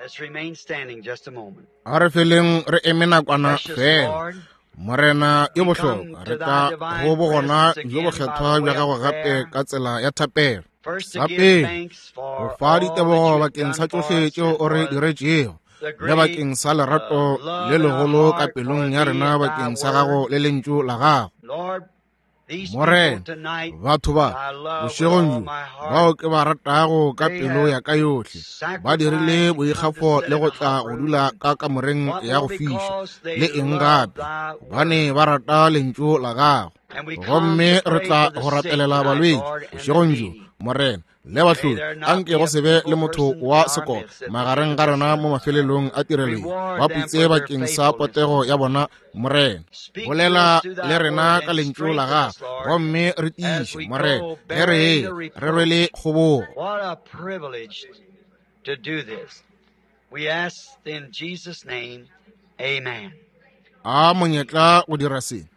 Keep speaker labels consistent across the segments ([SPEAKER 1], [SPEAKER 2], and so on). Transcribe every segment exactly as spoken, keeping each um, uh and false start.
[SPEAKER 1] Let's remain standing just a moment.
[SPEAKER 2] A re feleng re eme nakwana
[SPEAKER 1] Precious
[SPEAKER 2] fela.
[SPEAKER 1] Lord,
[SPEAKER 2] Morena yo
[SPEAKER 1] we
[SPEAKER 2] bohlokwa,
[SPEAKER 1] come
[SPEAKER 2] re
[SPEAKER 1] to thy
[SPEAKER 2] tla
[SPEAKER 1] divine
[SPEAKER 2] go bogona
[SPEAKER 1] presence
[SPEAKER 2] bjo
[SPEAKER 1] again by
[SPEAKER 2] bokgethwa
[SPEAKER 1] the
[SPEAKER 2] bja
[SPEAKER 1] way
[SPEAKER 2] gago
[SPEAKER 1] of
[SPEAKER 2] gape
[SPEAKER 1] prayer.
[SPEAKER 2] ka tsela ya thapelo.
[SPEAKER 1] First to
[SPEAKER 2] Sa
[SPEAKER 1] give
[SPEAKER 2] pele,
[SPEAKER 1] thanks
[SPEAKER 2] go
[SPEAKER 1] for
[SPEAKER 2] fa
[SPEAKER 1] all that
[SPEAKER 2] ditebogo
[SPEAKER 1] you have
[SPEAKER 2] bakeng
[SPEAKER 1] done
[SPEAKER 2] sa
[SPEAKER 1] for
[SPEAKER 2] tšohle
[SPEAKER 1] us
[SPEAKER 2] tšeo
[SPEAKER 1] and
[SPEAKER 2] o re
[SPEAKER 1] for
[SPEAKER 2] diretšego,
[SPEAKER 1] the
[SPEAKER 2] le
[SPEAKER 1] great
[SPEAKER 2] bakeng sa
[SPEAKER 1] uh,
[SPEAKER 2] lerato
[SPEAKER 1] love
[SPEAKER 2] le
[SPEAKER 1] in our
[SPEAKER 2] legolo ka
[SPEAKER 1] heart for
[SPEAKER 2] pelong ya
[SPEAKER 1] thee
[SPEAKER 2] rena
[SPEAKER 1] and thy
[SPEAKER 2] bakeng sa gago
[SPEAKER 1] word.
[SPEAKER 2] le lentšu la gago.
[SPEAKER 1] Lord, these people
[SPEAKER 2] Morena,
[SPEAKER 1] tonight
[SPEAKER 2] batho ba
[SPEAKER 1] I love with
[SPEAKER 2] bošegong
[SPEAKER 1] all
[SPEAKER 2] bjo
[SPEAKER 1] my heart.
[SPEAKER 2] bao ke ba ratago ka
[SPEAKER 1] They
[SPEAKER 2] pelo
[SPEAKER 1] have
[SPEAKER 2] ya ka yohle, ba dirile
[SPEAKER 1] sacrificed to come to
[SPEAKER 2] boikgafo
[SPEAKER 1] sit
[SPEAKER 2] le
[SPEAKER 1] in
[SPEAKER 2] go
[SPEAKER 1] a
[SPEAKER 2] tla
[SPEAKER 1] hot
[SPEAKER 2] go
[SPEAKER 1] room.
[SPEAKER 2] dula ka kamoreng
[SPEAKER 1] What
[SPEAKER 2] ya
[SPEAKER 1] more?
[SPEAKER 2] go fiša
[SPEAKER 1] Because
[SPEAKER 2] le
[SPEAKER 1] they
[SPEAKER 2] eng
[SPEAKER 1] love
[SPEAKER 2] gape,
[SPEAKER 1] thy
[SPEAKER 2] gobane
[SPEAKER 1] word.
[SPEAKER 2] ba rata lentšu la gago.
[SPEAKER 1] And we come
[SPEAKER 2] Gomme
[SPEAKER 1] to
[SPEAKER 2] re
[SPEAKER 1] pray
[SPEAKER 2] tla
[SPEAKER 1] for the
[SPEAKER 2] go
[SPEAKER 1] sick
[SPEAKER 2] rapelela
[SPEAKER 1] tonight,
[SPEAKER 2] balwetši
[SPEAKER 1] Lord, and the
[SPEAKER 2] bošegong bjo,
[SPEAKER 1] needy.
[SPEAKER 2] Morena, le
[SPEAKER 1] May
[SPEAKER 2] bahloki.
[SPEAKER 1] there not
[SPEAKER 2] Anke
[SPEAKER 1] be
[SPEAKER 2] go
[SPEAKER 1] a
[SPEAKER 2] se be le
[SPEAKER 1] feeble
[SPEAKER 2] motho
[SPEAKER 1] person in
[SPEAKER 2] wa
[SPEAKER 1] our
[SPEAKER 2] sekolo
[SPEAKER 1] midst that
[SPEAKER 2] magareng
[SPEAKER 1] needs
[SPEAKER 2] ga rena
[SPEAKER 1] us.
[SPEAKER 2] mo mafelelong a tirelo ye.
[SPEAKER 1] Reward
[SPEAKER 2] Ba
[SPEAKER 1] them
[SPEAKER 2] putse
[SPEAKER 1] for their
[SPEAKER 2] bakeng sa
[SPEAKER 1] faithfulness.
[SPEAKER 2] potego ya bona, Morena.
[SPEAKER 1] Speak to
[SPEAKER 2] Bolela
[SPEAKER 1] us through
[SPEAKER 2] le
[SPEAKER 1] thy
[SPEAKER 2] rena
[SPEAKER 1] word
[SPEAKER 2] ka
[SPEAKER 1] and
[SPEAKER 2] lentšu la
[SPEAKER 1] strengthen
[SPEAKER 2] gago,
[SPEAKER 1] us, Lord,
[SPEAKER 2] gomme re
[SPEAKER 1] as
[SPEAKER 2] tiiše,
[SPEAKER 1] we
[SPEAKER 2] Morena,
[SPEAKER 1] go
[SPEAKER 2] ge re
[SPEAKER 1] bearing
[SPEAKER 2] eya
[SPEAKER 1] the
[SPEAKER 2] re
[SPEAKER 1] reproach.
[SPEAKER 2] rwele kgobogo.
[SPEAKER 1] What a privilege to do this. We ask in Jesus' name, amen.
[SPEAKER 2] A monyetla go dira se.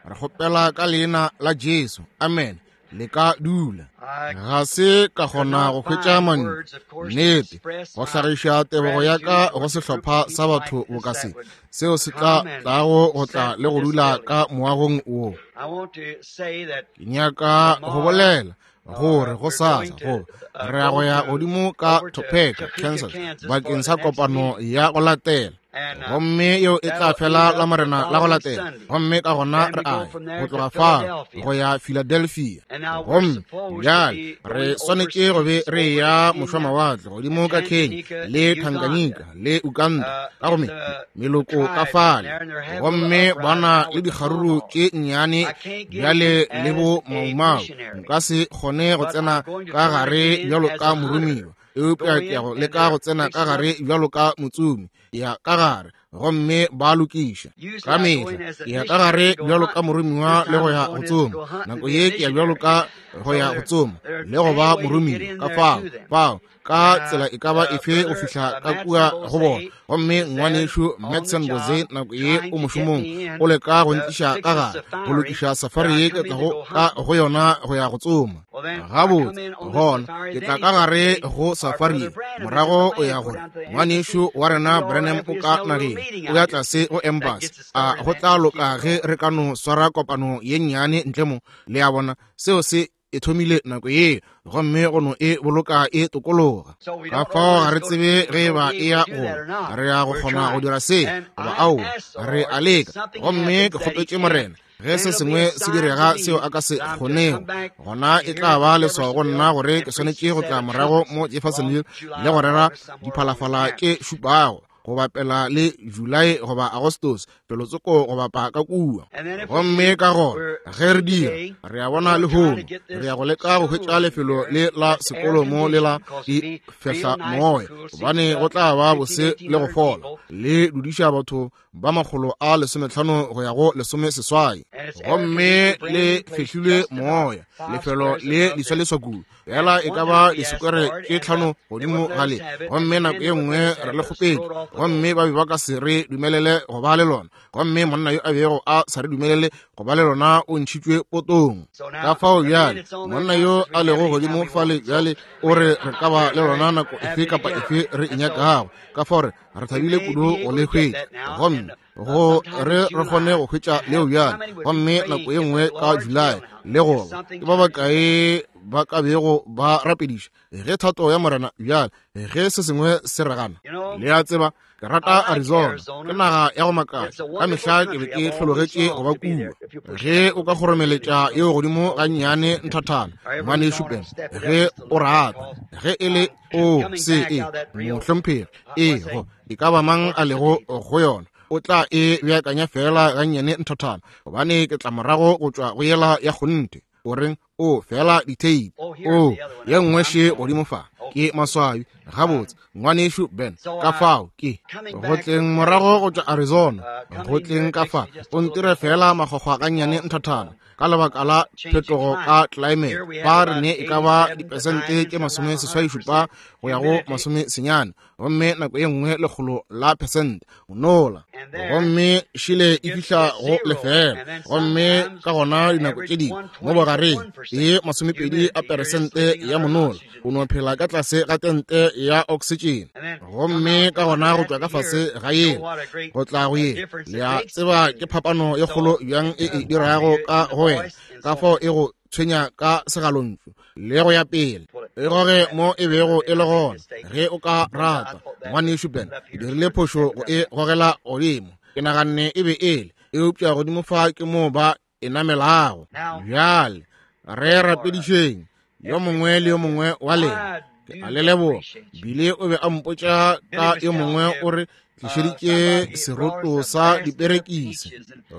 [SPEAKER 2] Re kgopela ka leina la Jesu. Amen. Le ka dula.
[SPEAKER 1] I
[SPEAKER 2] Ga se ka
[SPEAKER 1] could
[SPEAKER 2] kgona
[SPEAKER 1] not
[SPEAKER 2] go hwetša
[SPEAKER 1] find
[SPEAKER 2] mantšu,
[SPEAKER 1] words, of course, to
[SPEAKER 2] nnete,
[SPEAKER 1] express
[SPEAKER 2] go
[SPEAKER 1] my
[SPEAKER 2] hlagiša tebogo ya
[SPEAKER 1] gratitude
[SPEAKER 2] ka go
[SPEAKER 1] towards a group
[SPEAKER 2] sehlopha
[SPEAKER 1] of
[SPEAKER 2] sa
[SPEAKER 1] people like
[SPEAKER 2] batho
[SPEAKER 1] this
[SPEAKER 2] boka
[SPEAKER 1] that
[SPEAKER 2] se,
[SPEAKER 1] would
[SPEAKER 2] seo se tla
[SPEAKER 1] come and
[SPEAKER 2] tlago go tla
[SPEAKER 1] set
[SPEAKER 2] le go
[SPEAKER 1] this
[SPEAKER 2] dula
[SPEAKER 1] building.
[SPEAKER 2] ka moagong wo.
[SPEAKER 1] I want to say that
[SPEAKER 2] Ke nyaka go
[SPEAKER 1] tomorrow
[SPEAKER 2] bolela gore
[SPEAKER 1] uh,
[SPEAKER 2] go
[SPEAKER 1] we're
[SPEAKER 2] sasa
[SPEAKER 1] going to
[SPEAKER 2] gore
[SPEAKER 1] uh,
[SPEAKER 2] re ya go
[SPEAKER 1] go
[SPEAKER 2] ya
[SPEAKER 1] to
[SPEAKER 2] godimo ka
[SPEAKER 1] over to
[SPEAKER 2] Topeka,
[SPEAKER 1] Topeka,
[SPEAKER 2] Kansas,
[SPEAKER 1] Kansas for
[SPEAKER 2] bakeng
[SPEAKER 1] the
[SPEAKER 2] sa
[SPEAKER 1] next
[SPEAKER 2] kopano
[SPEAKER 1] meeting.
[SPEAKER 2] ya go latela.
[SPEAKER 1] And uh,
[SPEAKER 2] Gomme yeo e tla
[SPEAKER 1] that'll
[SPEAKER 2] fela
[SPEAKER 1] end
[SPEAKER 2] la
[SPEAKER 1] up the
[SPEAKER 2] Morena la go
[SPEAKER 1] following
[SPEAKER 2] latela.
[SPEAKER 1] Sunday.
[SPEAKER 2] Gomme ka gona
[SPEAKER 1] Then
[SPEAKER 2] re
[SPEAKER 1] we go
[SPEAKER 2] a ya
[SPEAKER 1] from
[SPEAKER 2] go
[SPEAKER 1] there to
[SPEAKER 2] tloga fao
[SPEAKER 1] Philadelphia.
[SPEAKER 2] go ya Philadelphia.
[SPEAKER 1] And now we're
[SPEAKER 2] Gomme
[SPEAKER 1] supposed to
[SPEAKER 2] bjale
[SPEAKER 1] be
[SPEAKER 2] re
[SPEAKER 1] going
[SPEAKER 2] swanetše go be
[SPEAKER 1] overseas
[SPEAKER 2] re
[SPEAKER 1] over to
[SPEAKER 2] ya
[SPEAKER 1] Kenya
[SPEAKER 2] mošwamawatle godimo
[SPEAKER 1] and
[SPEAKER 2] ka Kenya
[SPEAKER 1] Tanganyika
[SPEAKER 2] le
[SPEAKER 1] and Uganda.
[SPEAKER 2] Tanganyika le Uganda
[SPEAKER 1] Uh,
[SPEAKER 2] ka go
[SPEAKER 1] in
[SPEAKER 2] me
[SPEAKER 1] the
[SPEAKER 2] meloko ka
[SPEAKER 1] tribes down
[SPEAKER 2] fale.
[SPEAKER 1] there, and they're having little
[SPEAKER 2] Gomme ba
[SPEAKER 1] uprising
[SPEAKER 2] na
[SPEAKER 1] now
[SPEAKER 2] le
[SPEAKER 1] with the
[SPEAKER 2] dikgaruru
[SPEAKER 1] Tomahawks.
[SPEAKER 2] tše nnyane
[SPEAKER 1] I can't get
[SPEAKER 2] bjale
[SPEAKER 1] in
[SPEAKER 2] le
[SPEAKER 1] as
[SPEAKER 2] bo
[SPEAKER 1] a
[SPEAKER 2] maumau.
[SPEAKER 1] missionary,
[SPEAKER 2] Nka se kgone go
[SPEAKER 1] but
[SPEAKER 2] tsena
[SPEAKER 1] I'm going to
[SPEAKER 2] ka
[SPEAKER 1] try to
[SPEAKER 2] gare
[SPEAKER 1] get in
[SPEAKER 2] bjalo
[SPEAKER 1] as
[SPEAKER 2] ka
[SPEAKER 1] a hunter.
[SPEAKER 2] moromiwa, eupša
[SPEAKER 1] Go
[SPEAKER 2] ke ya
[SPEAKER 1] in
[SPEAKER 2] go
[SPEAKER 1] and
[SPEAKER 2] leka
[SPEAKER 1] they're
[SPEAKER 2] go tsena ka
[SPEAKER 1] fixing up.
[SPEAKER 2] gare bjalo ka motsomi. Ke ya ka gare gomme ba lokiša.
[SPEAKER 1] Usually
[SPEAKER 2] Ka
[SPEAKER 1] I go
[SPEAKER 2] mehla
[SPEAKER 1] in as a
[SPEAKER 2] ke ya ka
[SPEAKER 1] missionary
[SPEAKER 2] gare
[SPEAKER 1] to go
[SPEAKER 2] bjalo ka
[SPEAKER 1] hunting.
[SPEAKER 2] moromiwa
[SPEAKER 1] This
[SPEAKER 2] le
[SPEAKER 1] time
[SPEAKER 2] go
[SPEAKER 1] I'm
[SPEAKER 2] ya go
[SPEAKER 1] going in to
[SPEAKER 2] tsoma.
[SPEAKER 1] go hunting
[SPEAKER 2] Nako
[SPEAKER 1] to be a
[SPEAKER 2] ye ke ya bjalo
[SPEAKER 1] missionary.
[SPEAKER 2] ka go
[SPEAKER 1] So
[SPEAKER 2] ya go
[SPEAKER 1] they're
[SPEAKER 2] tsoma
[SPEAKER 1] they're
[SPEAKER 2] le go ba
[SPEAKER 1] any way to get
[SPEAKER 2] moromiwa.
[SPEAKER 1] in
[SPEAKER 2] Ka
[SPEAKER 1] there
[SPEAKER 2] fao
[SPEAKER 1] to them.
[SPEAKER 2] fao ka
[SPEAKER 1] And
[SPEAKER 2] tsela
[SPEAKER 1] uh,
[SPEAKER 2] e ka ba
[SPEAKER 1] uh,
[SPEAKER 2] efe go
[SPEAKER 1] Brother
[SPEAKER 2] fihla
[SPEAKER 1] uh,
[SPEAKER 2] ka
[SPEAKER 1] Matson
[SPEAKER 2] kua go bona.
[SPEAKER 1] Bose
[SPEAKER 2] Gomme
[SPEAKER 1] is there
[SPEAKER 2] ngwanešu
[SPEAKER 1] on the
[SPEAKER 2] Matson Bose
[SPEAKER 1] job
[SPEAKER 2] nako ye
[SPEAKER 1] trying
[SPEAKER 2] o
[SPEAKER 1] to get
[SPEAKER 2] mošomong
[SPEAKER 1] me
[SPEAKER 2] o
[SPEAKER 1] in
[SPEAKER 2] leka go
[SPEAKER 1] to
[SPEAKER 2] ntliša
[SPEAKER 1] fix
[SPEAKER 2] ka
[SPEAKER 1] a
[SPEAKER 2] gare go
[SPEAKER 1] safari
[SPEAKER 2] lokiša
[SPEAKER 1] that
[SPEAKER 2] safari
[SPEAKER 1] I
[SPEAKER 2] ye ke
[SPEAKER 1] come in to
[SPEAKER 2] tlago
[SPEAKER 1] go
[SPEAKER 2] ka
[SPEAKER 1] hunting.
[SPEAKER 2] go yona go ya go tsoma.
[SPEAKER 1] Well, then I come
[SPEAKER 2] Gabotse
[SPEAKER 1] in on this
[SPEAKER 2] gona
[SPEAKER 1] safari.
[SPEAKER 2] ke
[SPEAKER 1] Then
[SPEAKER 2] tla
[SPEAKER 1] he
[SPEAKER 2] ka
[SPEAKER 1] says to
[SPEAKER 2] gare
[SPEAKER 1] me,
[SPEAKER 2] go
[SPEAKER 1] Our
[SPEAKER 2] safari
[SPEAKER 1] brother
[SPEAKER 2] ye.
[SPEAKER 1] Branham is in the
[SPEAKER 2] Morago o
[SPEAKER 1] land.
[SPEAKER 2] ya
[SPEAKER 1] Go
[SPEAKER 2] gore
[SPEAKER 1] down to the embassy.
[SPEAKER 2] ngwanešu wa
[SPEAKER 1] It'd
[SPEAKER 2] rena
[SPEAKER 1] be all right
[SPEAKER 2] Branham
[SPEAKER 1] if
[SPEAKER 2] o
[SPEAKER 1] we just
[SPEAKER 2] ka
[SPEAKER 1] held a little
[SPEAKER 2] nageng
[SPEAKER 1] meeting
[SPEAKER 2] o
[SPEAKER 1] out
[SPEAKER 2] ya
[SPEAKER 1] here.
[SPEAKER 2] tlase go
[SPEAKER 1] That
[SPEAKER 2] embassy.
[SPEAKER 1] gets us
[SPEAKER 2] A
[SPEAKER 1] started
[SPEAKER 2] go
[SPEAKER 1] that
[SPEAKER 2] tla
[SPEAKER 1] and just keeps
[SPEAKER 2] loka
[SPEAKER 1] it
[SPEAKER 2] ge
[SPEAKER 1] going.
[SPEAKER 2] re ka no swara kopano ye nnyane ntle mo. Le a bona seo se e thomile nako ye gomme go no e boloka e tokologa.
[SPEAKER 1] So we
[SPEAKER 2] Ka
[SPEAKER 1] don't know
[SPEAKER 2] fao
[SPEAKER 1] whether
[SPEAKER 2] ga
[SPEAKER 1] it's
[SPEAKER 2] re
[SPEAKER 1] going
[SPEAKER 2] tsebe
[SPEAKER 1] to
[SPEAKER 2] ge e
[SPEAKER 1] we're going to
[SPEAKER 2] ba
[SPEAKER 1] be
[SPEAKER 2] e
[SPEAKER 1] able
[SPEAKER 2] ya
[SPEAKER 1] to do
[SPEAKER 2] go
[SPEAKER 1] that or not.
[SPEAKER 2] re ya go
[SPEAKER 1] We're
[SPEAKER 2] kgona go
[SPEAKER 1] trying.
[SPEAKER 2] dira se
[SPEAKER 1] And
[SPEAKER 2] goba
[SPEAKER 1] I've
[SPEAKER 2] aowa,
[SPEAKER 1] asked the
[SPEAKER 2] re
[SPEAKER 1] Lord
[SPEAKER 2] a
[SPEAKER 1] if
[SPEAKER 2] leka.
[SPEAKER 1] something
[SPEAKER 2] Gomme
[SPEAKER 1] happens
[SPEAKER 2] ke
[SPEAKER 1] that he
[SPEAKER 2] kgopetše
[SPEAKER 1] can't,
[SPEAKER 2] Morena ge
[SPEAKER 1] then
[SPEAKER 2] se
[SPEAKER 1] it'll be
[SPEAKER 2] sengwe
[SPEAKER 1] a
[SPEAKER 2] se
[SPEAKER 1] sign to
[SPEAKER 2] direga
[SPEAKER 1] me
[SPEAKER 2] seo a ka se
[SPEAKER 1] that I'm to come
[SPEAKER 2] kgonego,
[SPEAKER 1] back
[SPEAKER 2] gona e
[SPEAKER 1] here
[SPEAKER 2] tla
[SPEAKER 1] to
[SPEAKER 2] ba leswao go nna
[SPEAKER 1] Jeffersonville
[SPEAKER 2] gore
[SPEAKER 1] and
[SPEAKER 2] ke
[SPEAKER 1] preach
[SPEAKER 2] swanetše
[SPEAKER 1] the
[SPEAKER 2] go tla
[SPEAKER 1] seven
[SPEAKER 2] morago
[SPEAKER 1] trumpets
[SPEAKER 2] mo
[SPEAKER 1] along
[SPEAKER 2] Jeffersonville
[SPEAKER 1] July
[SPEAKER 2] le go
[SPEAKER 1] or
[SPEAKER 2] rera
[SPEAKER 1] August, somewhere along in
[SPEAKER 2] diphalafala
[SPEAKER 1] there.
[SPEAKER 2] tše šupago go bapela le Julae goba Agostose felotsoko go bapa ka kua.
[SPEAKER 1] And then if we
[SPEAKER 2] Gomme
[SPEAKER 1] do,
[SPEAKER 2] ka gona
[SPEAKER 1] we're
[SPEAKER 2] ge re dira
[SPEAKER 1] today
[SPEAKER 2] re a
[SPEAKER 1] we're
[SPEAKER 2] bona
[SPEAKER 1] going to try to
[SPEAKER 2] lehono
[SPEAKER 1] get
[SPEAKER 2] re
[SPEAKER 1] this
[SPEAKER 2] ya go leka go hwetša
[SPEAKER 1] schoolroom
[SPEAKER 2] lefelo
[SPEAKER 1] here
[SPEAKER 2] le la
[SPEAKER 1] that's air
[SPEAKER 2] sekolo mo le la
[SPEAKER 1] conditioned because
[SPEAKER 2] di
[SPEAKER 1] it'd be real
[SPEAKER 2] fehla
[SPEAKER 1] nice and
[SPEAKER 2] moya,
[SPEAKER 1] cool seats
[SPEAKER 2] gobane go
[SPEAKER 1] up
[SPEAKER 2] tla ba
[SPEAKER 1] fifteen,
[SPEAKER 2] bose
[SPEAKER 1] eighteen
[SPEAKER 2] le go
[SPEAKER 1] hundred
[SPEAKER 2] fola.
[SPEAKER 1] people.
[SPEAKER 2] Le dudiša batho ba makgolo a lesometlhano go ya go lesomeseswai.
[SPEAKER 1] And it's air
[SPEAKER 2] Gomme
[SPEAKER 1] conditioned, brand
[SPEAKER 2] le
[SPEAKER 1] new place,
[SPEAKER 2] fehlilwe
[SPEAKER 1] just about
[SPEAKER 2] moya,
[SPEAKER 1] five
[SPEAKER 2] lefelo
[SPEAKER 1] squares
[SPEAKER 2] le
[SPEAKER 1] above
[SPEAKER 2] leswa
[SPEAKER 1] this.
[SPEAKER 2] leswa kudu,
[SPEAKER 1] And
[SPEAKER 2] fela e
[SPEAKER 1] one
[SPEAKER 2] ka
[SPEAKER 1] time
[SPEAKER 2] ba
[SPEAKER 1] we asked
[SPEAKER 2] disekwere
[SPEAKER 1] for it,
[SPEAKER 2] tše
[SPEAKER 1] and uh,
[SPEAKER 2] tlhano
[SPEAKER 1] they
[SPEAKER 2] godimo
[SPEAKER 1] wouldn't
[SPEAKER 2] ga
[SPEAKER 1] let us
[SPEAKER 2] le.
[SPEAKER 1] have it.
[SPEAKER 2] Gomme
[SPEAKER 1] And
[SPEAKER 2] nako
[SPEAKER 1] then
[SPEAKER 2] ye
[SPEAKER 1] they wouldn't
[SPEAKER 2] nngwe
[SPEAKER 1] let us
[SPEAKER 2] re
[SPEAKER 1] have
[SPEAKER 2] le
[SPEAKER 1] it. It was
[SPEAKER 2] kgopetše,
[SPEAKER 1] thrown off the
[SPEAKER 2] gomme
[SPEAKER 1] board.
[SPEAKER 2] ba be ba ka se re dumelele go ba le lona. Gomme monna yo a bego a sa re dumelele go ba le lona o ntšhitšwe potong.
[SPEAKER 1] So
[SPEAKER 2] Ka
[SPEAKER 1] now
[SPEAKER 2] fao
[SPEAKER 1] the
[SPEAKER 2] bjale
[SPEAKER 1] minute's on there
[SPEAKER 2] monna
[SPEAKER 1] now
[SPEAKER 2] yo
[SPEAKER 1] says we
[SPEAKER 2] a
[SPEAKER 1] can have
[SPEAKER 2] lego
[SPEAKER 1] it anytime
[SPEAKER 2] godimo
[SPEAKER 1] we want
[SPEAKER 2] fale
[SPEAKER 1] it. So
[SPEAKER 2] bjale o
[SPEAKER 1] we
[SPEAKER 2] re re ka ba
[SPEAKER 1] we're
[SPEAKER 2] le
[SPEAKER 1] very
[SPEAKER 2] lona nako efe
[SPEAKER 1] happy to
[SPEAKER 2] kapa
[SPEAKER 1] get it.
[SPEAKER 2] efe re e
[SPEAKER 1] And so
[SPEAKER 2] nyakago. Ka fao re re
[SPEAKER 1] we
[SPEAKER 2] thabile
[SPEAKER 1] may
[SPEAKER 2] kudu
[SPEAKER 1] be
[SPEAKER 2] go
[SPEAKER 1] able
[SPEAKER 2] le
[SPEAKER 1] to get
[SPEAKER 2] hwetša.
[SPEAKER 1] that now
[SPEAKER 2] Gomme
[SPEAKER 1] and uh,
[SPEAKER 2] go
[SPEAKER 1] sometime
[SPEAKER 2] re
[SPEAKER 1] in
[SPEAKER 2] re kgone
[SPEAKER 1] July
[SPEAKER 2] go hwetša
[SPEAKER 1] and
[SPEAKER 2] leo
[SPEAKER 1] have how
[SPEAKER 2] bjale.
[SPEAKER 1] many would be
[SPEAKER 2] Gomme
[SPEAKER 1] praying
[SPEAKER 2] nako ye
[SPEAKER 1] if
[SPEAKER 2] nngwe
[SPEAKER 1] the
[SPEAKER 2] ka
[SPEAKER 1] Lord's
[SPEAKER 2] Julae
[SPEAKER 1] will now,
[SPEAKER 2] le
[SPEAKER 1] if
[SPEAKER 2] goba
[SPEAKER 1] something
[SPEAKER 2] ke ba
[SPEAKER 1] turns around.
[SPEAKER 2] bakae ba ka bego ba rapediša ge thato ya Morena bjale ge se sengwe se re gana.
[SPEAKER 1] You know,
[SPEAKER 2] Le a tseba ke
[SPEAKER 1] I
[SPEAKER 2] rata
[SPEAKER 1] like
[SPEAKER 2] Arizona, ke
[SPEAKER 1] Arizona.
[SPEAKER 2] naga ya go
[SPEAKER 1] It's
[SPEAKER 2] makatša.
[SPEAKER 1] a
[SPEAKER 2] Ka
[SPEAKER 1] wonderful
[SPEAKER 2] mehla ke be
[SPEAKER 1] country.
[SPEAKER 2] ke
[SPEAKER 1] I've always
[SPEAKER 2] hlologetše go
[SPEAKER 1] longed
[SPEAKER 2] ba
[SPEAKER 1] to be
[SPEAKER 2] kua.
[SPEAKER 1] there. If you push it
[SPEAKER 2] Ge
[SPEAKER 1] up a
[SPEAKER 2] o ka
[SPEAKER 1] little bit,
[SPEAKER 2] kgoromeletša
[SPEAKER 1] it'll
[SPEAKER 2] yeo
[SPEAKER 1] go.
[SPEAKER 2] godimo gannyane nthathana
[SPEAKER 1] Or every
[SPEAKER 2] ngwanešu
[SPEAKER 1] corner,
[SPEAKER 2] Ben,
[SPEAKER 1] step it up
[SPEAKER 2] ge
[SPEAKER 1] just a
[SPEAKER 2] o
[SPEAKER 1] little bit
[SPEAKER 2] rata
[SPEAKER 1] because
[SPEAKER 2] ge e le
[SPEAKER 1] I'm
[SPEAKER 2] o
[SPEAKER 1] coming
[SPEAKER 2] se
[SPEAKER 1] back
[SPEAKER 2] e
[SPEAKER 1] out of that real,
[SPEAKER 2] mohlomphegi
[SPEAKER 1] uh,
[SPEAKER 2] e
[SPEAKER 1] what's that,
[SPEAKER 2] go e ka ba mang a lego
[SPEAKER 1] orchestra
[SPEAKER 2] go yona o tla e beakanya fela gannyane nthathana, gobane ke tla morago go tšwa go yela ya kgonthe. O reng o fela ditheipi
[SPEAKER 1] Oh, here's
[SPEAKER 2] o
[SPEAKER 1] the other one.
[SPEAKER 2] ye nngwe
[SPEAKER 1] I'm
[SPEAKER 2] še
[SPEAKER 1] sorry.
[SPEAKER 2] godimo fa
[SPEAKER 1] Okay.
[SPEAKER 2] ke maswabi. Gabotse ngwanešu Ben,
[SPEAKER 1] So
[SPEAKER 2] ka
[SPEAKER 1] I
[SPEAKER 2] fao ke
[SPEAKER 1] coming
[SPEAKER 2] go
[SPEAKER 1] back
[SPEAKER 2] tleng
[SPEAKER 1] from
[SPEAKER 2] morago
[SPEAKER 1] Arizona,
[SPEAKER 2] go tšwa Arizona
[SPEAKER 1] uh,
[SPEAKER 2] go
[SPEAKER 1] coming in here,
[SPEAKER 2] tleng
[SPEAKER 1] it
[SPEAKER 2] ka
[SPEAKER 1] makes
[SPEAKER 2] fa
[SPEAKER 1] me just a
[SPEAKER 2] o
[SPEAKER 1] little
[SPEAKER 2] ntire
[SPEAKER 1] bit
[SPEAKER 2] fela
[SPEAKER 1] hoarse
[SPEAKER 2] makgwakgwa gannyane
[SPEAKER 1] because
[SPEAKER 2] nthathana
[SPEAKER 1] uh,
[SPEAKER 2] ka lebaka la phetogo ka climate. Ba re ne e ka ba dipesente tše masome seswai šupa go ya go masome senyane, gomme nako ye nngwe lekgolo la pesente monola, gomme šile e fihla go lefela, gomme ka gona dinako tše dingwe mo bogareng e masomepedi a peresente ya monola. O no phela ka tlase ga tente ya oxygen, gomme ka gona go tšwa ka fase ga yela go tla go ye. Le a tseba ke phapano ye kgolo bjang e e dirago ka go wena, ka fao e go tshwenya ka segalontšu le go ya pele. E goge mo e bego e le gona ge o ka rata. Ngwanešu Ben, ke dirile phošo go e gogela godimo, ke naganne e be ele, eupša godimo fa ke mo ba e namelago. Bjale re rapedišeng yo mongwe le yo mongwe wa lena. Ke a le leboga. Bile o be a mpotša ka yo mongwe o re tlišeditše seroto sa diperekisi,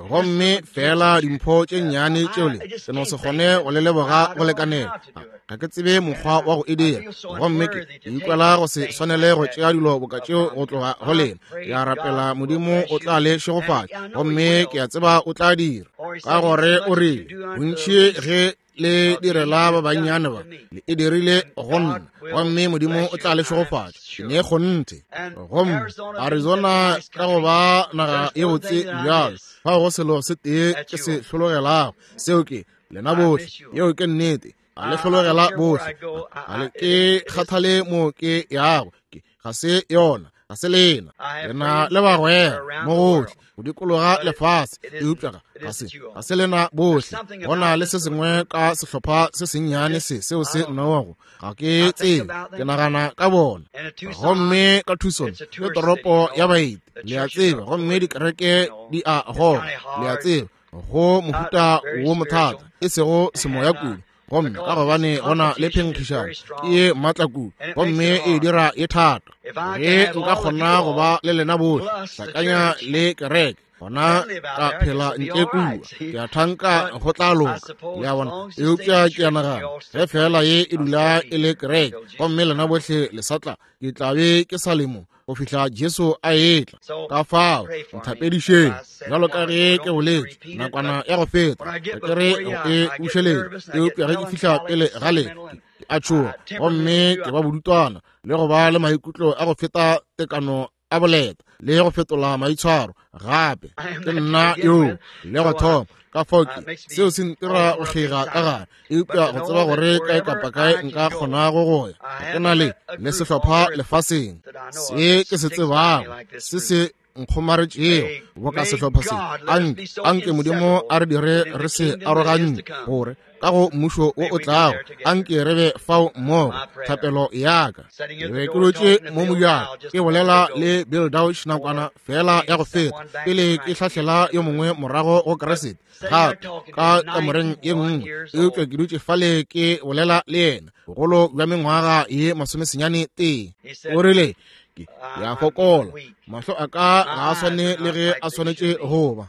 [SPEAKER 2] gomme fela dimpho tše nnyane tšeole ke no se kgone go le leboga go lekanela. Ga ke tsebe mokgwa wa go e dira, gomme ke ikwela go se swanele go tšea dilo boka tšeo go tloga go lena. Ke a rapela Modimo o tla le šegofatša, gomme ke a tseba o tla dira, ka gore o rile bontši ge le direla ba bannyane ba le e dirile go nna, gomme Modimo o tla le šegofatša. Ke ne kgonthe. Gomme Arizona ka go ba naga ye botse bjalo, fao go selo se tee ke se hlologelago, seo ke lena bohle. Yeo ke nnete. A le hlologela bohle. A le ke kgathale mo ke yago, ke ga se yona, ga se lena. Lena le bagwera mo gohle go dikologa lefase, eupša ga se ga se lena bohle. Go na le se sengwe ka sehlopha se sennyane se seo se nnogo, ga ke tsebe, ke nagana ka bona. Gomme ka Tucson ke toropo ya baeti, le a tseba, gomme dikereke di a goga, le a tseba, go mohuta wo mothata, e sego semoya kudu. Gomme ka gobane go na le phenkgišano ke ye maatla kudu, gomme e dira ye thata. Ge nka kgona go ba le lena bohle, hlakanya le kereke, gona ka phela ntle kua, ke a thanka go tla loka, le a bona. Eupša ke a nagana ge fela ye e dula e le kereke, gomme lena bohle le sa tla, ke tla be ke sa le mo go fihla Jesu a etla. Ka fao nthapedišeng, bjalo ka ge ke boletše nakwana ya go feta, ga ke re go e bušeletša, eupša ge ke fihla pele ga lena ke a tšhoga, gomme ke ba bodutwana le go ba le maikutlo a go feta tekano a boleta le go fetola maitshwaro gape. Ke nna yo le go thoma. Ka fao ke seo se ntira go kgega ka gare, eupša go tseba gore kae kapa kae nka kgonago go ya, ke na le le sehlopha lefaseng se ke se tsebago se se nkgomaretšego boka sehlopha se. Anke anke Modimo a re dire re se aroganye, gore ka go mmušo wo o tlago anke re be fao mmogo. Thapelo ya ka. Ke be ke dutše mo mojako ke bolela le Bill Dauch nakwana fela ya go feta pele ke hlahlela yo mongwe morago go Keresete gape ka kamoreng ye nngwe, eupša ke dutše fale ke bolela le yena bogolo bja mengwaga ye masomesenyane tee. O rile ke a fokola, mahlo a ka ga a swane le ge a swanetše go ba.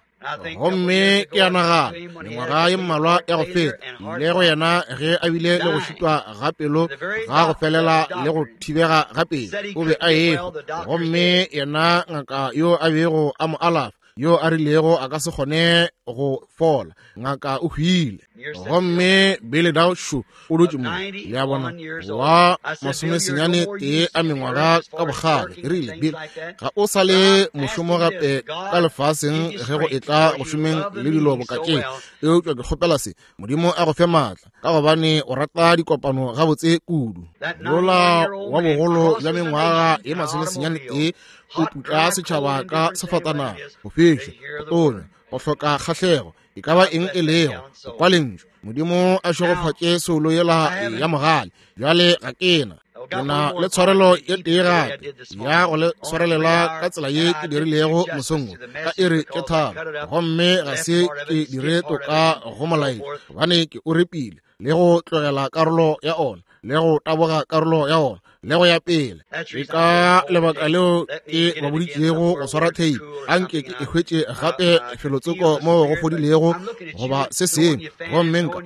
[SPEAKER 2] Gomme ke a nagana mengwaga ye mmalwa ya go feta ile go yena ge a bile le go šitwa ga pelo ga go felela le go thibega ga pelo, o be a ehwa. Gomme yena ngaka yo a bego a mo alafa, yo a rilego a ka se kgone go fola, ngaka o hwile. Gomme Billy Dauch o dutše mo, le a bona, wa masomesenyane tee a mengwaga ka bogale. Ke rile, Bill, ga o sa le mošomo gape ka lefaseng ge go etla go šomeng le dilo boka tše, eupša ke kgopela se, Modimo a go fe maatla, ka gobane o rata dikopano gabotse kudu. Yola wa bogolo bja mengwaga ye masomesenyane tee o putla setšhaba ka sefatanaga, go fiša, go tonya, go hloka kgahlego, e ka ba eng e lego, go kwa lentšu. Modimo a šegofatše soulo yela ya mogale. Bjale ga ke na ke na le tshwarelo ye tee gape ya go le swarelela ka tsela ye ke dirilego mosong wo ka iri tše tharo, gomme ga se ke dire toka go molaetša, gobane ke o repile le go tlogela karolo ya ona le go taboga karolo ya ona le go ya pele. Ke ka lebaka leo ke ba boditšego go swara tape, anke ke e hwetše gape felotsoko mo go fodilego goba se sengwe, gomme nka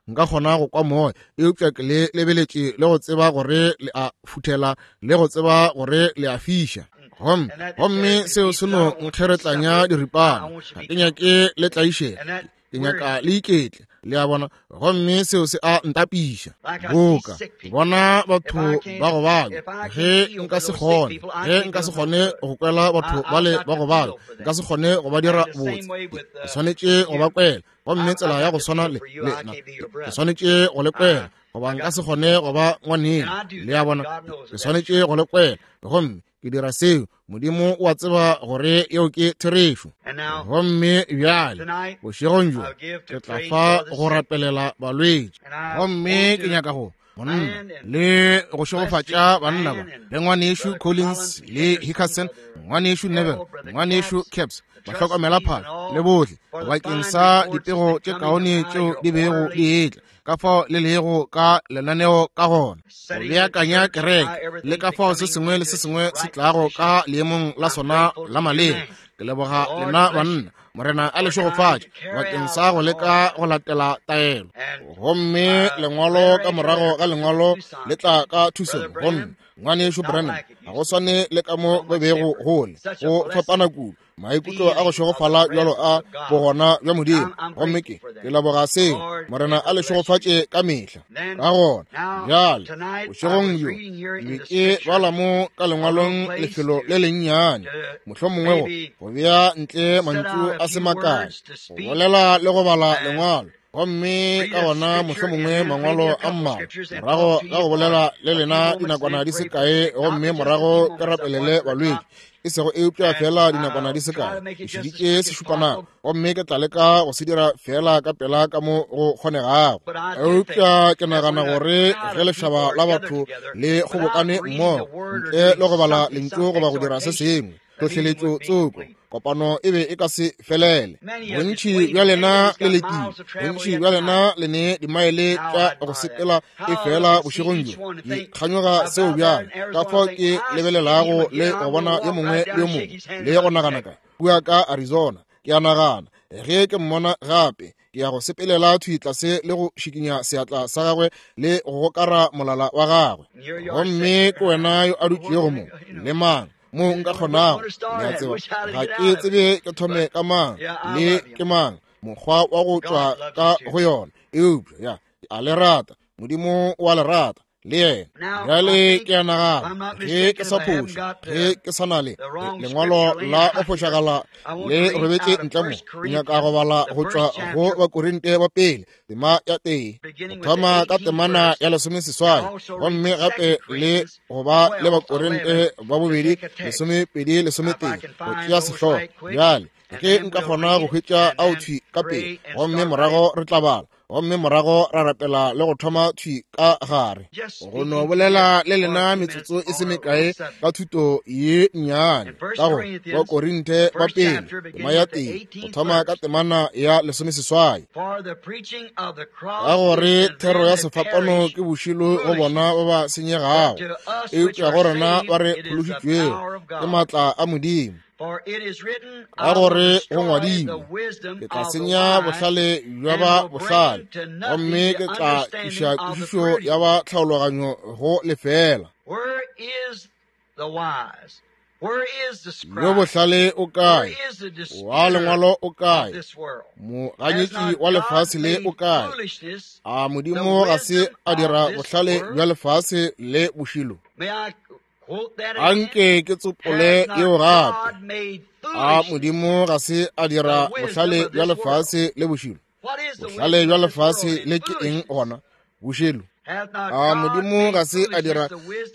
[SPEAKER 2] nka kgona go kwa moya, eupša ke le lebeletše le go tseba gore le a futhela le go tseba gore le a fiša. Gomme gomme seo se no nkgeretlanya diripana, ga ke nyake le tlaišega. Ke nyaka le iketle, le a bona, gomme seo se a ntapiša. Boka bona batho ba go babja, ge nka se kgone, ge nka se kgone go kwela batho bale ba go babja, nka se kgone go ba dira botse. Ke swanetše go ba kwela, gomme tsela ya go swana le lena, ke swanetše go le kwela, goba nka se kgone go ba ngwaneno, le a bona. Ke swanetše go le kwela, gomme ke dira seo. Modimo o a tseba gore yeo ke therešo. Gomme bjale bošegong bjo ke tla fa go rapelela balwetši, gomme ke nyaka go monna le go šegofatša banna ba le ngwanešu Collins le Hickerson, ngwanešu Neville, ngwanešu Caps, bahlokomela phahlo le bohle, bakeng sa dipego tše kaone tšeo di bego di etla, ka fao le lego ka lenaneo ka gona, go beakanya kereke, le ka fao se sengwe le se sengwe se tlago ka leemong la sona la maleba. Ke leboga lena banna, Morena a le šegofatše bakeng sa go leka go latela taelo. Gomme lengwalo ka morago ga lengwalo le tla ka thusong. Gomme ngwanešu Branham, ga go swane le ka mo go bego gole, go fapana kudu, maikutlo a go šegofala bjalo a bogona bja Modimo. Gomme ke ke leboga seo. Morena a le šegofatše ka mehla. Ka gona bjale bošegong bjo ke be ke bala mo ka lengwalong lefelo le lennyane, mohlomongwe go bea ntle mantšu a se makae, go bolela le go bala lengwalo, gomme ka gona mohlomongwe mangwalo a mmalwa, morago ka go bolela le lena dinakwana di se kae, gomme morago ke rapelele balwetši, e sego eupša fela dinakwana di se kae. Ke šeditše sešupanako, gomme ke tla leka go se dira fela ka pela ka mo go kgonegago. Eupša ke nagana gore ge lešaba la batho le kgobokane mmogo, ntle le go bala lentšu goba go dira se sengwe, tlhohleletšo tsoko, kopano e be e ka se felele. Bontši bja lena le lekile, bontši bja lena le ne dimaele tša go sepela e fela bošegong bjo. Ke kganyoga seo bjale, ka fao ke lebelelago le go bona yo mongwe le yo mongwe, le go nagana ka kua ka Arizona. Ke a nagana ge ke mmona gape, ke ya go sepelela thwi tlase le go šikinya seatla sa gagwe le go gokara molala wa gagwe. Gomme ke wena yo a dutšego mo, le mang mo nka kgonago, le a tseba, ga ke tsebe ke thome ka mang le ke mang, mokgwa wa go tšwa ka go yona. Eupša ya, a le rata, Modimo o a le rata le yena. Bjale ke a nagana ge ke sa phoša, ge ke sa na le lengwalo la go phošagala le robetše ntle mo, ke nyaka go bala go tšwa go Bakorinte ba pele tema ya tee, go thoma ka temana ya lesomeseswai, gomme gape le go ba le Bakorinte ba bobedi lesomepedi lesometee, go tšea sehlogo. Bjale ge nka kgona go hwetša ao thwi ka pele, gomme morago re tla bala, gomme morago ra rapela le go thoma thwi ka gare. Go no bolela le lena metsotso e se mekae ka thuto ye nnyane ka go Bakorinte ba pele tema ya tee, go thoma ka temana ya lesomeseswai. Ka gore thero ya sefapano ke bošilo go bona ba ba senyegago, eupša go rena ba re phološitšwego ke maatla a Modimo. Ka gore go ngwadilwe, ke tla senya bohlale bja ba bohlale, gomme ke tla tliša kwešišo ya ba tlhaologanyo go lefela. Yo bohlale o kae? Wa lengwalo o kae? Moganyetši wa lefase le o kae? A Modimo ga se a dira bohlale bja lefase le bošilo? Anke ke tsopole yeo gape. A Modimo ga se a dira bohlale bja lefase le bošilo? Bohlale bja lefase le ke eng gona? Bošilo. A Modimo ga se a dira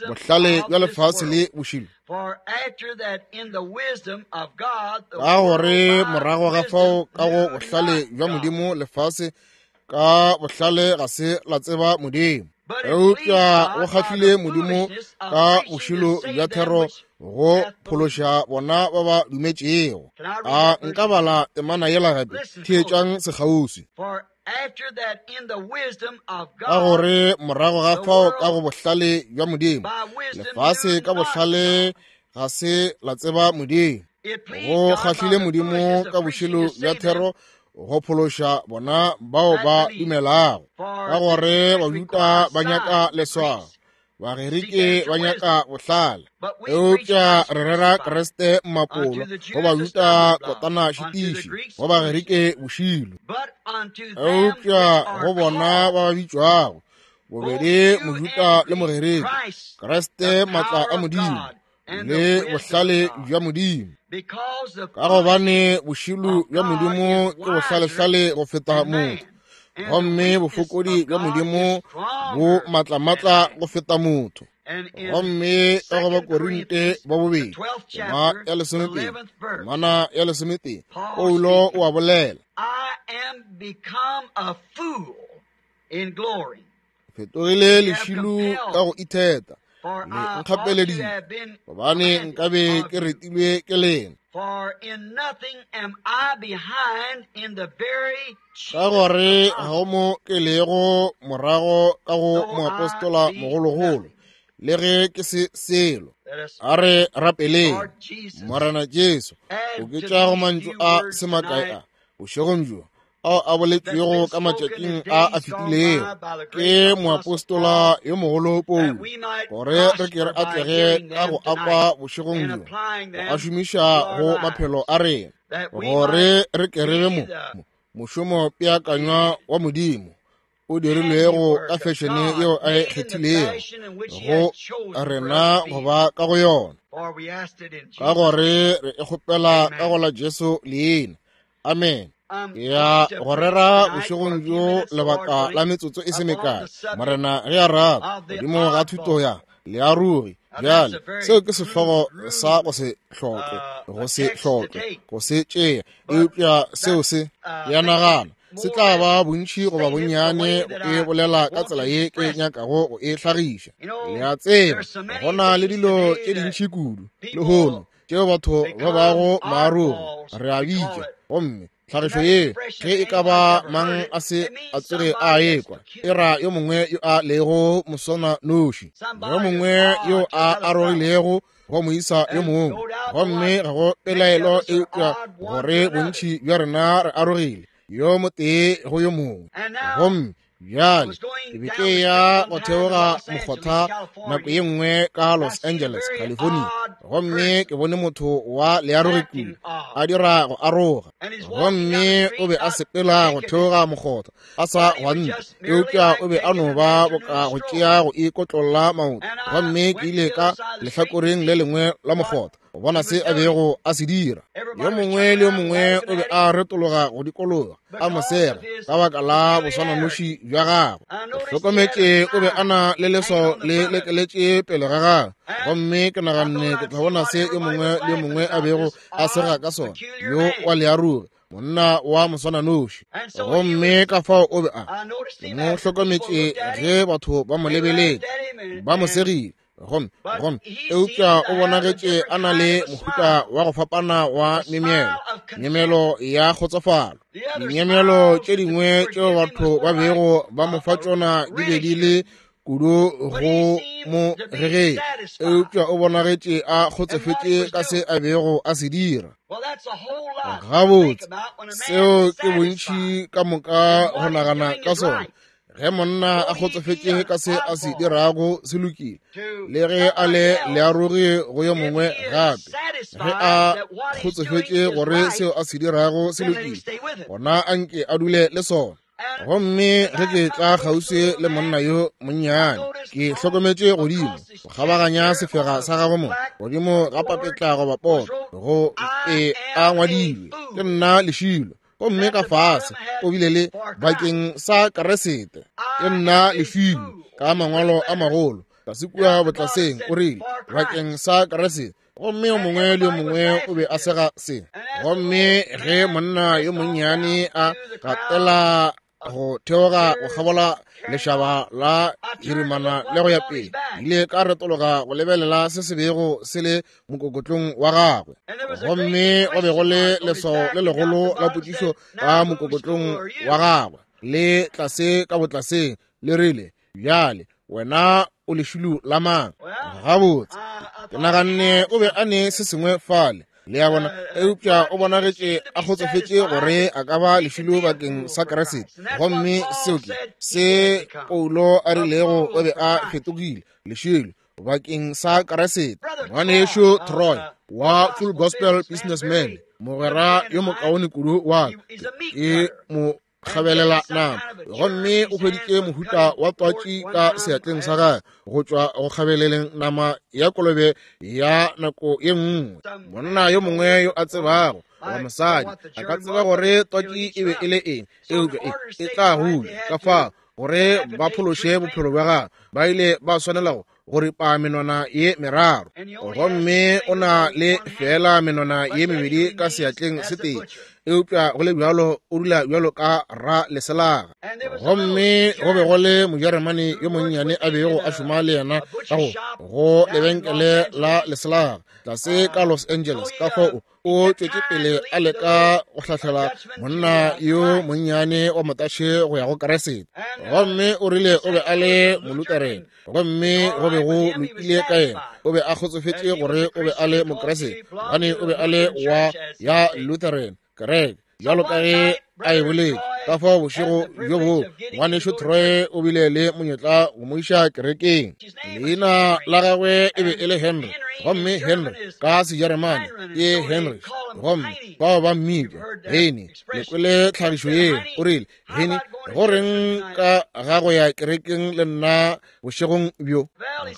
[SPEAKER 2] bohlale bja lefase le bošilo? Ka gore morago ga fao ka go bohlale bja Modimo lefase ka bohlale ga se la tseba Modimo. Eupša go kgahlile Modimo ka bošilo bja thero go phološa bona ba ba dumetšego. A nka bala temana yela gape? Theetšang sekgauswi. Ka gore morago ga fao ka go bohlale bja Modimo lefase ka bohlale ga se la tseba Modimo. Go kgahlile Modimo ka bošilo bja thero go phološa bona bao ba dumelago. Ka gore Bajuda ba nyaka leswao, Bagerike ba nyaka bohlale, eupša re rera Kriste mmapolo, go Bajuda kotana šitiši, go Bagerike bošilo. Eupša go bona ba ba bitšwago, bobedi Mojuda le Mogerike, Kriste matla a Modimo le bohlale bja Modimo. Ka gobane bošilo bja Modimo ke bohlalehlale go feta motho, gomme bofokodi bja Modimo bo matlamatla go feta motho. Gomme ka go Bakorinte ba bobedi, tema ya lesomepedi, temana ya lesometee, Paulo o a bolela, fetogile lešilo ka go itheta, le nkgapeleditše, gobane nkabe ke retilwe ke lena. Ka gore ga go mo ke lego morago ka go moapostola mogologolo, le ge ke se selo. A re rapeleng. Morena Jesu, oketša go mantšu a se makae a bošegong bjo ao a boletšwego ka matšatšing a a fetilego ke moapostola yo mogolo Paulo, gore re ke re atlege ka go akwa bošegong bjo, go a šomiša go maphelo a rena, gore re ke re be mo mošomo peakanywa wa Modimo o dirilwego ka fešene yeo a e kgethilego go rena go ba ka go yona, ka gore re e kgopela ka go la Jesu leina. Amen. Ya go rera bošegong bjo lebaka la metsotso e se mekae, Morena ge a rata, godimo ga thuto ya learogi. Bjale seo ke sehlogo sa go se hloke, go se hloke, go se tšea, eupša seo se ya nagana se tla ba bontši goba bonnyane e bolela ka tsela ye ke nyakago go e hlagiša. Le a tseba, go na le dilo tše dintši kudu lehono tšeo batho ba bago maarogi, re a bitša, gomme tlhagišo ye ge e ka ba mang a se a tsoge a ekwa, e ra yo mongwe yo a lego moswana noši, yo mongwe yo a arogilego go moisa yo mongwe. Gomme ga go pelaelo eupša gore bontši bja rena re arogile yo motee go yo mongwe. Gomme bjale ke be ke ya go theoga mokgotha nako ye nngwe ka Los Angeles, California, gomme ke bone motho wa learogi kudu a dira go aroga, gomme o be a sepela go theoga mokgotha a sa gwante, eupša o be a no ba boka go tšea go ikotlolla maoto. Gomme ke ile ka lehlakoreng le lengwe la mokgotha go bona se a bego a se dira. Yo mongwe le yo mongwe o be a retologa go dikologa a mo sega ka baka la boswananoši bja gagwe. Ke hlokometše o be a na le leswao le lekeletše pele ga gagwe, gomme ke naganne ke tla bona se yo mongwe le yo mongwe a bego a sega ka sona, yo wa learogi, monna wa moswananoši. Gomme ka fao o be a mo hlokometše ge batho ba mo lebeletše, ba mo segile, gomme gomme eupša o bonagetše a na le mohuta wa go fapana wa myemyelo, myemyelo ya kgotsofalo. Dinyemelo tše dingwe tšeo batho ba bego ba mo fa tšona di be di le kudu go mo gegeng, eupša o bonagetše a kgotsofetše ka se a bego a se dira. Gabotse, seo ke bontši ka moka go nagana ka sona. Ge monna a kgotsofetše ka se a se dirago se lokile, le ge a le learogi go yo mongwe gape, ge a kgotsofetše gore seo a se dirago se lokile, gona a nke a dule le sona. Gomme ge ke tla kgauswi le monna yo monnyane, ke hlokometše godimo go kgabaganya sefega sa gagwe mo godimo ga papetla goba poto, go e a ngwadilwe, ke nna lešilo. Gomme ka fase o bile le bakeng sa Keresete, ke nna lešilo, ka mangwalo a magolo tlase kua botlaseng o rile bakeng sa Keresete. Gomme yo mongwe le yo mongwe o be a sega se. Gomme ge monna yo monnyane a gatela go theoga go kgabola lešaba la hirimana le go ya pele, ile ka retologa go lebelela se se bego se le mokokotlong wa gagwe. Gomme go be go le leswao le legolo la potšišo ka mokokotlong wa gagwe, le tlase ka botlaseng, le rile, bjale wena o lešilo la mang? Gabotse, ke naganne o be a ne se sengwe fale. Le a bona? Eupša o bonagetše a kgotsofetše gore a ka ba lešilo bakeng sa Kriste. Gomme seo ke se Paulo a rilego o be a fetogile lešilo bakeng sa Kriste. Ngwanešu Troy wa Full Gospel Businessman, mogwera yo mokaone kudu wa ka, ke mo kgabelela nama, gomme o hweditše mohuta wa twatši ka seatleng sa gagwe go tšwa go kgabeleleng nama ya kolobe ya nako ye nngwe. Monna yo mongwe yo a tsebago wa mosadi a ka tseba gore twatši e be e le eng, eupša e, e tla hula. Ka fao gore ba phološe bophelo bja gagwe, ba ile ba swanela go go ripa menwana ye meraro, gomme o na le fela menwana ye mebedi ka seatleng se tee, eupša go le bjalo o dula bjalo ka ra leselaga. Gomme go be go le Mojeremane yo monnyane a bego a šoma le yena ka go go lebenkele la leselaga tlase ka Los Angeles. Ka fao o tšwetše pele a leka go hlahlela monna yo monnyane wa motaše go ya go Kriste. Gomme o rile o be a le Moluterene, gomme go be go lokile ka yena. O be a kgotsofetše gore o be a le Mokriste, gobane o be a le wa ya Lutheran kereke, bjalo ka ge a e boletše. Ka fao bošego bjo boo ngwanešu Troy o bile le monyetla go mo iša kerekeng. Leina la gagwe e be e le Henry, gomme Henry ka Sejeremane ke Henry, gomme bao ba mmitša Hene. Le kwele tlhagišo yeo. O rile, Hene, go reng ka ga go ya kerekeng le nna bošegong bjo?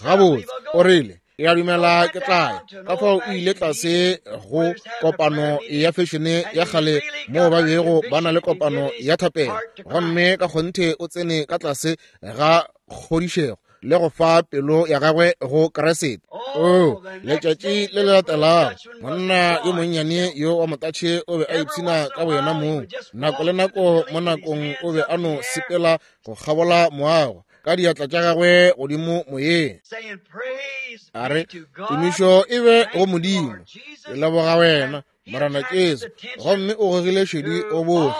[SPEAKER 2] Gabotse, o rile, ke a dumela ke tla ya. Ka fao o ile tlase go kopano ya fešene ya kgale moo ba bego ba na le kopano ya thapelo, gomme ka kgonthe o tsene ka tlase ga kgodišego le go fa pelo ya gagwe go Kriste. Oh, letšatši le le latelago monna yo monnyane yo wa motatšhe o be a ipshina ka boyena mong. Nako le nako mo nakong o be a no sepela go kgabola moago ka diatla tša gagwe godimo moyeng, a re, tumišo e be go Modimo, ke leboga wena Morena Jesu. Gomme o gogile šedi go bohle,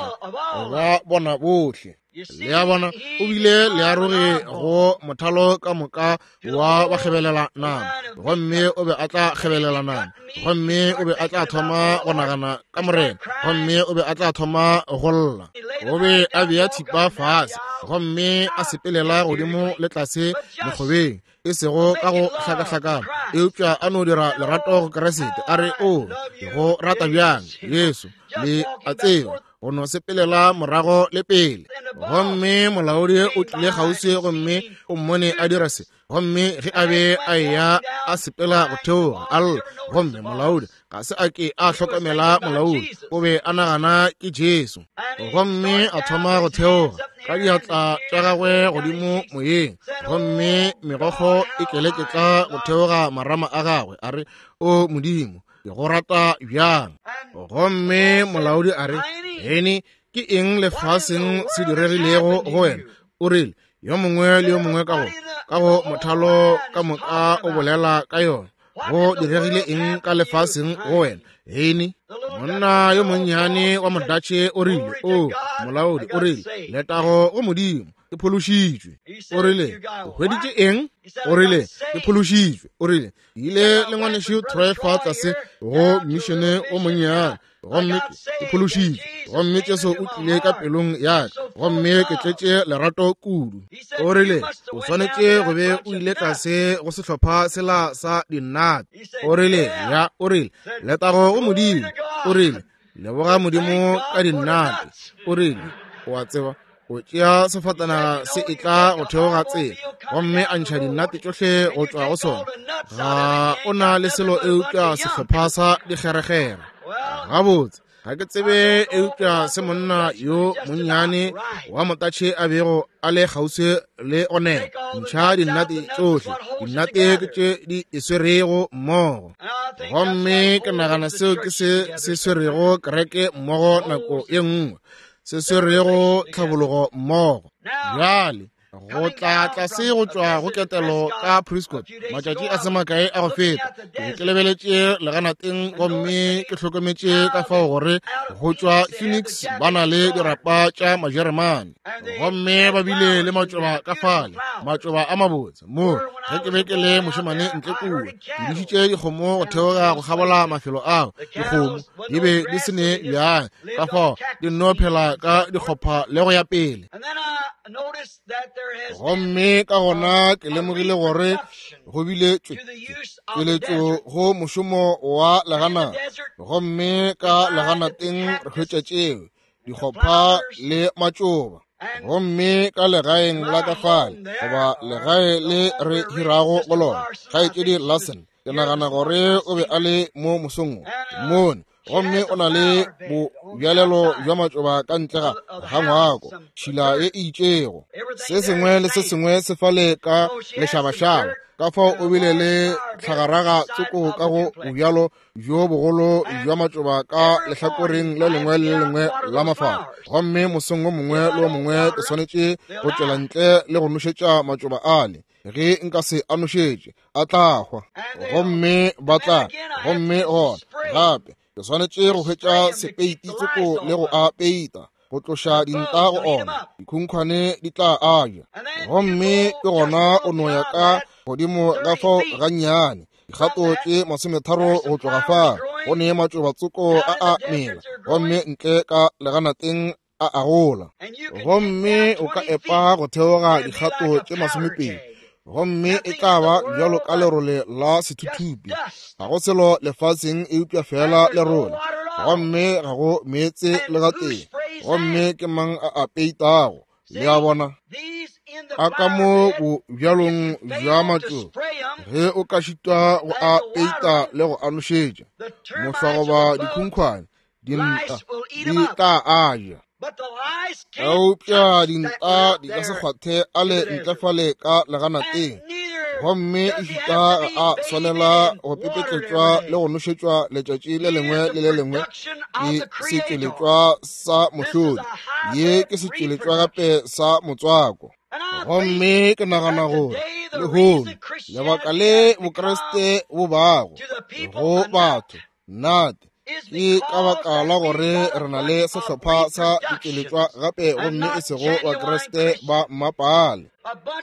[SPEAKER 2] ba bona bohle. Le a bona, o bile learogi go mothalo ka moka wa ba kgebelela nama, gomme o be a tla kgebelela nama, gomme o be a tla thoma go nagana ka Morena, gomme o be a tla thoma go lla. O be a bea thipa fase, gomme a sepelela godimo le tlase mekgobeng, e sego ka go hlakahlakana, eupša a no dira lerato go Kriste. A re, o ke go rata bjang Jesu, le a tseba, go no sepelela morago le pele. Gomme molaodi o tlile kgauswi gomme o mmone a dira se, gomme ge a be a eya a sepela go theoga a lla, gomme molaodi ga se a ke a hlokomela molaodi, o be a nagana ke Jesu. Gomme a thoma go theoga ka diatla tša gagwe godimo moyeng, gomme megokgo e keleketla go theoga marama a gagwe, a re, o Modimo, ke go rata bjang. Gomme molaodi a re, Hene, ke eng lefaseng se diregilego go wena? O rile, yo mongwe le yo mongwe ka go ka go mothalo ka moka o bolela ka yona. Go diregile eng ka lefaseng go wena, Hene? Monna yo monnyane wa Modatšhe o rile, o molaodi, o rile, letago go Modimo, ke phološitšwe. O rile, o hweditše eng? O rile, ke phološitšwe. O rile, ke ile le ngwanešu Troy fa tlase go mišene o monnyane, gomme ke phološitšwe, gomme Jesu o tlile ka pelong ya ka, gomme ke tletše lerato kudu. O rile, o swanetše go be o ile tlase go sehlopha sela sa dinnate. O rile, ya, o rile, letago go Modimo. O rile, leboga Modimo ka dinnate. O rile, o a tseba, o tšea sefatanaga se etla go theoga tsela, gomme a ntšha dinnate tšohle go tšwa go sona. Ga o na le selo eupša sehlopha sa dikgerekgere. Gabotse, ga ke tsebe eupša se monna yo monnyane wa motatšhe a bego a le kgauswi le one. Ntšha dinnate tšohle, dinnate ke tše di e swerego mmogo. Gomme ke nagana seo ke se se swerego kereke mmogo nako ye nngwe, se swerego tlhabologo mmogo. Bjale Go tla tlase go tšwa go ketelo ka Prescott matšatši a se makae a go feta, ke ke lebeletše leganateng gomme ke hlokometše ka fao gore go tšwa Phoenix ba na le dirapa tša Majeremane, gomme ba bile le matšoba ka fale, matšoba a mabotse. Mo ge ke be ke le mošemane ntle kua, ke dišitše dikgomo go theoga go kgabola mafelo ao. Dikgomo di be di se ne bjang, ka fao di nno phela ka dikgopha le go ya pele. Gomme ka gona ke lemogile gore go bile tšweletšo go mošomo wa leganata, gomme ka leganateng re hwetša tšeo dikgopha le matšoba. Gomme ka legaeng la ka fale, goba legae le re hirago go lona, kgaetšedi Larson, ke nagana gore o be a le mo mosong mone, gomme o na le bobjalelo bja matšoba ka ntle ga ga ngwako, tšhila ye e itšego, se sengwe le se sengwe se fale ka lešabašaba. Ka fao o bile le tlhagaraga tsoko ka go bobjalo bjo bogolo bja matšoba ka lehlakoreng le lengwe le le lengwe la mafala. Gomme mosong o mongwe le o mongwe ke swanetše go tšwela ntle le go nošetša matšoba ale. Ge nka se a nošetše, a tla hwa, gomme ba tla. Gomme gona gape ke swanetše go hwetša sepeiti tsoko le go a peita, go tloša dinta go ona, dikhunkhwane di tla a ja. Gomme ke gona o no ya ka godimo ga fao gannyane, dikgato tše masometharo go tloga fa, go ne matšoba tsoko a a mela, gomme ntle ka leganateng a a gola. Gomme o ka epa go theoga dikgato tše masomepedi, gomme e tla ba bjalo ka lerole la sethuthupi. Ga go selo lefaseng eupša fela lerole, gomme ga go meetse le gatee. Gomme ke mang a a peitago? Le a bona? A ka mo bobjalong bja matšoba, ge o ka šitwa go a peita le go a nošetša, mohlwa goba dikhunkhwane, dinta di tla a ja. Eupša dinta di ka se kgwathe a le ntle fale ka leganateng, gomme ešita ga a swanela go pepetletšwa le go nošetšwa letšatši le lengwe le le lengwe. Ke setšweletšwa sa mohlodi, ye ke setšweletšwa gape sa motswako. Gomme ke nagana gore lehono lebaka le Bokreste bo bago go batho nnate ke ka baka la gore re na le sehlopha sa ditšweletšwa gape, gomme e sego Bakreste ba mmapale,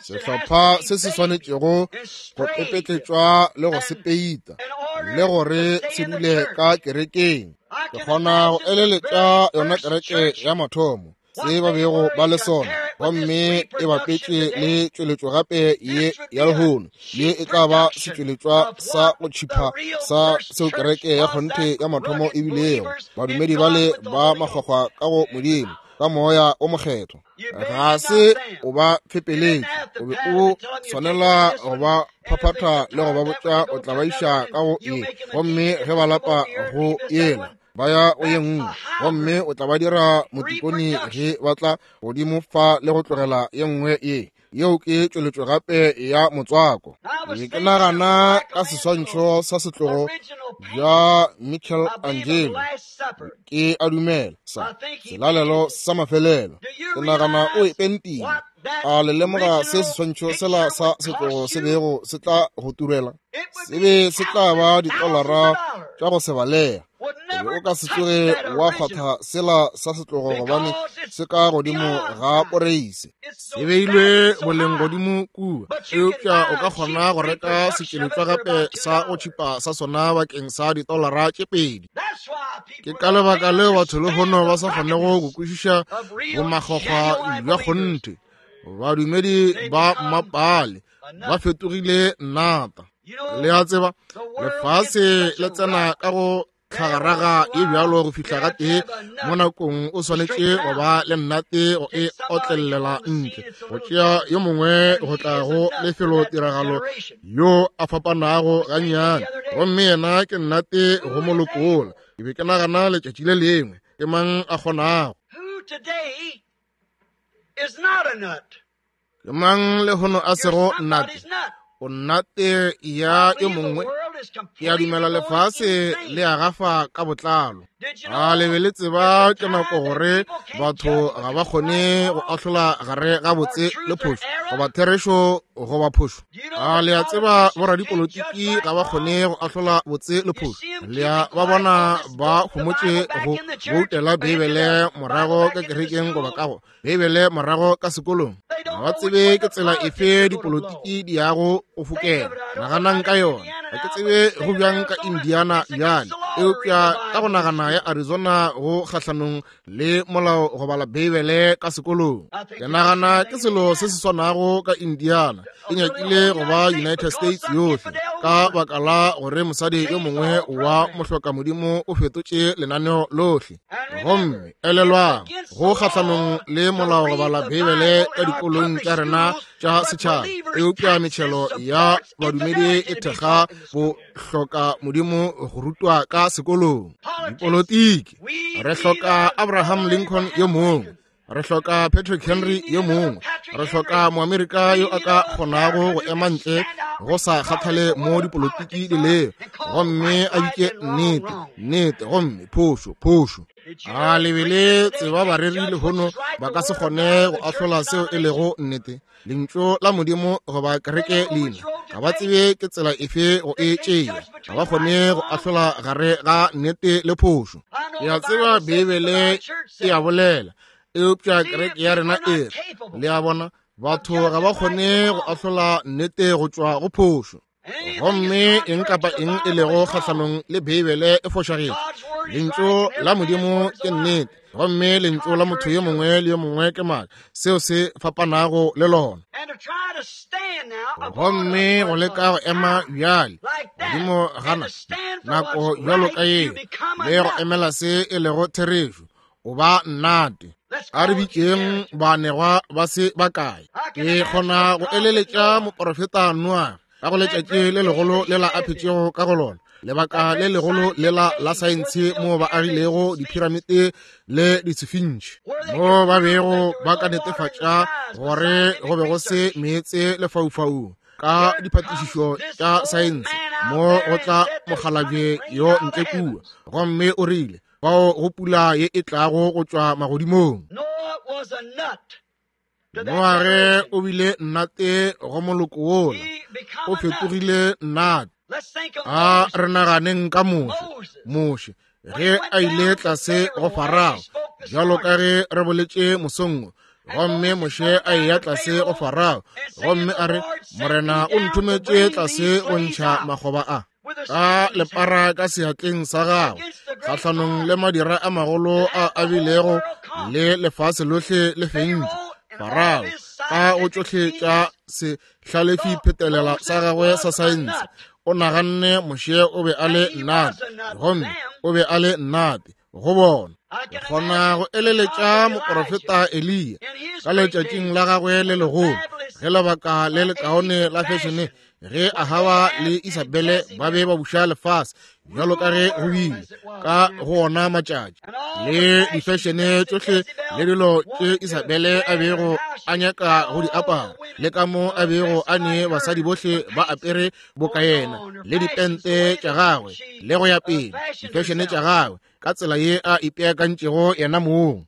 [SPEAKER 2] sehlopha se se swanetšego go pepetletšwa le go se peita le gore se dule ka kerekeng. Ke kgona go eleletša yona kereke ya mathomo se ba bego ba le sona, gomme e bapetše le tšweletšo gape ye ya lehono. Ye e tla ba setšweletšwa sa go tšhipha sa seo kereke ya kgonthe ya mathomo e bilego, badumedi bale ba makgwakgwa ka go Modimo ka moya o mokgethwa. Ga se o ba fepeletše, o be o swanela go ba phaphatha le go ba botša o tla ba iša ka go ye, gomme ge ba lapa go yela ba ya go ye nngwe, gomme o tla ba dira motikoni ge ba tla godimo fa le go tlogela ye nngwe ye. Yeo ke tšweletšo gape ya motswako. Ke ke nagana ka seswantšho sa setlogo bja Michelangelo, ke a dumela sa selalelo sa mafelelo. Ke nagana o e pentile. A le lemoga se seswantšho sela sa setlogo se bego se tla go turela? Se be se tla ba ditolara tša go se balega. O be o ka se tsoge wa kgwatha sela sa setlogo gobane se ka godimo ga poreise, se beilwe boleng godimo kua. Eupša o ka kgona go reka setšweletšwa gape sa go tšhipa sa sona bakeng sa ditolara tše pedi. Ke ka lebaka leo batho lehono ba sa kgonego go kwešiša bomakgwakgwa bja kgonthe. Badumedi ba mmapale ba fetogile nnata. Le a tseba, lefase le tsena ka go tlhagaraga e bjalo go fihla ga tee mo nakong o swanetše go ba le nnate go e otlelela ntle, go tšea yo mongwe go tla go lefelo tiragalo yo a fapanago gannyane, gomme yena ke nnate go mo lokola. Ke be ke nagana letšatši le lengwe, ke mang a kgonago? Ke mang lehono a sego nnate? O nnate ya yo mongwe. Ke a dumela lefase le a gafa ka botlalo. A le be le tseba ke nako gore batho ga ba kgone go ahlola gare ga botse le phošo, goba therešo goba phošo. A le a tseba boradipolotiki ga ba kgone go ahlola botse le phošo. Le a ba bona ba homotše go boutela Beibele morago ka kerekeng goba kago Beibele morago ka sekolong. Ga ba tsebe ke tsela efe dipolotiki di yago go fokela. Naganang ka yona. Ga ke tsebe go bjang ka Indiana bjale, eupša ka go nagana ya Arizona go kgahlanong le molao go bala Beibele ka sekolong. Ke nagana ke selo se se swanago ka Indiana. E nyakile go ba United States yohle, ka baka la gore mosadi yo mongwe wa mohloka modimo o fetotše lenaneo lohle. Gomme elelwang, go kgahlanong le molao go bala Beibele ka dikolong tša rena tša setšhaba, eupša metšhelo ya badumedi e thekga bohloka modimo go rutwa ka sekolong. Dipolotiki, re hloka Abraham Lincoln yo mongwe, re hloka Patrick Henry yo mongwe, re hloka Moamerika yo a ka kgonago go ema ntle go sa kgathale mo dipolotiki di lego, gomme a bitše nnete nnete gomme phošo phošo. A le be le tseba bareri lehono ba ka se kgone go ahlola seo e lego nnete, lentšu la Modimo goba kereke leina. Ga ba tsebe ke tsela efe go e tšea. Ga ba kgone go ahlola gare ga nnete le phošo. Ke a tseba Beibele e a bolela, eupša kereke ya rena e re, le a bona, batho ga ba kgone go ahlola nnete go tšwa go phošo. Gomme eng kapa eng e lego kgahlanong le Beibele e fošagetše. Lentšu la Modimo ke nnete, gomme lentšu la motho yo mongwe le yo mongwe ke maaka, seo se fapanago le lona. Gomme go leka go ema bjale godimo gana nako bjalo ka yeo, le go emela se e lego therešo, o ba nnate. A re bitšeng baanegwa ba se bakae. Ke kgona go eleletša moporofeta Noa ka go letšatši le legolo le la a phetšego ka go lona, lebaka le legolo le la la saense moo ba agilego diphiramite le ditshifintši, moo ba bego ba ka netefatša gore go be go se meetse lefaufaung ka diphatišišo tša saense, mo go tla mokgalabje yo ntle kua, gomme o rile bao go pula ye e tlago go tšwa magodimong. Noage o bile nnate go moloko wola, o fetogile nnate. A re naganeng ka Moshe. Moshe ge a ile tlase go Farao, bjalo ka ge re boletše mosong, gomme Moshe a eya tlase go Farao, gomme a re, Morena o nthometše tlase go ntšha makgoba a ka lepara ka seatleng sa gagwe, kgahlanong le madira a magolo a a bilego le lefase lohle le fentše. Farao ka go tšohle tša sehlalefi phetelela sa gagwe sa saense, o naganne Moshe o be a le nnate, gomme o be a le nnate go bona. Ke kgona go eleletša moporofeta Eliya ka letšatšing la gagwe le legolo, ge lebaka le lekaone la fešene, ge Ahaba le Isabele ba be ba buša lefase bjalo ka ge go bile ka go ona matšatši, le difešene tšohle le dilo tše Isabele a bego a nyaka go di apara, le ka mo a bego a ne basadi bohle ba apere boka yena, le dipente tša gagwe le go ya pele, difešene tša gagwe ka tsela ye a ipeakantšego yena mong.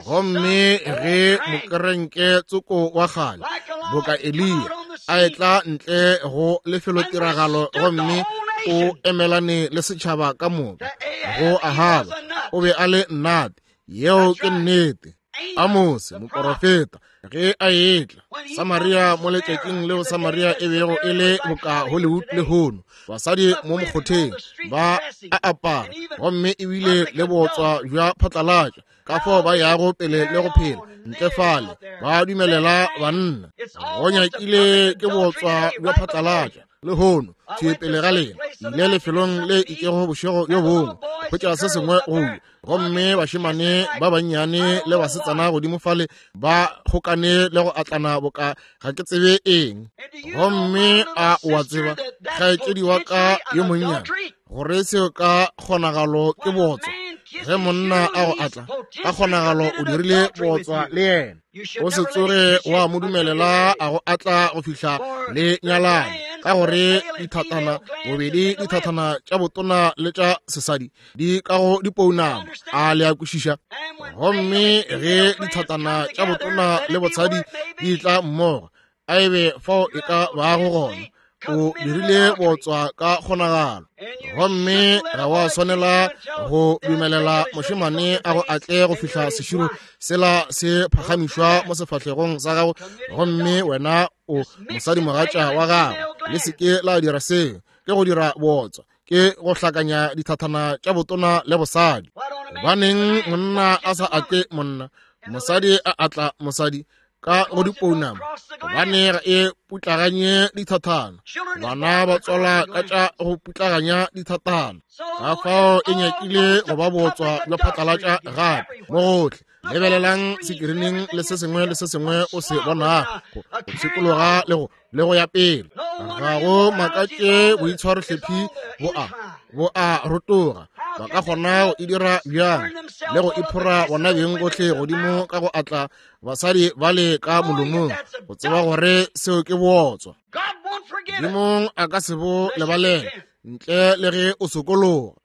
[SPEAKER 2] Gomme ge mokerenke tsoko wa kgale boka Eliya a etla ntle go lefelotiragalo gomme o emelane le setšhaba ka moka go Ahaba, o be a le nnate. Yeo ke nnete. Amose moporofeta ge a etla Samaria mo letšatšing leo Samaria e bego e le boka Hollywood lehono, basadi mo mokgotheng ba a apara, gomme ebile le botswa bja phatlalatša, ka fao ba yago pele le go phela ntle fale ba dumelela banna. Go nyakile ke botswa bja phatlalatša lehono thwi pele ga lena. Ile lefelong le itšego bošego bjo bongwe hwetša se sengwe go ja, gomme bašemane ba bannyane le basetsana godimo fale ba kgokane le go atlana boka ga ke tsebe eng. Gomme a o a tseba, kgaetšedi wa ka yo monnyane, gore seo ka kgonagalo ke botswa. Ge monna a go atla, ka kgonagalo o dirile botswa le yena. O se tsoge wa mo dumelela a go atla go fihla le nyalane, Ka gore dithatana bobedi dithatana tša botona le tša sesadi di ka go dipounama. A le a kwešiša? Gomme ge dithatana tša botona le botshadi di tla mmogo, a ebe fao e ka bago gona, o dirile botswa ka kgonagalo. Gomme ga wa swanela go dumelela mošemane a go atle go fihla seširo sela se phagamišwa mo sefahlegong sa gago, gomme wena o mosadimogatša wa gago. Le seke la dira seo. Ke go dira botswa, ke go hlakanya dithathana tša botona le bosadi. Gobaneng monna a sa atle monna, mosadi a atla mosadi ka go dipounama? Gobane ga e putlaganye dithathana. Bana ba tswala ka tša go putlaganya dithathana. Ka fao e nyakile go ba botswa bja phatlalatša gape mo gohle. Lebelelang sekirining le se sengwe le se sengwe o se bonago, go pshikologa le go le go ya pele. Ga go makatše boitshwarohlephi bo a bo a rotoga. Ba ka kgona go e dira bjang le go iphora bona beng gohle godimo ka go atla basadi ba le ka molomong, go tseba gore seo ke bootswa. Modimong a ka se bo lebalele ntle le ge o sokologa.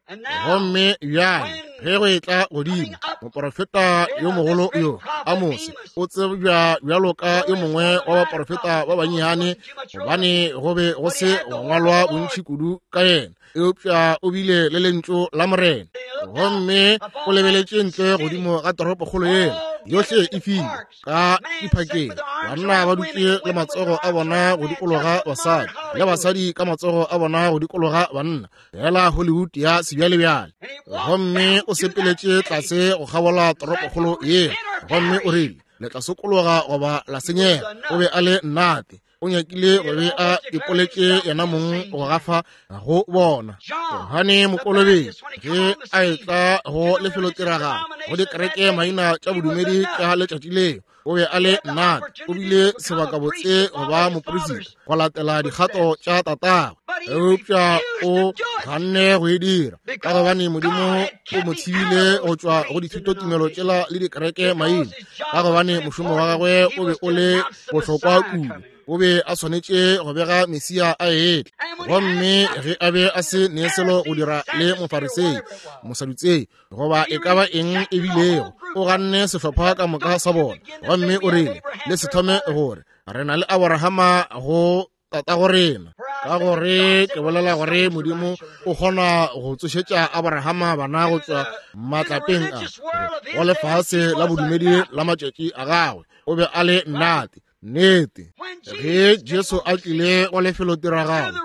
[SPEAKER 2] Gomme bjale ge go etla godimo, moporofeta yo mogolo yo Amose o tsebja bjalo ka yo mongwe wa baporofeta ba bannyane, gobane go be go se go ngwalwa bontši kudu ka yena, eupša o bile le lentšu la Morena. Gomme o lebeletše ntle godimo ga toropokgolo yela yohle e filwe ka diphakeng, banna ba dutše le matsogo a bona go dikologa basadi, le basadi ka matsogo a bona go dikologa banna, fela Hollywood ya sebjalebjale. Gomme o sepeletše tlase go kgabola toropokgolo yela, gomme o rile, le tla sokologa goba la senyega. O be a le nnate. O nyakile go be a ipoletše yena mong go gafa go bona. Johane Mokolobetši ge a etla go lefelotiragalo go dikereke maina tša bodumedi tša letšatši leo, o be a le nnate. O bile sebakabotse go ba moporisita go latela dikgato tša tatagwe, eupša o ganne go e dira ka gobane Modimo o mo thibile go tšwa go dithutotumelo tšela le dikereke maina, ka gobane mošomo wa gagwe o be o le bohlokwa kudu. O be a swanetše go bega Mesia a etla. Gomme ge a be a se ne selo go dira le Mofarisei, Mosadutsei, goba e ka ba eng e bilego, o ganne sehlopha ka moka sa bona. Gomme o rile, le se thome gore re na le Abrahama go tatago rena, ka gore ke bolela gore Modimo o kgona go tsošetša Abrahama bana go tšwa matlapeng a go lefase la bodumedi la matšatši a gagwe. O be a le nnate. Nnete. Ge Jesu a tlile go lefelotiragalo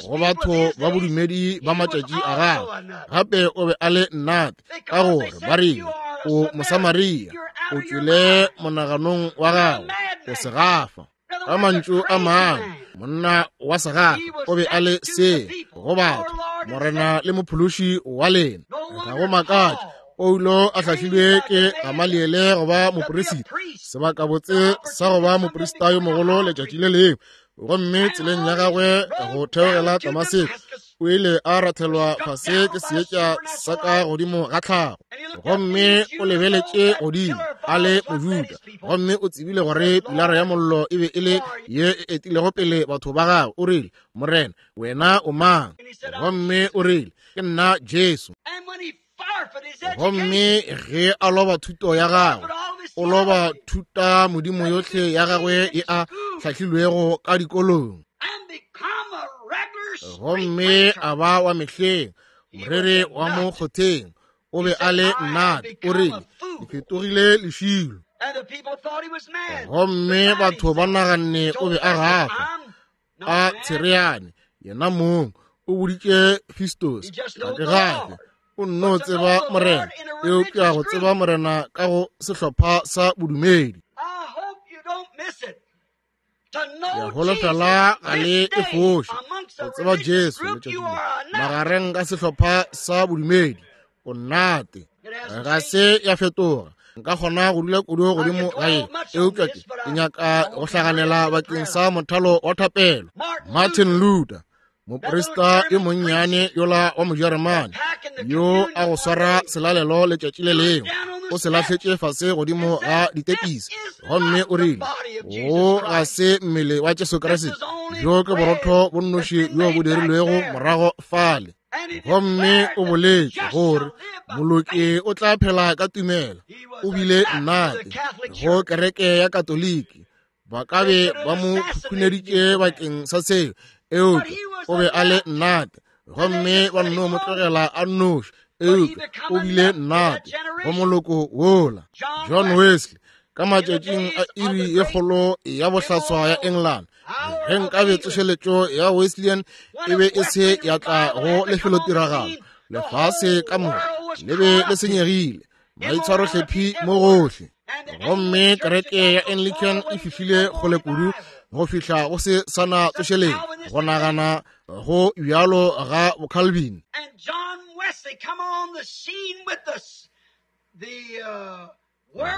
[SPEAKER 2] go batho ba bodumedi ba matšatši a gagwe, gape o be a le nnate, ka gore ba rile o Mosamaria, o tšwele monaganong wa gagwe, o segafa. Ka mantšu a mangwe, monna wa segafa o be a le se go batho, Morena le mophološi wa lena. Ga go makatše Paulo a hlahlilwe ke Gamaliele go ba moporisita, sebakabotse sa go ba moporista yo mogolo letšatši le lengwe. Gomme tseleng ya gagwe go theogela Damaseko, o ile a rathelwa fase ke seetša sa ka godimo ga tlhago. Gomme o lebeletše godimo a le Mojuda, gomme o tsebile gore pilara ya mollo e be e le ye e etilego pele batho ba gagwe. O rile, Morena, wena o mang? Gomme o rile, ke nna Jesu. Gomme ge a loba thuto ya gagwe, o loba thuta modimo yohle ya gagwe e a hlahlilwego ka dikolong, gomme a ba wa mehleng, morere wa mo kgotheng. O be a le nnate. O rile, ke fetogile lešilo. Gomme batho ba naganne o be a gafa a tshereane yena mong. O boditše Festus, ga ke gafe, o nno tseba Morena, eupša go tseba Morena ka go sehlopha sa bodumedi. Ke holofela ga le e foše go tseba Jesu letšatši le magareng ka sehlopha sa bodumedi. O nnate, ga se ya fetoga. Nka kgona go dula kudu godimo ga ye, eupša ke ke nyaka go hlaganela bakeng sa mothalo wa thapelo. Martin Luther Moprista yo monnyane yola wa Mojeremane yo a go swara selalelo letšatši le lengwe o se lahletše fase godimo ga ditepisi, gomme o rile, wo ga se mmele wa Jesu Kriste, bjo ke borotho bo nnoši bjo bo dirilwego morago fale. Gomme o boletše gore moloki o tla phela ka tumelo. O bile nnate go kereke ya Katoliki, ba ka be ba mo khukhuneditše bakeng sa seo, eupša o be a le nnate, gomme ba nno mo tlogela a nnoši, eupša o bile nnate go moloko wola. John Wesley ka matšatšing a iri ye kgolo ya bohlaswa ya England, ge nkabe tsošeletšo ya Wesleyan e be e se ya tla go lefelotiragalo, lefase ka moka le be le senyegile, maitshwarohlephi mo gohle. Gomme kereke ya Anglican e fihlile kgole kudu go fihla go se sana tsošeletšo, go nagana go bjalo ga boCalvin.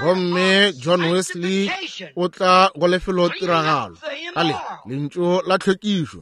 [SPEAKER 2] Gomme John Wesley o tla go lefelotiragalo ka le lentšu la tlhwekišo,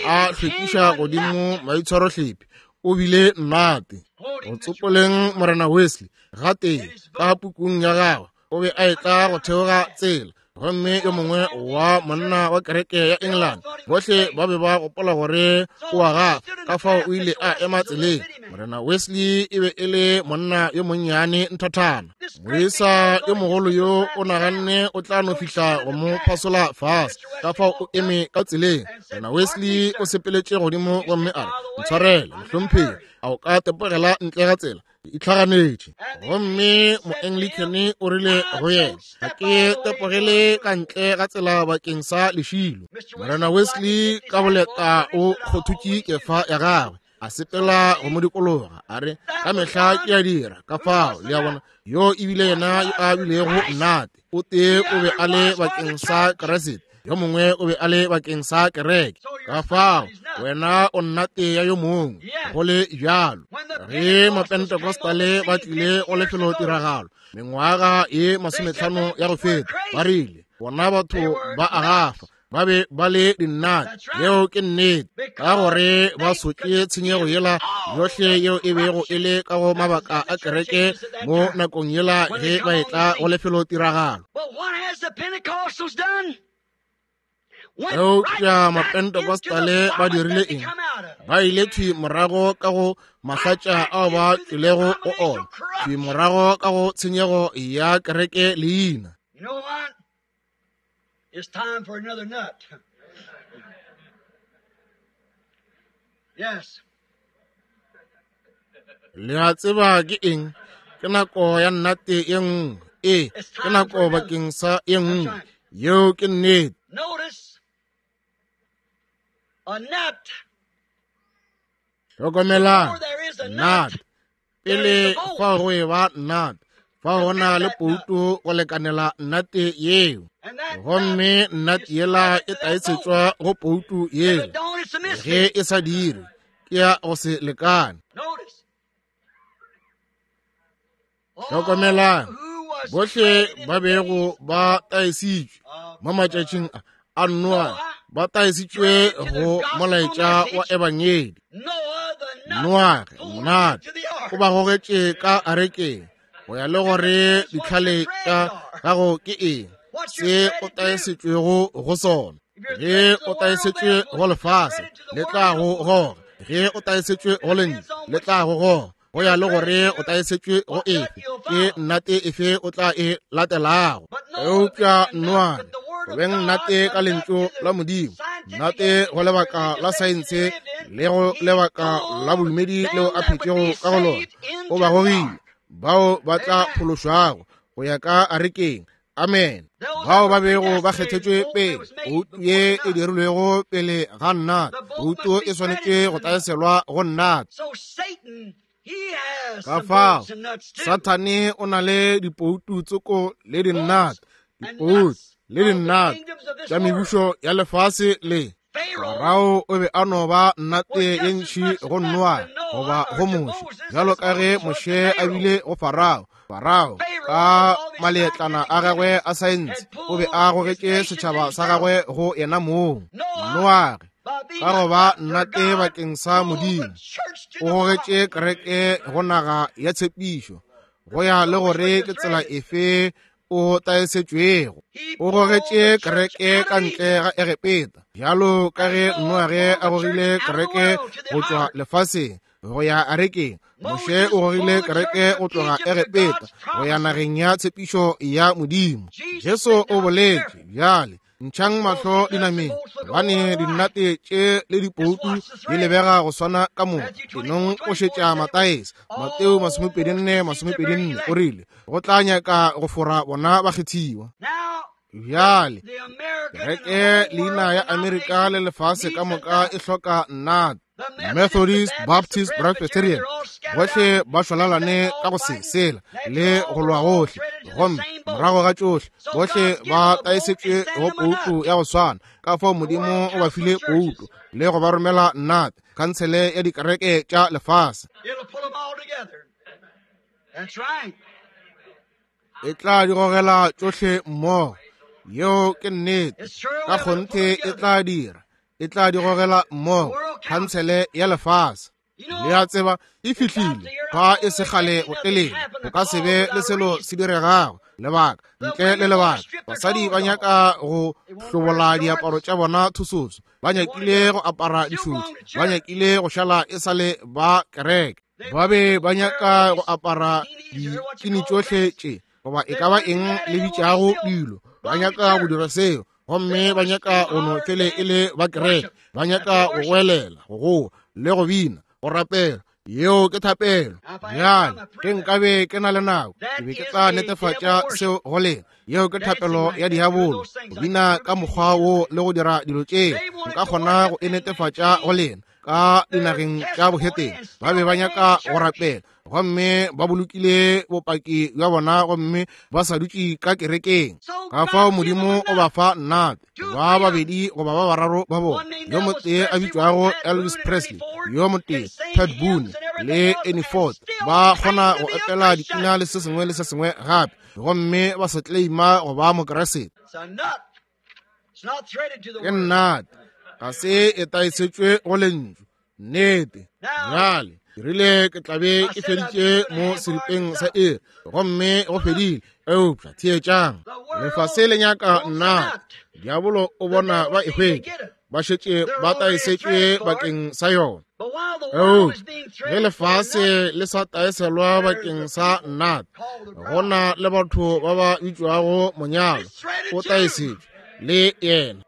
[SPEAKER 2] a hlwekiša godimo maitshwarohlephi. O bile nnate go tsopoleng Morena Wesley gatee ka pukung ya gagwe. O be a etla go theoga tsela, gomme yo mongwe wa monna wa kereke ya England, bohle ba be ba gopola gore o a gafa, ka fao o ile a ema tseleng. Morena Wesley e be e le monna yo monnyane nthathana, moisa yo mogolo yo o naganne o tla no fihla go mo phasola fase, ka fao o eme ka tseleng. Morena Wesley o sepeletše godimo gomme a re, ntshwarele mohlomphegi, a o ka tepogela ntle ga tsela? Itlhaganetše. Gomme moanglican o rile go yena, ga ke tepogele ka ntle ga tsela bakeng sa lešilo. Morena Wesley ka boleta o kgothutše kefa ya gagwe, a sepela go mo dikologa, a re, ka mehla ke a dira ka fao. Le a bona, yo ebile yena yo a bilego nnate. O tee o be a le bakeng sa Kriste, yo mongwe o be a le bakeng sa kereke. Ka fao wena o nnate ya yo mongwe. Go le bjalo, ge mapentecostale ba tlile go lefelotiragalo mengwaga ye masometlhano ya go feta, ba rile bona batho ba a gafa, ba be ba le dinnate. Yeo ke nnete, ka gore ba sotše tshenyego yela yohle yeo e bego e le ka go mabaka a kereke mo nakong yela ge ba etla go lefelotiragalo. Eupša mapentecostale ba dirile eng? Ba ile thwi morago ka go mahlatša ao ba tšwelego go ona, thwi morago ka go tshenyego ya kereke leina.
[SPEAKER 1] It's time for another nut. Yes.
[SPEAKER 2] Le a tseba ke eng? Ke nako ya nnate ye nngwe. Ee, ke nako bakeng sa ye nngwe. Yeo ke nnete.
[SPEAKER 1] Notice a nut.
[SPEAKER 2] Hlokomelang, nut. Pele fa go e ba nut, fa go na le pouto go lekanela nnate yeo, gomme nnate yela e taetsetšwa go pouto yela. Ge e sa dire, ke ya go se lekane. Hlokomelang, bohle ba bego ba taesitšwe mo matšatšing a a Noa, ba taesitšwe go molaetša wa ebangedi. Noage nnate o ba gogetše ka arekeng go ya le gore ditlhale tša gago ke eng, se o taesetšwego go sona. Ge o taesetšwe go lefase, le tla go goga. Ge o taesetšwe go lentšu, le tla go goga. Go ya le gore o taesetšwe go efe, ke nnate efe o tla e latelago. Eupša Noage, go beng nnate ka lentšu la Modimo, nnate go lebaka la saense le go lebaka la bodumedi leo a phetšego ka go lona, o ba gogile bao ba tla phološwago go ya ka arekeng. Amen. Bao ba bego ba kgethetšwe pele, poutu ye e dirilwego pele ga nnate, poutu e swanetše go taeselwa go nnate. Ka fao Sathane o na le dipoutu tsoko le dinnate, dipoutu le dinnate tša mebušo ya lefase le. Farao o be a no ba nnate ye ntši go Noa goba go Moshe, bjalo ka ge Moshe a bile go Farao. Farao ka maletlana a gagwe a saense o be a gogetše setšhaba sa gagwe go yena mong. Noage Ka go ba nnate bakeng sa Modimo, o gogetše kereke go naga ya tshepišo, go ya le gore ke tsela efe o taesetšwego. O gogetše kereke ka ntle ga Egepeta, bjalo ka ge Noage a gogile kereke go tšwa lefaseng go ya arekeng. Moshe o gogile kereke go tloga Egepeta go ya nageng ya tshepišo ya Modimo. Jesu o boletše bjale, ntšhang mahlo dinameng, gobane dinnate tše le dipoutu di lebega go swana ka moka. Enong o šetša Mataese, Mateo masomepedi nne masomepedi nne, o rile go tla nyaka go fora bona bakgethiwa. Bjale kereke leina ya Amerika le lefase ka moka e hloka nnate. Methodist, Baptist, Presbyterian, bohle ba šwalalane ka go se sela le go lwa gohle, gomme morago ga tšohle bohle ba taesetšwe go poutu ya go swana. Ka fao Modimo o ba file poutu le go ba romela nnate, khansele ya dikereke tša lefase. E tla di gogela tšohle mmogo. Yeo ke nnete. Ka kgonthe e tla dira, e tla di gogela mmogo, khansele ya lefase. Le a tseba e fihlile fa e se kgale go telele, go ka se be le selo se diregago. Lebaka ntle le lebaka, basadi ba nyaka go hlobola diaparo tša bona thusotso, ba nyakile go apara dišutši, ba nyakile go šala e sale ba kereke, ba be ba nyaka go apara dikini tšohle tše goba e ka ba eng le bitšago dilo, ba nyaka go dira seo, gomme ba nyaka go no fele e le ba kereke, ba nyaka go goelela, go goa le go bina, go rapela. Yeo ke thapelo. Bjale ke nkabe ke na le nako, ke be ke tla netefatša seo go lena. Yeo ke thapelo ya diabolo, go bina ka mokgwa wo le go dira dilo tšeo. Nka kgona go e netefatša go lena. Ka dinageng tša boheteng ba be ba nyaka go rapela, gomme ba bolokile bopaki bja bona, gomme ba sa dutše ka kerekeng. Ka fao Modimo o ba fa nnate, ba babedi goba ba bararo ba bona, yo motee a bitšwago Elvis Presley, yo motee Pat Boone le Ernie Ford, ba kgona go opela dipina le se sengwe le se sengwe gape, gomme ba sa claima go ba Mokeresete. Ke nnate, ga se e taesetšwe go lentšu. Nnete. Bjale ke rile ke tla be ke feditše mo seripeng sa iri, gomme go fedile. Eupša theetšang, lefase le nyaka nnate. Diabolo o bona ba e hwetša, ba šetše ba taesetšwe bakeng sa yona. Eupša ge lefase le sa taeselwa bakeng sa nnate, go na le batho ba ba bitšwago monyalo o taesetšwe le yena.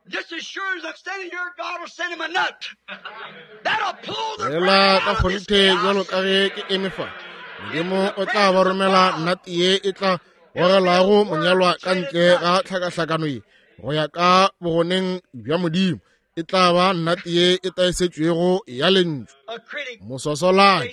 [SPEAKER 2] Fela ka kgonthe bjalo ka ge ke eme fa, Modimo o tla ba romela nnate ye e tla gogelago monyalwa ka ntle ga tlhakahlakano ye go ya ka bogoneng bja Modimo. E tla ba nnate ye e taesetšwego ya lentšu. Moswasolane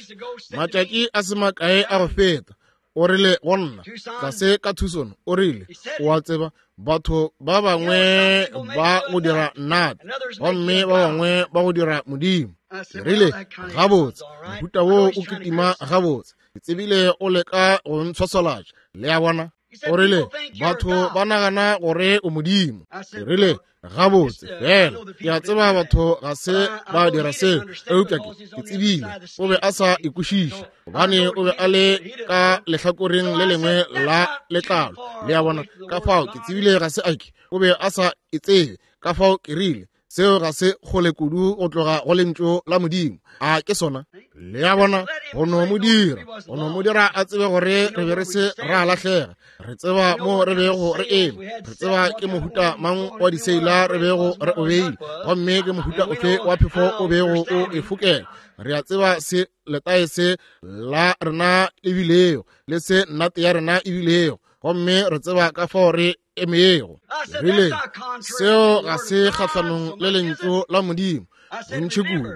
[SPEAKER 2] matšatši a se makae a go feta o rile go nna tlase ka Tucson, o rile, o a tseba, batho ba bangwe ba go dira nnate, gomme ba bangwe ba go dira Modimo. Ke rile, gabotse, mohuta wo o kitima gabotse. Ke tsebile o leka go ntshwaswalatša, le a bona. O rile, batho ba nagana gore o Modimo. Ke rile, gabotse, fela ke a tseba batho ga se ba dira seo, eupša ke ke tsebile o be a sa ikwešiše, gobane o be a le ka lehlakoreng le lengwe la letlalo, le a bona. Ka fao ke tsebile ga se ake, o be a sa e tsebe. Ka fao ke rile, seo ga se kgole kudu go tloga go lentšu la Modimo. A ke sona? Le a bona, go no mo dira, go no mo dira a tsebe gore re be re se ra lahlega. Re tseba mo re bego re eme, re tseba ke mohuta mang wa diseila re bego re o beile, gomme ke mohuta ofe wa phefo o bego o e fokela. Re a tseba se letaese la rena e bilego, le se nnate ya rena e bilego, gomme re tseba ka fao re emego. Rile, seo ga se kgahlanong le lentšu la Modimo bontši kudu.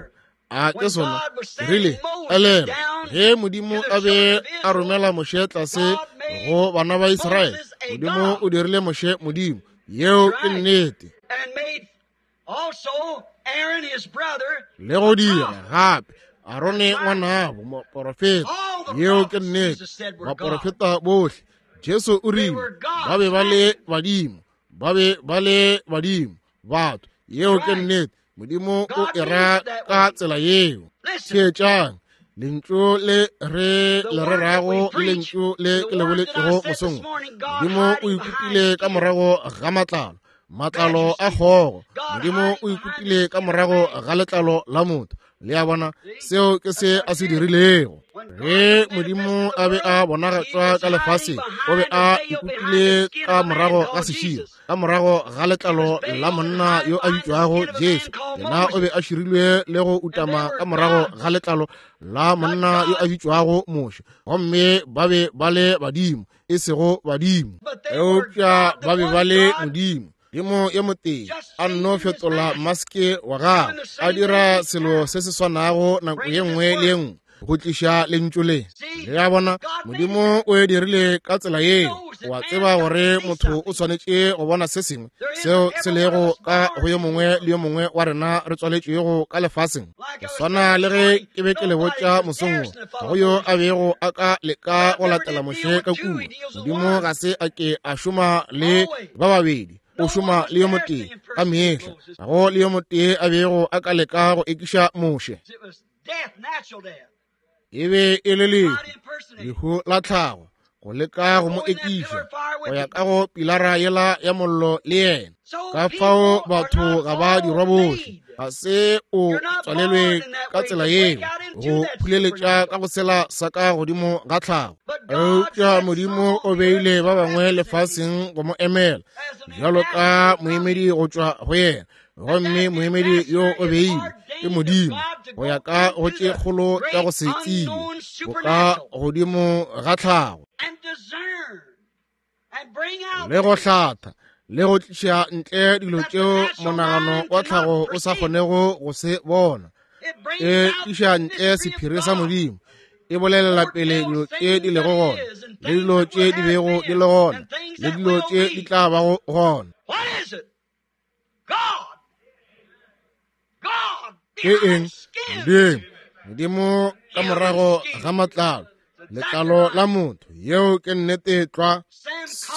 [SPEAKER 2] A ke sona? Rile, elelwa, ge Modimo a be a romela Moshe tlase go bana ba Israele, Modimo o dirile Moshe Modimo. Yeo ke nnete. Le go dira gape Arone ngwanabo moporofeta. Yeo ke nnete. Baporofeta bohle, Jesu o rile, ba be ba le badimo, ba be ba le badimo batho. Yeo ke nnete. Modimo o e ra ka tsela yeo. Theetšang, lentšu le re le rerago le lentšu le ke le boletšego mosong. Modimo o ikutile ka morago ga matlalo, matlalo a kgogo. Modimo o ikutile ka morago ga letlalo la motho. Le a bona, seo ke se a se dirilego. Ge Modimo a be a bonagatšwa ka lefaseng, o be a ikutile ka morago ga seširo, ka morago ga letlalo la monna yo a bitšwago Jesu. Yena o be a širilwe le go utama ka morago ga letlalo la monna yo a bitšwago Moshe. Gomme ba be ba le badimo, e sego badimo, eupša ba be ba le Modimo. Modimo yo motee a nno fetola maske wa gagwe, a dira selo se se swanago nako ye nngwe le ye nngwe go tliša lentšu le. Le a bona, Modimo o e dirile ka tsela yeo. O a tseba gore motho o swanetše go bona se sengwe seo se lego ka go yo mongwe le yo mongwe wa rena re tswaletšwego ka lefaseng. Go swana le ge ke be ke le botša mosong wo, ga go yo a bego a ka leka go latela Moshe ka kua. Modimo ga se a ke a šoma le ba babedi, o šoma le yo motee ka mehla. Ga go le yo motee a bego a ka leka go ekiša Moshe. E be e le lehu, lehu la tlhago, go leka go mo ekiša go ya ka go pilara yela ya mollo le yena. Ka fao batho ga ba dirwa bohle, ga se o tswalelwe ka tsela yeo go phuleletša ka go sela sa ka godimo ga tlhago. Eupša Modimo o beile ba bangwe lefaseng go mo emela bjalo ka moemedi go tšwa go yena, gomme moemedi yo o beile ke Modimo go ya ka go tše kgolo tša go se tsebe go ka godimo ga tlhago, le go hlatha le go tliša ntle dilo tšeo monagano wa tlhago o sa kgonego go se bona. E tliša ntle sephiri sa Modimo, e bolelela pele dilo tše di lego gona, le dilo tše di bego di le gona, le dilo tše di tla bago gona. Ke eng? Modimo. Modimo ka morago ga matlalo, letlalo la motho. Yeo ke nnete tlwa.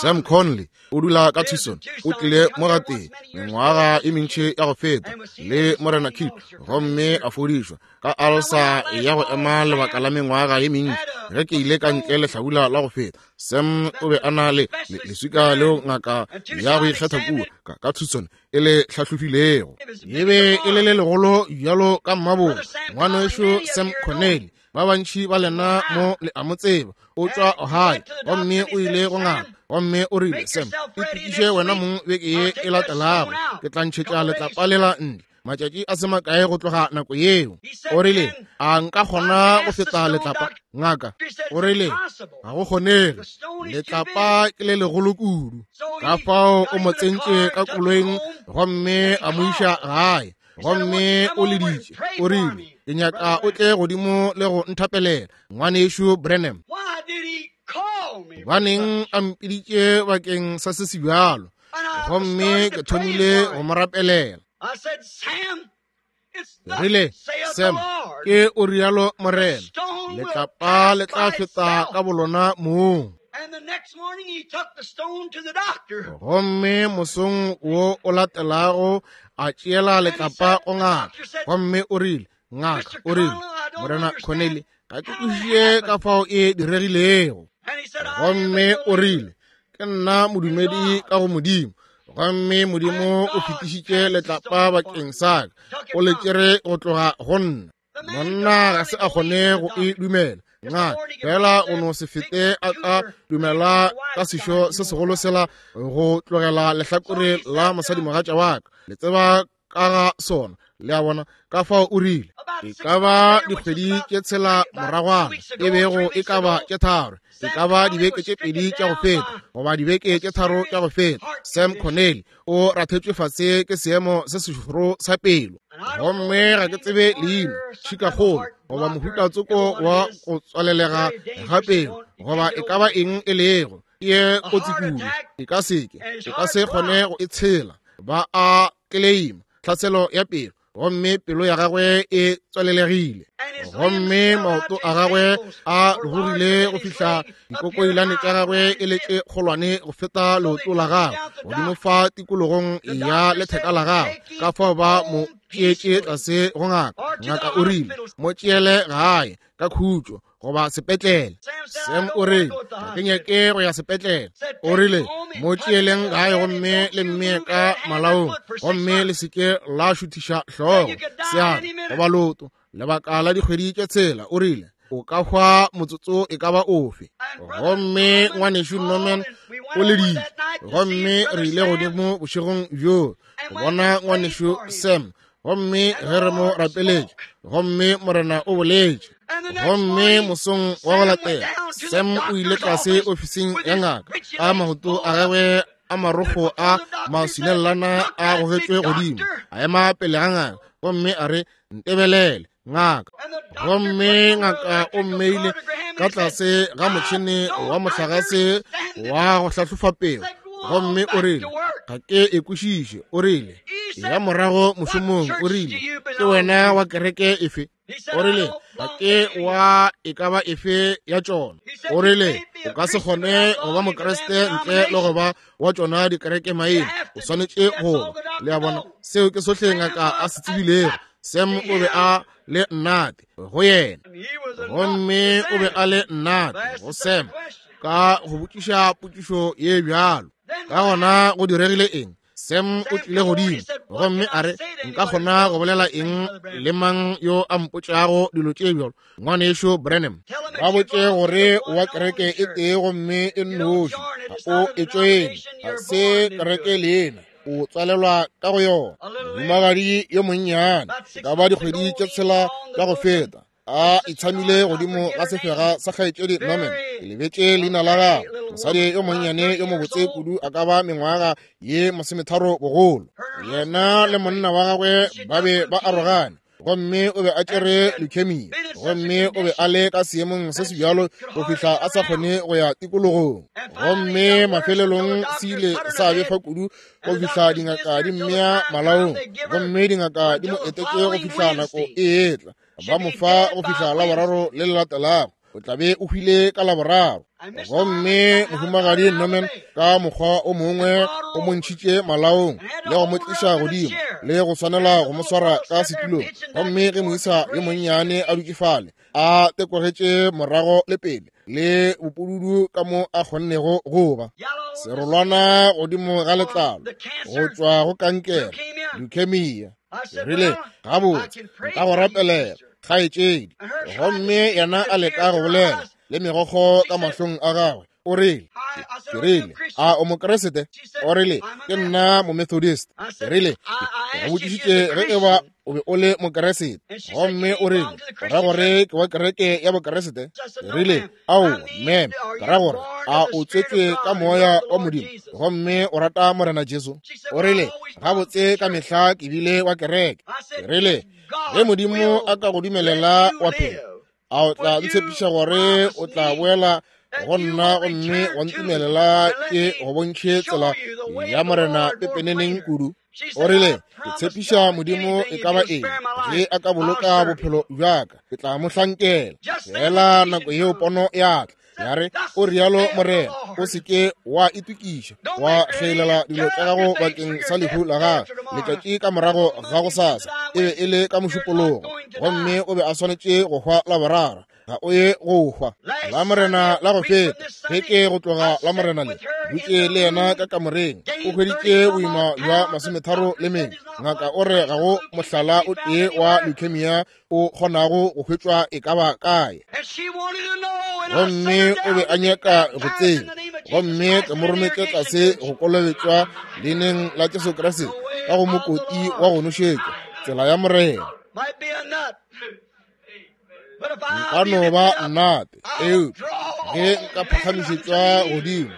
[SPEAKER 2] Sam Conley o dula ka Tucson, o tlile mo gatee mengwaga e mentši ya go feta le Morena Kit, gomme a fodišwa ka alsa ya go ema lebaka la mengwaga ye mentši. Ge ke ile ka ntle lehlabula la go feta, Sam o be a na le leswika leo ngaka ya go ikgetha kua ka, ka Tucson e le hlahlofilego. E be e le le legolo bjalo ka mmabong. Ngwanešo Sam Connelly, ba bantši ba lena mo le a mo tseba, o tšwa Ohio, gomme o ile go ngaka, gomme o rile, Sam, itokiše wena mong beke ye e latelago, ke tla ntšhetša letlapa lela ntle. Matšatši a se makae go tloga nako yeo. O rile, a nka kgona go feta letlapa? Ngaka o rile, ga go kgonege, letlapa ke le legolo kudu. Ka fao o mo tsentše ka koloing gomme a mo iša gae, gomme o leditše. O rile, ke nyaka o tle godimo le go nthapelela, ngwanešo Branham. Gobaneng a mpiditše bakeng sa se se bjalo? Gomme ke thomile go mo rapelela. Rile, Sam, ke o rialo Morena, letlapa le tla feta ka bolona mong. Gomme mosong wo o latelago a tšeela letlapa go ngaka, gomme o rile, ngaka o rile, Morena Connelly, ga ke kwešiše ka fao e diregilego. Gomme o rile, ke nna modumedi ka go Modimo, gomme Modimo o fetišitše letlapa bakeng sa ka, o le tšere go tloga go nna. Monna ga se a kgone go e dumela. Ngaka fela o no se fete a ka dumela ka sešo se segolo sela go tlogela lehlakore la mosadimogatša wa ka. Le tseba ka ga sona, le a bona. Ka fao o rile, e ka ba dikgwedi tše tshela moragwana, e bego e ka ba tše tharo, e ka ba dibeke tše pedi tša go feta, goba dibeke tše tharo tša go feta, Sam Connelly o rathetšwe fase ke seemo se sešoro sa pelo. Gomme ga ke tsebe leina, tšhikakgolo, goba mohuta tsoko wa go tswalelega ga pelo, goba e ka ba eng e lego, ye kotsi kudu, e ka seke, e ka se kgone go e tshela. Ba a kleima tlhaselo ya pelo, gomme pelo ya gagwe e tswalelegile. Gomme maoto a gagwe a rurugile go fihla dikokoilane tša gagwe e le tše kgolwane go feta leoto la gagwe godimo fa tikologong ya letheka la gagwe. Ka fao ba mo tšeetše tlase go ngaka. Ngaka o rile, mo tšeele gae ka khutšo goba sepetlele. Sam o rile, ga ke nyake go ya sepetlele. O rile, mo tšeeleng gae gomme le mmee ka malaong, gomme le seke la šuthiša hlogo, seatla goba leoto lebaka la dikgwedi tše tshela. O rile, o ka hwa motsotso e ka ba ofe. Gomme ngwanešu Norman o leditše, gomme re ile godimo bošegong bjoo go bona ngwanešu Sam, gomme ge re mo rapeletše, gomme Morena o boletše. Gomme mosong wa go latela Sam o ile tlase ofising ya ngaka ka maoto a gagwe a marokgo a maswinellana a gogetšwe godimo, a ema pele ga ngaka gomme a re, ntebelele ngaka. Gomme ngaka o mmeile ka tlase ga motšhene wa mohlagase wa go hlahlofa peo, gomme o rile, ga ke e kwešiše. O rile, ya morago mošomong. O rile, ke wena wa kereke efe? O rile, ga ke wa e ka ba efe ya tšona. O rile, o ka se kgone go ba Mokriste ntle le go ba wa tšona dikereke maina. O swanetše go ba. Le a bona, seo ke sohle ngaka a se tsebilego. Sam o be a le nnate go yena, gomme o be a le nnate go Sam ka go botšiša potšišo ye bjalo. Ka gona go diregile eng? Sam o tlile godimo gomme a re, nka kgona go bolela eng le mang yo a mpotšago dilo tše bjalo? Ngwanešu Branham, ba botše gore wa kereke e tee gomme e nnoši, ga o e tšoene, ga se kereke leena, o tswalelwa ka go yona. Mohumagadi yo monnyane, e ka ba dikgwedi tše tshela tša go feta, a itshamile godimo ga sefega sa kgaetšedi Norman. Ke lebetše leina la gagwe. Mosadi yo monnyane yo mobotse kudu, a ka ba mengwaga ye masometharo bogolo. Yena le monna wa gagwe ba be ba arogane, gomme o be a tšere leukemia, gomme o be a le ka seemong se se bjalo go fihla a sa kgone go ya tikologong. Gomme mafelelong se ile sa befa kudu go fihla dingaka di mmea malaong, gomme dingaka di mo etetše go fihla nako e etla, ba mo fa go fihla Laboraro le le latelago. O tla be o hwile ka Laboraro. Gomme mohumagadi Norman ka mokgwa o mongwe o mo ntšhitše malaong le go mo tliša godimo le go swanela go mo swara ka setulong. Gomme ge moisa yo monnyane a dutše fale a tekogetše morago le pele le bopududu ka mo a kgonnego go ba serolwana godimo ga letlalo go tšwa go kankere, leukemia. Ke rile, gabotse, nka go rapelela kgaetšedi. Gomme yena a leka go bolela le megokgo ka mahlong a gagwe. O rile, ke rile, a o Mokriste? O rile, ke nna Momethodist. Ke rile, ke go botšišitše ge e ba o be o le Mokriste. Gomme o rile, o ra gore ke wa kereke ya Bokriste? Ke rile, ao, ma'am, ke ra gore a o tswetšwe ka moya wa Modimo gomme o rata Morena Jesu? O rile, gabotse ka mehla ke bile wa kereke. Ke rile, ge Modimo a ka go dumelela wa phela, a o tla ntshepiša gore o tla boela go nna gomme wa ntumelela ke go bontšhe tsela ya Morena pepeneneng kudu? O rile, ke tshepiša Modimo e ka ba eng, ge a ka boloka bophelo bjaka, ke tla mo hlankela. Fela nako yeo pono ya tla, ya re, o rialo Morena, o se ke wa itokiša wa kgelela dilo tša gago bakeng sa lehu la gagwe letšatši ka morago ga gosasa. E be e le ka Mošupologo, gomme o be a swanetše go hwa Laboraro. Ga o ye go hwa la Morena la go feta ge ke go tloga la Morena le dutše le yena ka kamoreng. O hweditše boima bja masometharo le mengwe. Ngaka o re ga go mohlala o tee wa leukemia o kgonago go hwetšwa e ka ba kae. Gomme o be a nyaka go tseba, gomme ke mo rometše tlase go kolobetšwa leineng la Jesu Kriste ka go mokoti wa go nošetšwa, tsela ya Morena. Nka no ba nnate, eupša ge nka phagamišetšwa godimo,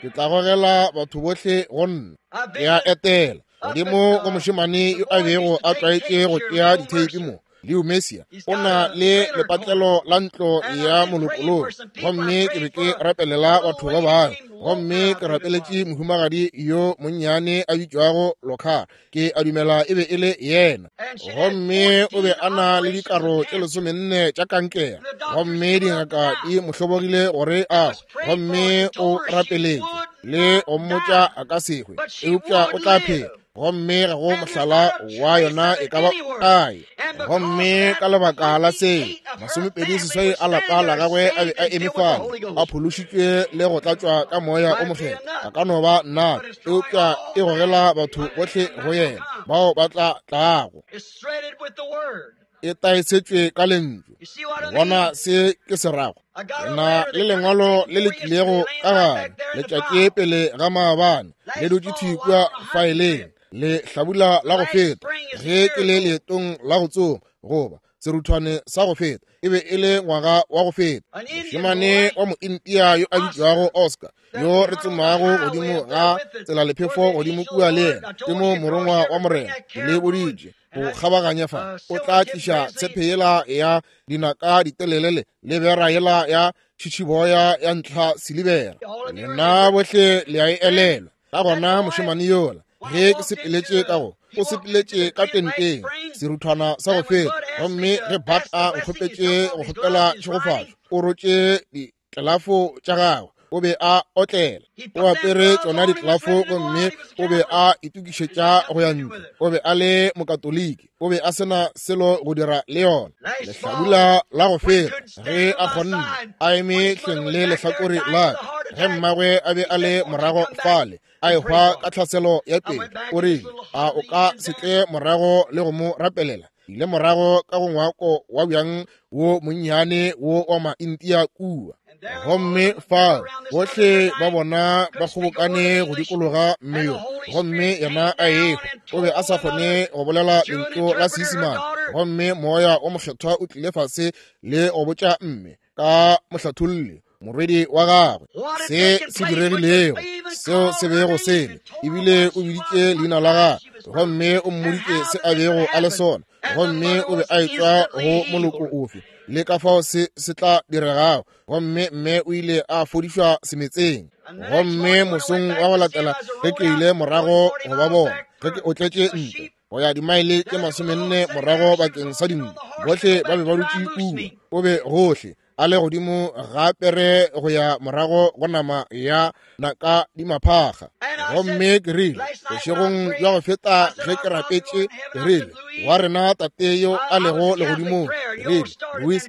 [SPEAKER 2] ke tla gogela batho bohle go nna. Ke a etela godimo go mošemane yo a bego a tlwaetše go tšea ditheipi mo Leo Messia o na le lepatlelo la ntlo ya molokoloko. Gomme ke be ke rapelela batho ba bangwe, gomme ke rapeletše mohumagadi yo monnyane a bitšwago Lokar, ke a dumela e be e le yena. Gomme o be a na le dikaro tše lesomenne tša kankere, gomme dingaka di mo hlobogile gore a hwe. Gomme o rapeletše le go mmotša a ka se hwe, eupša o tla phela. Gomme ga go mohlala wa yona e ka ba kae. Gomme ka lebaka la se, masomepedi seswai a lapa la gagwe a be a eme fale, a phološitšwe le go tlatšwa ka moya o mokgethwa. A ka no ba nna, eupša e gogela batho bohle go yena bao ba tla tlago. E taesetšwe ka lentšu. Bona se ke se rago. Na le lengwalo le le tlilego ka gare letšatši pele ga maabane, le dutše thwi kua faeleng le hlabula la go feta, ge ke le leetong la go tsoma goba seruthwane sa go feta, e be e le ngwaga wa go feta. Mošemane wa mointia yo a bitšwago Oscar, yo re tsomago godimo ga tselalephefo godimo kua le yena, ke mo morongwa wa Morena le boditše go kgabaganya fa, o tla tliša tshepe yela ya dinaka ditelelele le bera yela ya tšhitšhiboya ya ntlha silibera. Lena bohle le a e elelwa. Ka gona mošemane yola, ge ke sepeletše ka go, o sepeletše ka tenteng seruthwana sa go feta, gomme ge Bat a nkgopetše go kgopela tšhegofatšo, o rotše ditlelafo tša gagwe, o be a otlela, o apere tšona ditlelafo, gomme o be a itokišetša go ya ntlo. O be a le mokatoliki, o be a sena selo go dira le yona. Lehlabula la go feta, ge a kgonne a eme hleng le lehlakore la ka, ge mmagwe a be a le morago fale a ehwa ka tlhaselo ya pele, o rile, a o ka se tle morago le go mo rapelela? Ile morago ka go ngwako wa bjang wo monnyane wo wa maintia kua. Gomme fa bohle ba bona ba kgobokane go dikologa mme yo, gomme yena a ehwa. O be a sa kgone go bolela lentšu la Seisemane, gomme moya o mokgethwa o tlile fase le go botša mme ka mohlatholli morwedi wa gagwe se se diregilego, seo se bego se le, ebile o biditše leina la gagwe, gomme o mmoditše se a bego a le sona, gomme o be a etšwa go moloko ofe le ka fao se se tla diregago. Gomme mme o ile a fodišwa semetseng. Gomme mosong wa go latela ge ke ile morago go ba bona, ge ke otletše ntlo go ya dimaele tše masomenne morago bakeng sa dinku, bohle ba be ba dutše kua. O be gohle a le godimo ga pere go ya morago go nama ya naka di maphakga. Gomme ke rile bošegong bja go feta ge ke rapetše, ke rile wa rena Tate yo a lego legodimong, ke rile Louis,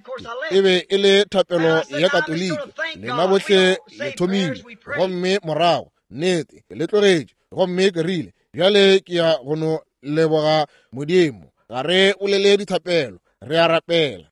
[SPEAKER 2] e be e le thapelo ya Katoliki, lena bohle le thomile, gomme morago nnete ke le tlogetše. Gomme ke rile bjale ke ya go no leboga Modimo, ga re bolele dithapelo, re a rapela.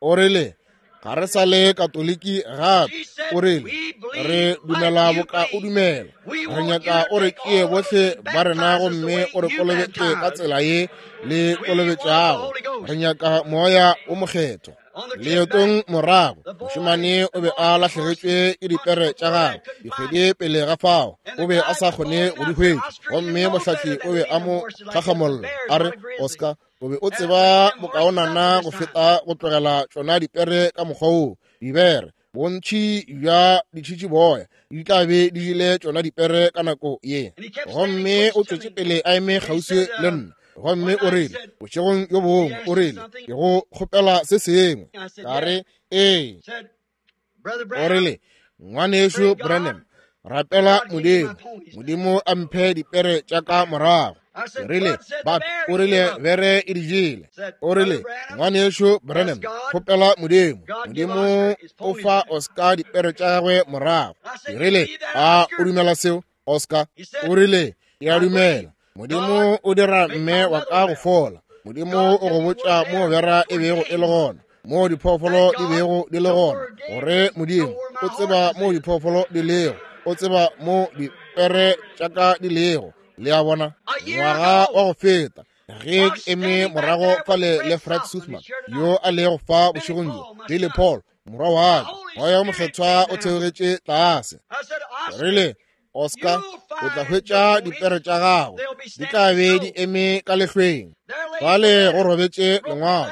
[SPEAKER 2] O rile ga re sa le Katoliki gape. O rile re dumela boka o dumela, re nyaka o re tšee bohle ba rena gomme o re kolobetše ka tsela ye le kolobetšago, re nyaka moya o mokgethwa. Leetong morago, mošemane o be a lahlegetšwe ke dipere tša gagwe dikgwedi pele ga fao, o be a sa kgone go di hwetša, gomme mohlahli o be a mo gagamolla a re, Oscar, o be o tseba bokaonana go feta go tlogela tšona dipere ka mokgwa wo. Dibere bontši bja ditšhitšiboya di tla be di jele tšona dipere ka nako ye. Gomme o tšwetše pele a eme kgauswi le nna, gomme o rile bošegong yo bongwe, o rile ke go kgopela se sengwe. Ka re ee. O rile ngwanešu Branham, rapela Modimo, Modimo a mphe dipere tša ka morago. Ke rile but o rile bere e di jele. O rile ngwanešu Branham, kgopela Modimo, Modimo o fa Oscar dipere tša gagwe morago. Ke rile a o dumela seo Oscar? O rile ke a dumela. Modimo o dira mme wa ka go fola. Modimo o go botša mo bera e bego e le gona, mo diphoofolo di bego di le gona, gore Modimo o tseba mo diphoofolo di lego, o tseba mo dipere tša ka di lego. Le a bona, ngwaga wa go feta ge ke eme morago fale le Fred Suthman yo a lego fa bošegong bjo, Billy Paul morwa wa ka, moya o mokgethwa o theogetše tlase. Rile Oscar, o tla hwetša dipere tša gago di tla be di eme ka lehlweng. Fale go robetše lengwalo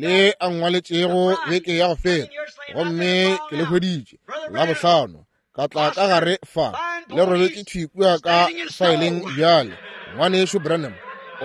[SPEAKER 2] le a nngwaletšego beke ya go feta, gomme ke le hweditše la bohlano ka tla ka gare fa, le robetše thwi kua ka faeleng bjale. Ngwanešu Branham,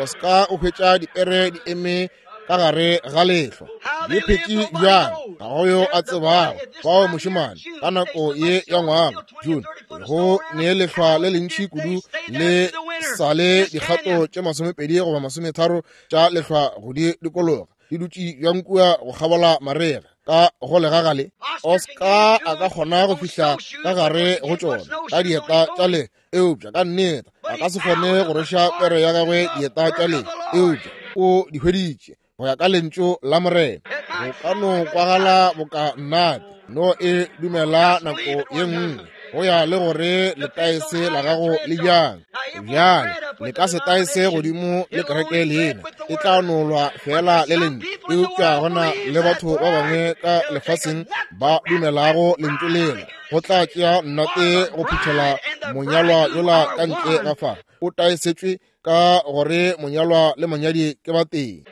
[SPEAKER 2] Oscar o hwetša dipere di eme ka gare ga lehlwa, di phetše bjang ga go yo a tsebago. Fao mošemane ka nako ye ya ngwaga June go ne lehlwa le lentši kudu, le sa le dikgato tše masomepedi goba masometharo tša lehlwa go di dikologa, di dutše bjang kua go kgabola marega ka go legagale. Oscar a ka kgona go fihla ka gare go tšona ka dieta tša le, eupša ka nneta a ka se kgone go rweša pere ya gagwe dieta tša le, eupša o di hweditše go ya ka lentšu la Morena. Go ka no kwagala boka nnate, no e dumela nako ye nngwe go ya le gore letaese la gago le bjang. Bjale le ka se taese godimo le kereke lena, e tla nolwa fela le lentšu, eupša gona le batho ba bangwe ka lefaseng ba dumelago lentšu lela. Go tla tšea nnate go phuthela monyalwa yola ka ntle ga fa. O taesetšwe ka gore monyalwa le monyadi ke ba tee,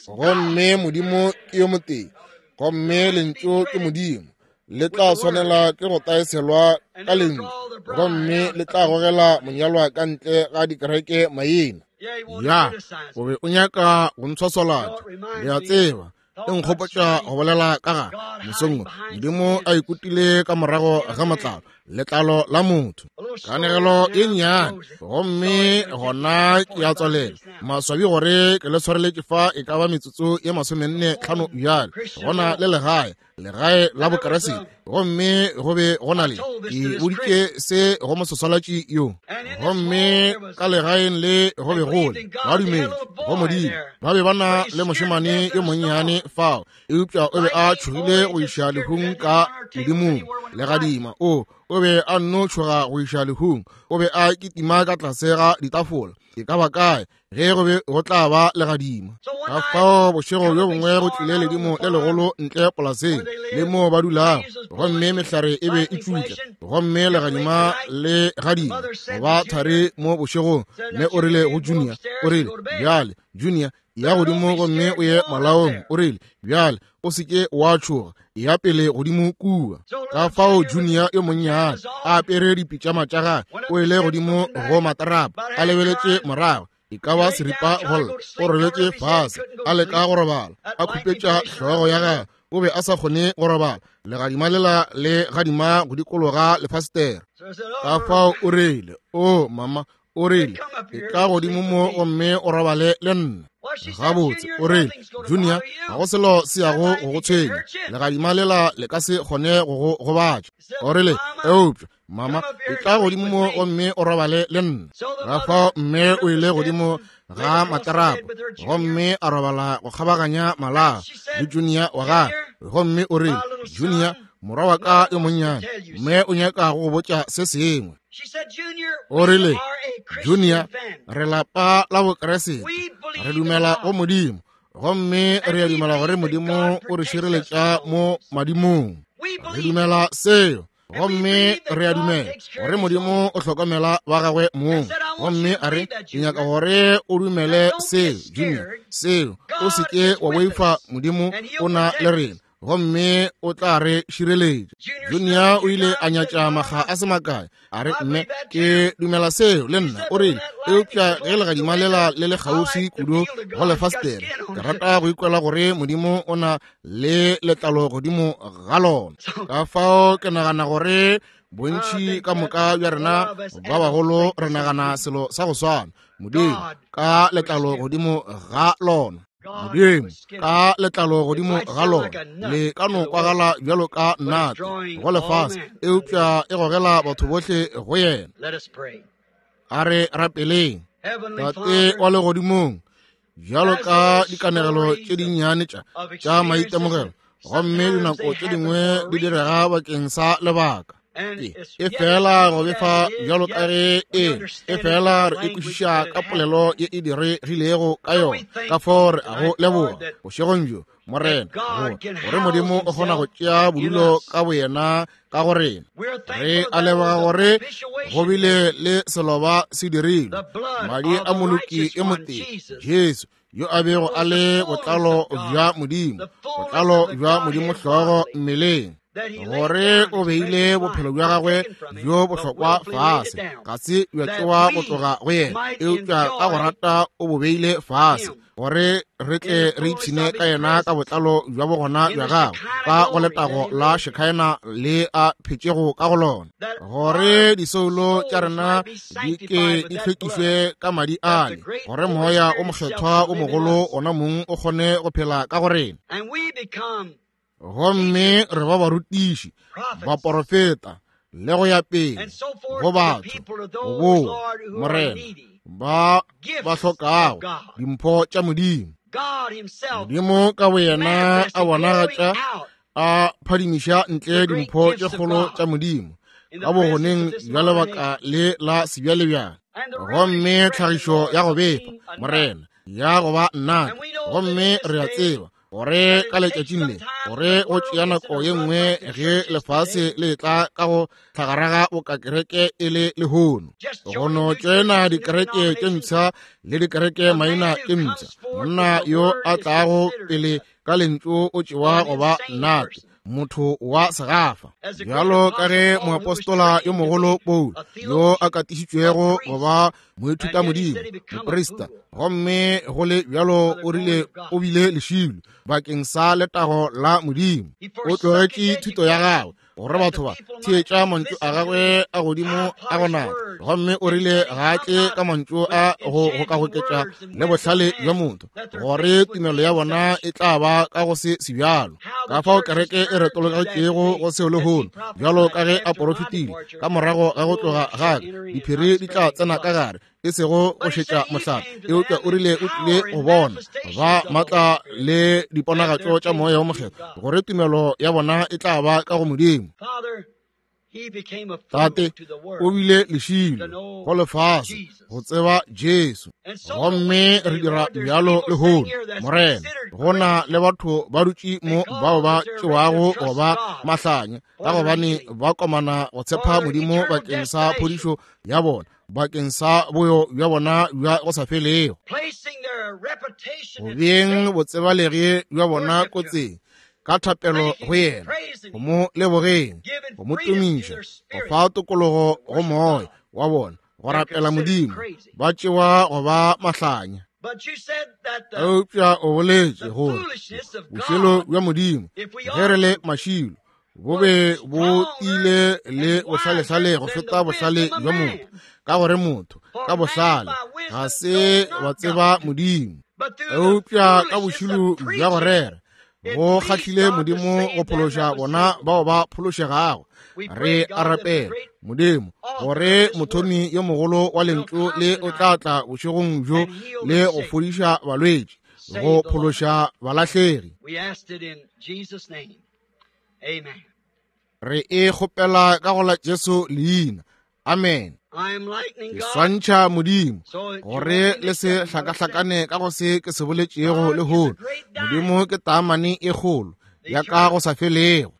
[SPEAKER 2] gomme Modimo ke yo motee, gomme lentšu ke Modimo. Le tla swanela ke go taeselwa ka lentšu, gomme le tla gogela monyalwa ka ntle ga dikereke maina. Ya, o be o nyaka go ntshwaswalatša, le a tseba, e nkgopotša go bolela ka ga mosong Modimo a ikutile ka morago ga matlalo, letlalo la motho. Kanegelo e nnyane, gomme gona ke a tswalela. Maswabi gore ke le tshwareletše fa e ka ba metsotso ye masomenne tlhano bjale. Gona le legae, legae la Bokeresete, gomme go be go na le, ke boditše se go moswaswalatši yo, gomme ka legaeng le go be go le ba dumetse go Modimo. Ba be ba na le mošemane yo monnyane fao, eupša o be a tšhogile go iša lehung ka ledimong legadima. O o be a nno tšhoga go iša lehung, o be a kitima ka tlase ga ditafola e ka ba kae ge go be go tla ba legadima. Ka fao bošego bjo bongwe go tlile ledimo le legolo ntle polaseng le moo ba dulago, gomme mehlare e be e tšutla, gomme legadima le gadima go ba thari mo bošegong. Mme o rile go Junior, o rile, bjale Junior, ya godimo gomme o ye malaong. O rile, bjale o se ke wa tšhoga, ya pele godimo kua. Ka fao Junior yo monnyane a apere dipitšama tša gagwe o ile godimo go matrapa, a lebeletše morago e ka ba seripa golla, o robetše fase a leka go robala, a khupetša hlogo ya gagwe. O be a sa kgone go robala, legadima lela le gadima go dikologa lefastere. Ka fao o rile, o mama, o rile, e tla godimo mo gomme o robale le nna. Gabotse, o rile, Junior, ga go selo se yago go go tshwenya, legadima lela le ka se kgone go go gobatša. O rile, eupša mama, e tla godimo mo gomme o robale le nna. Ka fao mme o ile godimo ga matlarapo gomme a robala go kgabaganya malao le Junior wa gagwe. Gomme o rile, Junior, morwa wa ka yo monnyane, mme o nyaka go go botša se sengwe. O rile, Junior, re lapa la Bokeresete, re dumela go Modimo, gomme re a dumela gore Modimo o re šireletša mo madimong. Re dumela seo, gomme re a dumela gore Modimo o hlokomela ba gagwe mong. Gomme a re, ke nyaka gore o dumele seo, Junior, seo, o se ke wa boifa, Modimo o na le rena, gomme o tla re šireletša. Junior o ile a nyatša makga a se makae, a re, mme ke dumela seo le nna. O rile, eupša ge legadima lela le le kgauswi kudu go lefastere, ke rata go ikwela gore Modimo o na le letlalo godimo ga lona. Ka fao ke nagana gore bontši ka moka bja rena ba bagolo re nagana selo sa go swana, Modimo ka letlalo godimo ga lona. Modimo ka letlalo godimo ga lona le ka no kwagala bjalo ka nnate go lefase, eupša e gogela batho bohle go yena. A re rapeleng. Tate wa legodimong, bjalo ka dikanegelo tše dinnyane tša tša maitemogelo, gomme dinako tše dingwe di direga bakeng sa lebaka. E fela go befa bjalo ka ge e e fela re e kwešiša ka polelo ye e diregilego ka yona. Ka fao re a go leboga bošegong bjo, Morena, gore Modimo o kgona go tšea bodulo ka boyena ka go rena. Re a leboga gore go bile le seloba se dirilwe, madi a moloki e motee, Jesu, yo a bego a le botlalo bja Modimo, botlalo bja Modimo hlogo mmeleng, gore o beile bophelo bja gagwe bjo bohlokwa fase, ga se bja tšewa go tloga go yena, eupša ka go rata o bo beile fase, gore re tle re ipshine ka yena ka botlalo bja bogona bja gagwe, ka go letago la Shekinah le a phetšego ka go lona, gore disoulo tša rena di ke di hlwekišwe ka madi ale, gore moya o mokgethwa o mogolo ona mong o kgone go phela ka go rena. Gomme re ba barutiši, baporofeta, le go ya pele go batho, go boa, Morena, ba ba hlokago dimpho tša Modimo. Modimo ka boyena a bonagatša, a phadimiša ntle dimpho tše kgolo tša Modimo ka bogoneng bja lebaka le la sebjalebjale. Gomme tlhagišo ya go befa, Morena, ya go ba nnate. Gomme re a tseba gore ka letšatšing le, gore go tšea nako ye nngwe ge lefase le tla ka go tlhagaraga boka kereke e le lehono, go no tšena dikereke tše mpsha le dikereke maina tše mpsha. Monna yo a tlago pele ka lentšu o tšewa go ba nnate, motho wa segafa, bjalo ka ge moapostola yo mogolo Paulo, yo a katišitšwego go ba moithuta Modimo, moprista, gomme go le bjalo o rile o bile lešilo bakeng sa letago la Modimo. O tlogetše thuto ya gagwe gore batho ba theetša mantšu a gagwe a godimo a go nata, gomme o rile ga a tle ka mantšu a go gokagoketša le bohlale bja motho, gore tumelo ya bona e tla ba ka go se sebjalo. Ka fao kereke e retologetšego go seo lehono, bjalo ka ge a porofetile ka morago ga go tloga ga ka, diphiri di tla tsena ka gare, e sego go šetša mohlare, eupša o rile o tlile go bona ba matla le diponagatšo tša moya wo mokgethwa, gore tumelo ya bona e tla ba ka go Modimo. Tate o bile lešilo go lefase go tseba Jesu. Gomme re dira bjalo lehono, Morena. Go na le batho ba dutše mo bao ba tšewago go ba mahlanya, ka gobane ba komana go tshepa Modimo bakeng sa phodišo ya bona, bakeng sa boyo bja bona bja go sa felego, go beeng botsebalegi bja bona kotsing ka thapelo go yena, go mo lebogeng, go mo tumiša, go fa tokologo go moya wa bona, go rapela Modimo, ba tšewa go ba mahlanya. Eupša o boletše gore bošilo bja Modimo, ge re le mašilo, bo be bo tiile le bohlalehlale go feta bohlale bja motho, ka gore motho ka bohlale ga se ba tseba Modimo. Eupša ka bošilo bja go rera go kgahlile Modimo go phološa bona bao ba phološegago. Re a rapela, Modimo, gore mothomi yo mogolo wa lentšu le o tla tla bošegong bjo le go fodiša balwetši, go phološa balahlegi. Re e kgopela ka go la Jesu leina. Amen. Ke swantšha Modimo gore le se hlakahlakane ka go se ke se boletšego lehono. Modimo ke taamane e kgolo ya ka go sa felego.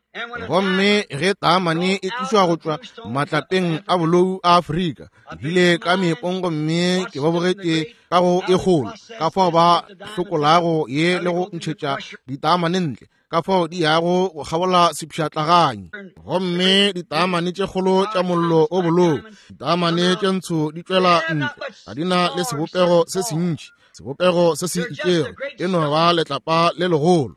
[SPEAKER 2] Gomme ge taamane e tlišwa go tšwa matlapeng a bolou a Afrika, bile ka meepong, gomme ke ba bogetše ka go e kgolo, ka fao ba hlokolago ye le go ntšhetša ditaamane ntle, ka fao di yago go kgabola sepšhatlaganyi. Gomme ditaamane tše kgolo tša mollo o bolou, ditaamane tše ntsho di tšwela ntle, ga di na le sebopego se sentši, sebopego se se itšego, e no ba letlapa le legolo.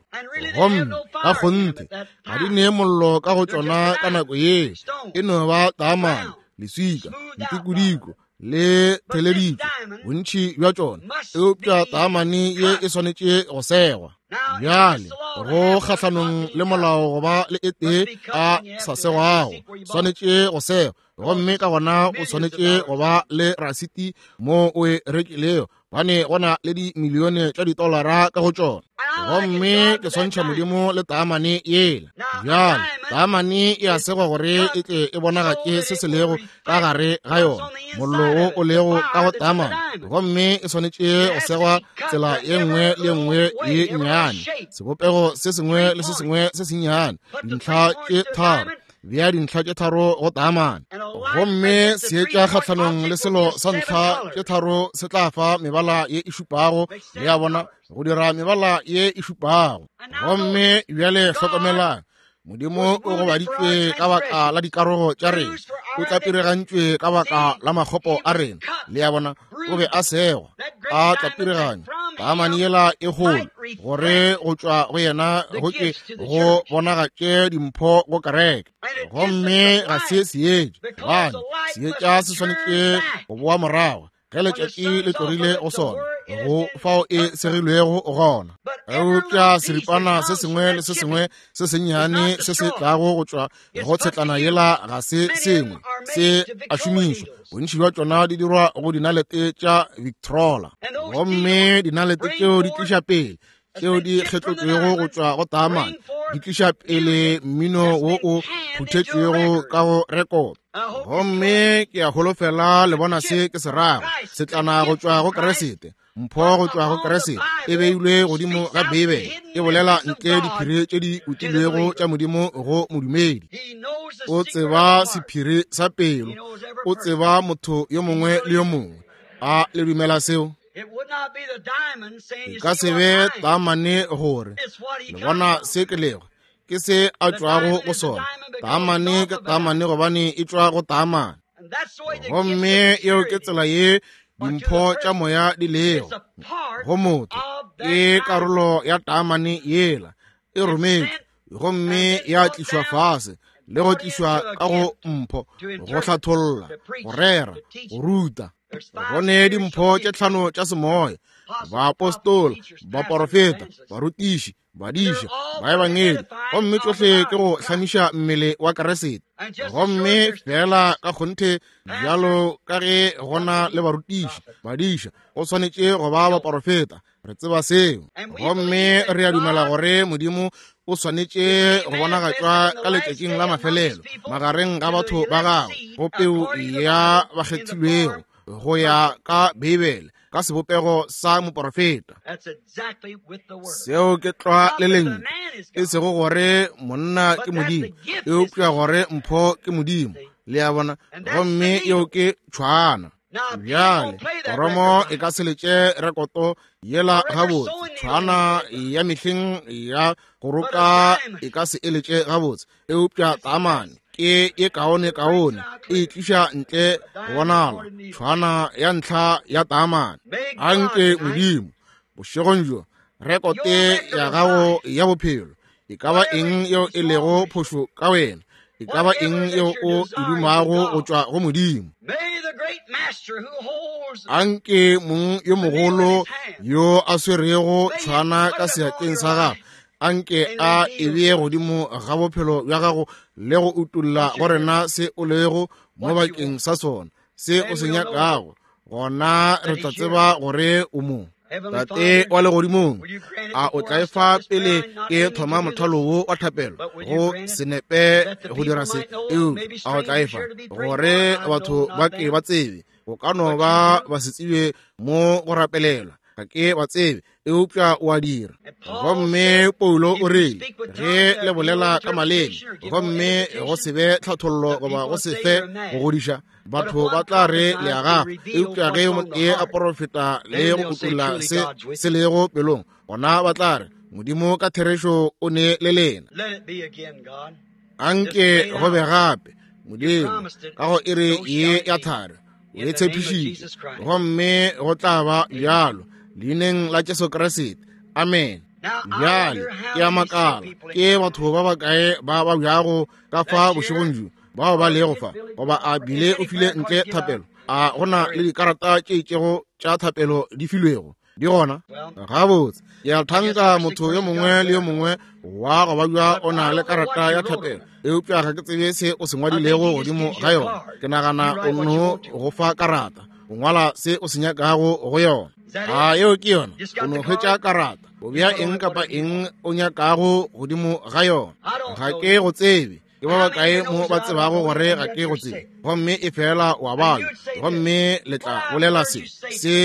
[SPEAKER 2] Gomme ka kgonthe ga di nee mollo ka go tšona ka nako ye, e no ba taamane, leswika, ntikodiko le theleditšwe bontši bja tšona. Eupša taamane ye e swanetše go segwa. Bjale go kgahlanong le molao go ba le e tee a sa segwago, swanetše go segwa, gomme ka gona o swanetše go ba le rasiti mo o e rekilego, bane gona le dimilione tša ditolara ka go tšona. Gomme ke swantšha Modimo le taamane yela. Bjale taamane e a segwa gore e tle e bonagatše se se lego ka gare ga yona, mollo wo o lego ka go taamane, gomme e swanetše go segwa tsela ye nngwe le ye nngwe ye nnyane, sebopego se sengwe le se sengwe se sennyane, dintlha tše tharo. Bea dintlha tše tharo go taamane, gomme seetša kgahlanong le selo sa ntlha tše tharo se tla fa mebala ye e šupago, le a bona, go dira mebala ye e šupago. Gomme bjale hlokomelang, Modimo o gobaditšwe ka baka la dikarogo tša rena, o tlapiregantšwe ka baka la makgopo a rena, le a bona, o be a segwa, a tlapireganywa taamane yela e kgolo, gore go tšwa go yena go ke go bonagatše dimpho go kereke. Gomme ga se seetša, gobane seetša se swanetše go boa morago ge letšatši le tlogile go sona, go fao e segilwego gona. Eupša seripana se sengwe le se sengwe se sennyane se se tlago go tšwa go tshetlana yela ga se sengwe se a šomišwa. Bontši bja tšona di dirwa go dinalete tša Victrola, gomme dinalete tšeo di tliša pele tšeo di kgetlotšwego go tšwa go taamane, di tliša pele mmino wo o phuthetšwego ka go rekoto. Gomme ke a holofela le bona se ke se rago, setlana go tšwa go Keresete, mpho go tšwa go Keresete e beilwe godimo ga Beibele, e bolela ntle diphiri tše di utilwego tša Modimo go modumedi. O tseba sephiri sa pelo, o tseba motho yo mongwe le yo mongwe. A le dumela seo? E ka se be taamane gore le bona se ke lego, ke se a tšwago go sona. Taamane ke taamane gobane e tšwa go taamane. Gomme yeo ke tsela ye dimpho tša moya di lego go motho, ke karolo ya taamane yela e rometšwe gomme ya tlišwa fase le go tlišwa ka go mpho, go hlatholla, go rera, go ruta. Go ne dimpho tše tlhano tša semoya, baapostola, baporofeta, barutiši, badiša, baebangedi, gomme tšohle ke go hlamiša mmele wa Keresete. Gomme fela ka kgonthe bjalo ka ge gona le barutiši, badiša, go swanetše go ba baporofeta. Re tseba seo, gomme re a dumela gore Modimo o swanetše go bonagatšwa ka letšatšing la mafelelo magareng ga batho ba gagwe, go peu ya bakgethilwego go ya ka Beibele, ka sebopego sa moporofeta. Seo ke tlwa le lentšu, e sego gore monna ke Modimo, eupša gore mpho ke Modimo, le a bona, gomme yeo ke tšhwana. Bjale koromo e ka se letše rekoto yela gabotse, tšhwana ya mehleng ya go roka e ka se e letše gabotse, eupša taamane ke ye kaone kaone, e tliša ntle go bonala tšhwana ya ntlha ya taamane. Anke Modimo bošegong bjo rekote ya gago ya bophelo, e ka ba eng yeo e lego phošo ka wena, e ka ba eng yeo o e dumago go tšwa go Modimo, anke mong yo mogolo yo a swerego tšhwana ka seatleng sa gagwe, anke a e bee godimo ga bophelo bja gago le go utolla go rena se o lego mo bakeng sa sona, se o se nyakago. Gona re tla tseba gore o mo. Tate wa legodimong, a o tla e fa pele ke thoma mothalo wo wa thapelo go senepe go dira se, eupša a o tla e fa gore batho ba ke ba tsebe, go ka no ba ba se tsebe mo go rapelelwa, ga ke ba tsebe, eupša o a dira. Gomme Paulo o rile, ge le bolela ka maleme gomme go se be tlhathollo goba go se fe go godiša, batho ba tla re le a gafa, eupša ge motee a porofeta le go utolla se se lego pelong, gona ba tla re Modimo ka therešo o ne le lena. Anke go be gape, Modimo, ka go iri ye ya thari, o e tshepišitše, gomme go tla ba bjalo, leineng la Jesu Kriste. Amen. Bjale ke a makala ke batho ba bakae ba ba bjago ka fa bošegong bjo bao ba lego fa, goba a bile o file ntle thapelo, a gona le dikarata tše itšego tša thapelo di filwego Di gona? Gabotse, ke a thanka motho yo mongwe le yo mongwe wa go babja o na le karata ya thapelo, eupša ga ke tsebe se o se ngwadilego godimo ga yona. Ke nagana o no go fa karata, o ngwala se o se nyakago go yona. A yeo ke yona? O no hwetša karata, o bea eng kapa eng o nyakago godimo ga yona. Ga ke go tsebe. Ke ba bakae mo ba tsebago gore ga ke go tsebe? Gomme e fela wa bala, gomme le tla bolela se se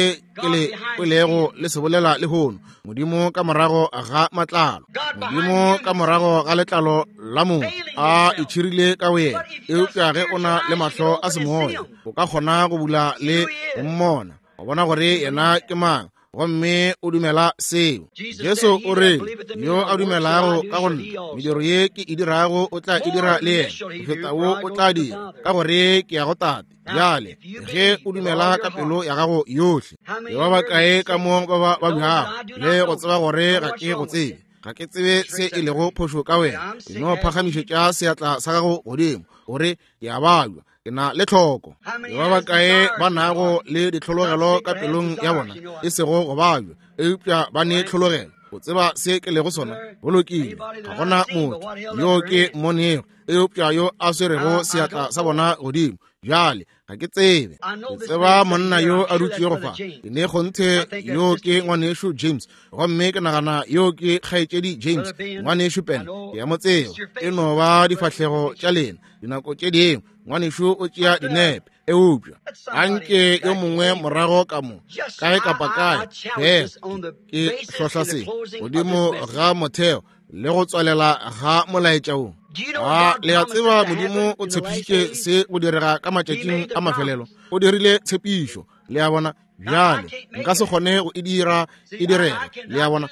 [SPEAKER 2] ke le kwelego le se bolela lehono. Modimo ka morago ga matlalo, Modimo ka morago ga letlalo la motho a itšhirile ka wena. Eupša ge o na le mahlo a semoya, o ka kgona go bula le go mmona, wa bona gore yena ke mang, gomme o dumela seo. Jesu o re, yo a dumelago ka go nna, mediro ye ke e dirago o tla e dira le yena, go feta wo o tla dira, ka gore ke ya go Tate. Bjale ge o dumela ka pelo ya gago yohle, ke ba bakae ka mo ba ba babjago le go tseba gore ga ke go tsebe, ga ke tsebe se e lego phošo ka wena, ke no phagamišetša seatla sa gago godimo, gore ke a babja, ke na le tlhoko. Ke ba bakae ba nago le ditlhologelo ka pelong ya bona, e sego go babja, eupša ba ne tlhologelo, o tseba se ke lego sona? Go lokile, ga gona motho yo ke mmonego eupša yo a swerego seatla sa bona godimo. Bjale ga ke tsebe, ke tseba monna yo a dutšego fa, ke ne kgonthe yo ke ngwanešu James, gomme ke nagana yo ke kgaetšedi James, ngwanešu Pen, ke a mo tseba. E no ba difahlego tša lena dinako tše dingwe, ngwanešu o tšea dinepe, eupša anke yo mongwe morago ka mo kae kapa kae, fela ke hlohla se godimo ga motheo le go tswalela ga molaetša wo. A le a tseba Modimo o tshepišitše se go direga ka matšatšing a mafelelo? O dirile tshepišo, le a bona. Bjale nka se kgone go e dira e direge, le a bona.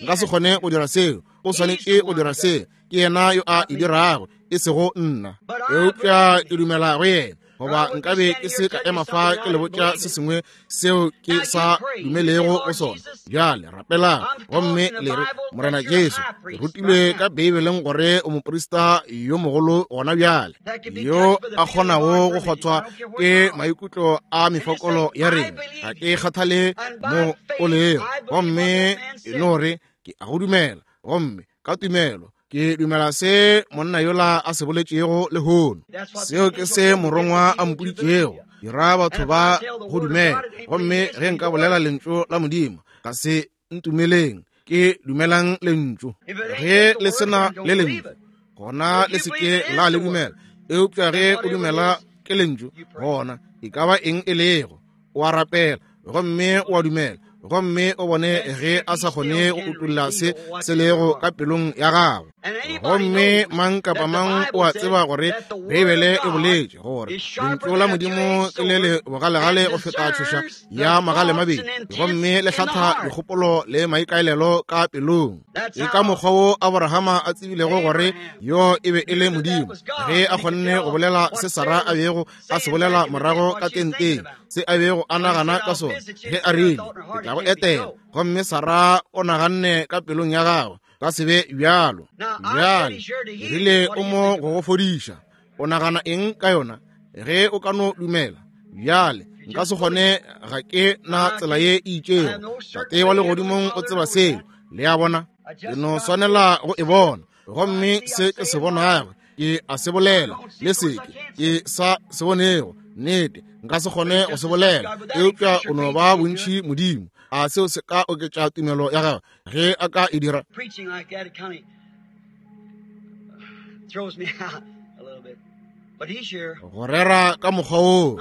[SPEAKER 2] Nka se kgone go dira seo, o swanetše go dira seo. Ke yena yo a e dirago, e sego nna, eupša ke dumela go yena. Goba nkabe ke se ka ema fa ke le botša se sengwe seo ke sa dumelego go sona. Bjale rapelang gomme le re, Morena Jesu, ke rutilwe ka Beibeleng gore o moprista yo mogolo gona bjale, yo a kgonago go kgothwa ke maikutlo a mefokolo ya rena. Ga ke kgathale mo o lego, gomme e no re ke a go dumela, gomme ka tumelo ke dumela se monna yola a se boletšego lehono. Seo ke se morongwa a mpoditšego, dira batho ba go dumela. Gomme ge nka bolela lentšu la Modimo, ga se ntumeleng, ke dumelang lentšu. Ge le sena le lentšu, gona le se ke la le dumela. Eupša ge o dumela ke lentšu, gona e ka ba eng e lego, o a rapela gomme o a dumela, gomme o bone ge a sa kgone go utolla se se lego ka pelong ya gago. Gomme mang kapa mang o a tseba gore Beibele e boletše gore lentšu la Modimo ke le le bogalegale go feta tšhoša ya magale mabedi, gomme le hlatha dikgopolo le maikaelelo ka pelong. E ka mokgwa wo Abrahama a tsebilego gore yo e be e le Modimo, ge a kgonne go bolela se Sara a bego a se bolela morago ka tenteng, se a bego a nagana ka sona ge a rile, ke tla go etela. Gomme Sara o naganne ka pelong ya gagwe, ka se be bjalo. Bjale rile o mo go go fodiša, o nagana eng ka yona? Ge o ka no dumela. Bjale nka se kgone, ga ke na tsela ye e itšego. Tate wa legodimong o tseba seo, le a bona. Ke no swanela go e bona, gomme se ke se bonago ke a se bolela, le se ke ke sa se bonego, nnete nka se kgone go se bolela, eupša o no ba bontši Modimo. A seo se ka oketša tumelo ya gagwe ge a ka e dira? Go rera ka mokgwa woo,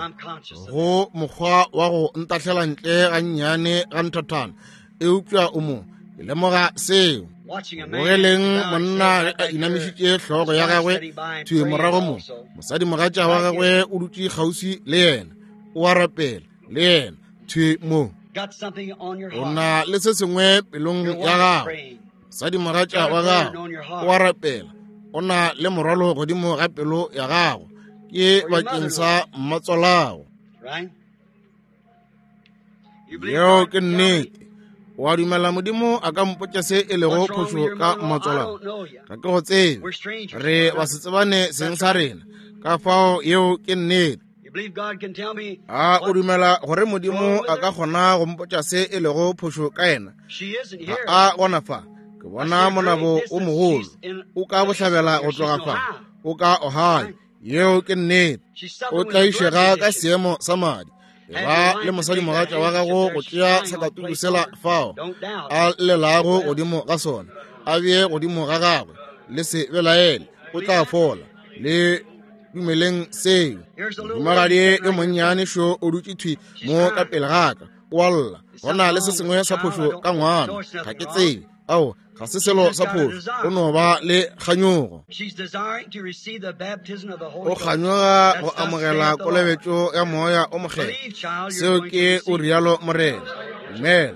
[SPEAKER 2] go mokgwa wa go ntahlela ntle gannyane ga nthathana, eupša o mo, ke lemoga seo. Bogeleng monna ge a inamišitše hlogo ya gagwe thwi morago mo, mosadimogatša wa gagwe o dutše kgauswi le yena, o a rapela le yena thwi mo. O na le se sengwe pelong ya gago, mosadimogatša wa gago o a rapela, o na le morwalo godimo ga pelo ya gago, ke bakeng sa mmatswalago. Yeo ke nnete. O a dumela Modimo a ka mpotša se e lego phošo ka mmatswalago? Ga ke go tsebe, re ba se tsebane seng sa rena, ka fao yeo ke nnete. A o dumela gore Modimo a ka kgona go mpotša se e lego phošo ka yena? Ga a gona fa. Ke bona monabo o mogolo. O ka bohlabela go tloga fa. O ka Ohio. Yeo ke nnete. O tlaišega ka seemo sa madi. Ba le mosadimogatša wa gago go tšea sakatuku sela fao a llelago godimo ga sona, a bee godimo ga gagwe, le se belaele, o tla fola. Le dumeleng seo. Mohumagadi yo monnyane šo o dutše thwi mo ka pele ga ka, o a lla. Go na le se sengwe sa phošo ka ngwana, ga ke tsebe. Ao, ga se selo sa phošo, o no ba le kganyogo. O kganyoga go amogela kolobetšo ya Moya o Mokgethwa. Seo ke o rialo Morena. Dumela,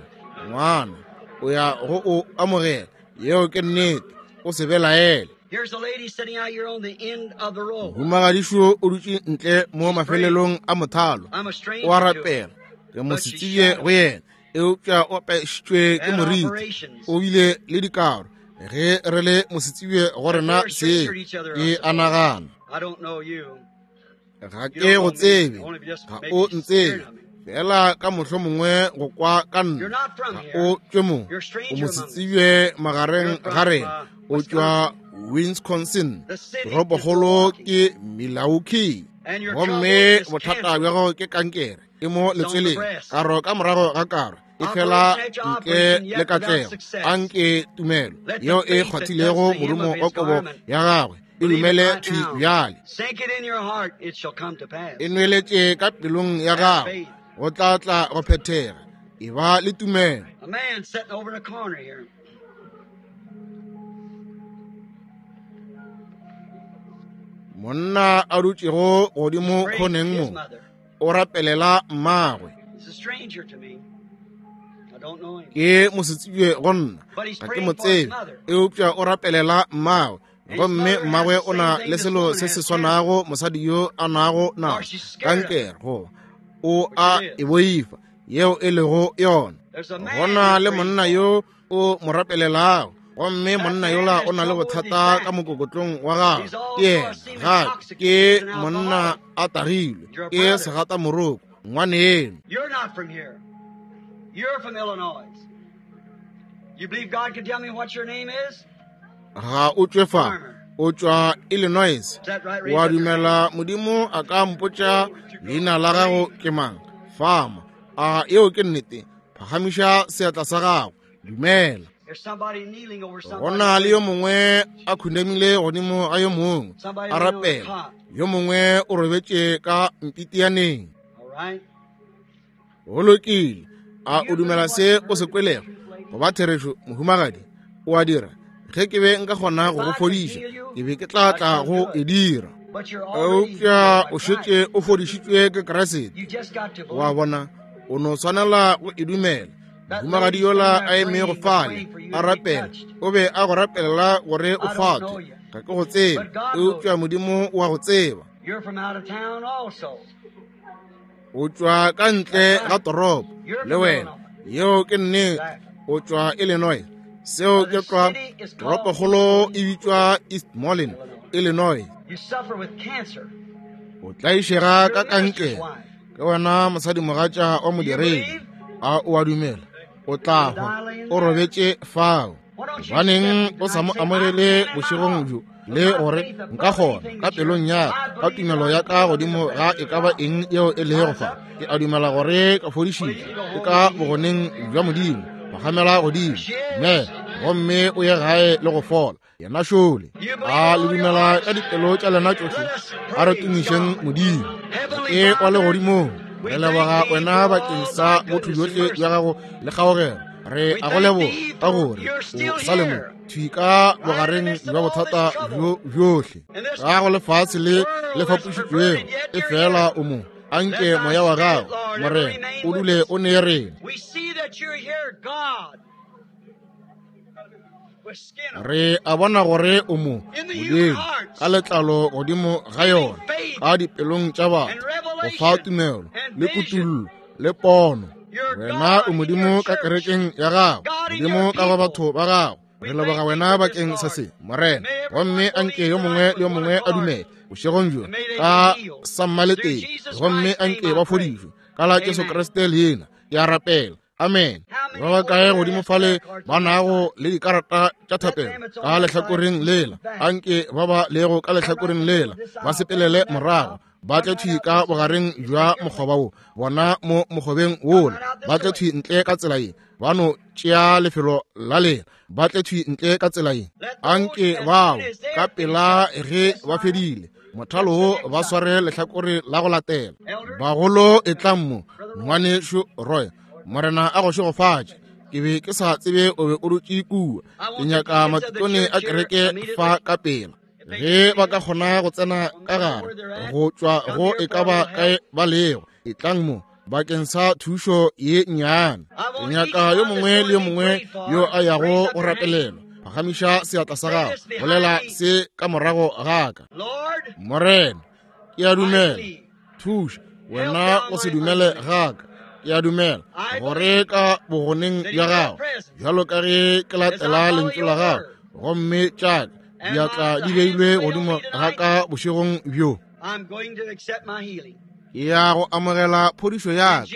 [SPEAKER 2] ngwana, o ya go o amogela. Yeo ke nnete, o se belaele. Mohumagadišo o dutše ntle mo mafelelong a mothalo, o a rapela. Ke mo setsebje go yena, eupša o apešitšwe ke moriti, o bile le dikaro. Ge re le mosetsebje go rena se ke a nagana. Ga ke go tsebe, ga o ntsebe, fela ka mohlomongwe go kwa ka nna. Ga o tšwe mo, o mosetsebje magareng ga rena. O tšwa Wisconsin, toropokgolo ke Milwaukee. Gomme bothata bja gago ke kankere, e mo letsweleng, karo ka morago ga karo, e fela ntle le katlego. Anke tumelo yeo e kgwathilego morumo wa kobo ya gagwe e dumele thwi bjale. E nweletše ka pelong ya gago, go tla tla go phethega. E ba le tumelo. Monna a dutšego godimo khoneng mo, o rapelela mmagwe. Ke mosetsebje go nna, ga ke mo tsebe, eupša o rapelela mmagwe. Gomme mmagwe o na le selo se se swanago mosadi yo a nago nago, kankere, goba o a e boifa, yeo e lego yona. Go na le monna yo o mo rapelelago, gomme monna yola o na le bothata ka mokokotlong wa gagwe. Ke yena gape ke monna a tagilwe, ke segatamoroko, ngwaneno. Ga o tšwe fa, o tšwa Illinois. Wa dumela Modimo a ka mpotša leina la gago ke mang? Fama. A yeo ke nnete? Phagamiša seatla sa gago. Dumela. Go na le yo mongwe a khunamile godimo ga yo mongwe, a rapela. Yo mongwe o robetše ka mpitianeng. Go lokile. A o dumela se o se kwelego go ba therešo, mohumagadi? O a dira. Ge ke be nka kgona go go fodiša, ke be ke tla tla go e dira. Eupša o šetše o fodišitšwe ke Kriste. Wa bona, o no swanela go e dumela. Mohumagadi yola a emego fale a rapela, o be a go rapelela gore o kgwathwe. Ga ke go tsebe, eupša Modimo o a go tseba. O tšwa ka ntle ga toropo le wena. Yeo ke nnete. O tšwa Illinois. Seo ke tlwa. Toropokgolo e bitšwa East Moline, Illinois. O tlaišega ka kankere. Ke wena mosadimogatša wa modiredi. A o a dumela? O tla hwa. O robetše fao. Gobaneng o sa mo amogele bošegong bjo, le gore nka kgona ka pelong ya ka tumelo ya ka godimo ga e ka ba eng yeo e lego fa? Ke a dumela gore ka fodišitšwe ke ka bogoneng bja Modimo. Phagamela godimo, dumela, gomme o ye gae le go fola. Yena šole. A le dumela ka dipelo tša lena tšohle? A re tumišeng Modimo. Ke wa legodimong, re leboga wena bakeng sa botho bjohle bja gago le kgaogelo. Re a go leboga ka gore o sa le mo thwi ka bogareng bja bothata bjo bjohle ka go lefase le le fapošitšwego, e fela o mo. Anke moya wa gago, Morena, o dule o ne rena. Re a bona gore o mo Modimo ka letlalo godimo ga yona, ka dipelong tša batho, go fa tumelo le kutullo le pono. Wena o Modimo ka kerekeng ya gago, Modimo ka go batho ba gago, Re leboga wena bakeng sa se, Morena. Gomme anke yo mongwe le yo mongwe a dumele bošegong bjo ka sammaleteng, gomme anke ba fodišwe ka la Jesu Kriste leina. Ke a rapela. Amen. Ba ba kae godimo fale ba nago le dikarata tša thapelo ka lehlakoreng lela? Anke ba ba lego ka lehlakoreng lela ba sepelele morago, ba tle thwi ka bogareng bja mokgoba wo, bona mo mokgobeng wola, ba tle thwi ntle ka tsela ye, ba no tšea lefelo la lena, ba tle thwi ntle ka tsela ye. Anke bao ka pela ge ba fedile mothalo wo ba sware lehlakore la go latela. Bagolo e tlang mo, ngwanešu Roy, Morena a go šegofatše. Ke be ke sa tsebe o be o dutše kua. Ke nyaka matikone a kereke fa ka pela. Ge ba ka kgona go tsena ka gare go tšwa go e ka ba kae ba lego, e tlang mo bakeng sa thušo ye nnyane. Ke nyaka yo mongwe le yo mongwe yo a yago go rapelelwa, phagamiša seatla sa gago, bolela se ka morago ga ka. Morena, ke a dumela, thuša wena o se dumele ga ka. Ke a dumela gore ka bogoneng bja gago, bjalo ka ge ke latela lentšu la gago, gomme tša diatla di beilwe godimo ga ka bošegong bjo, ke ya go amogela phodišo ya ka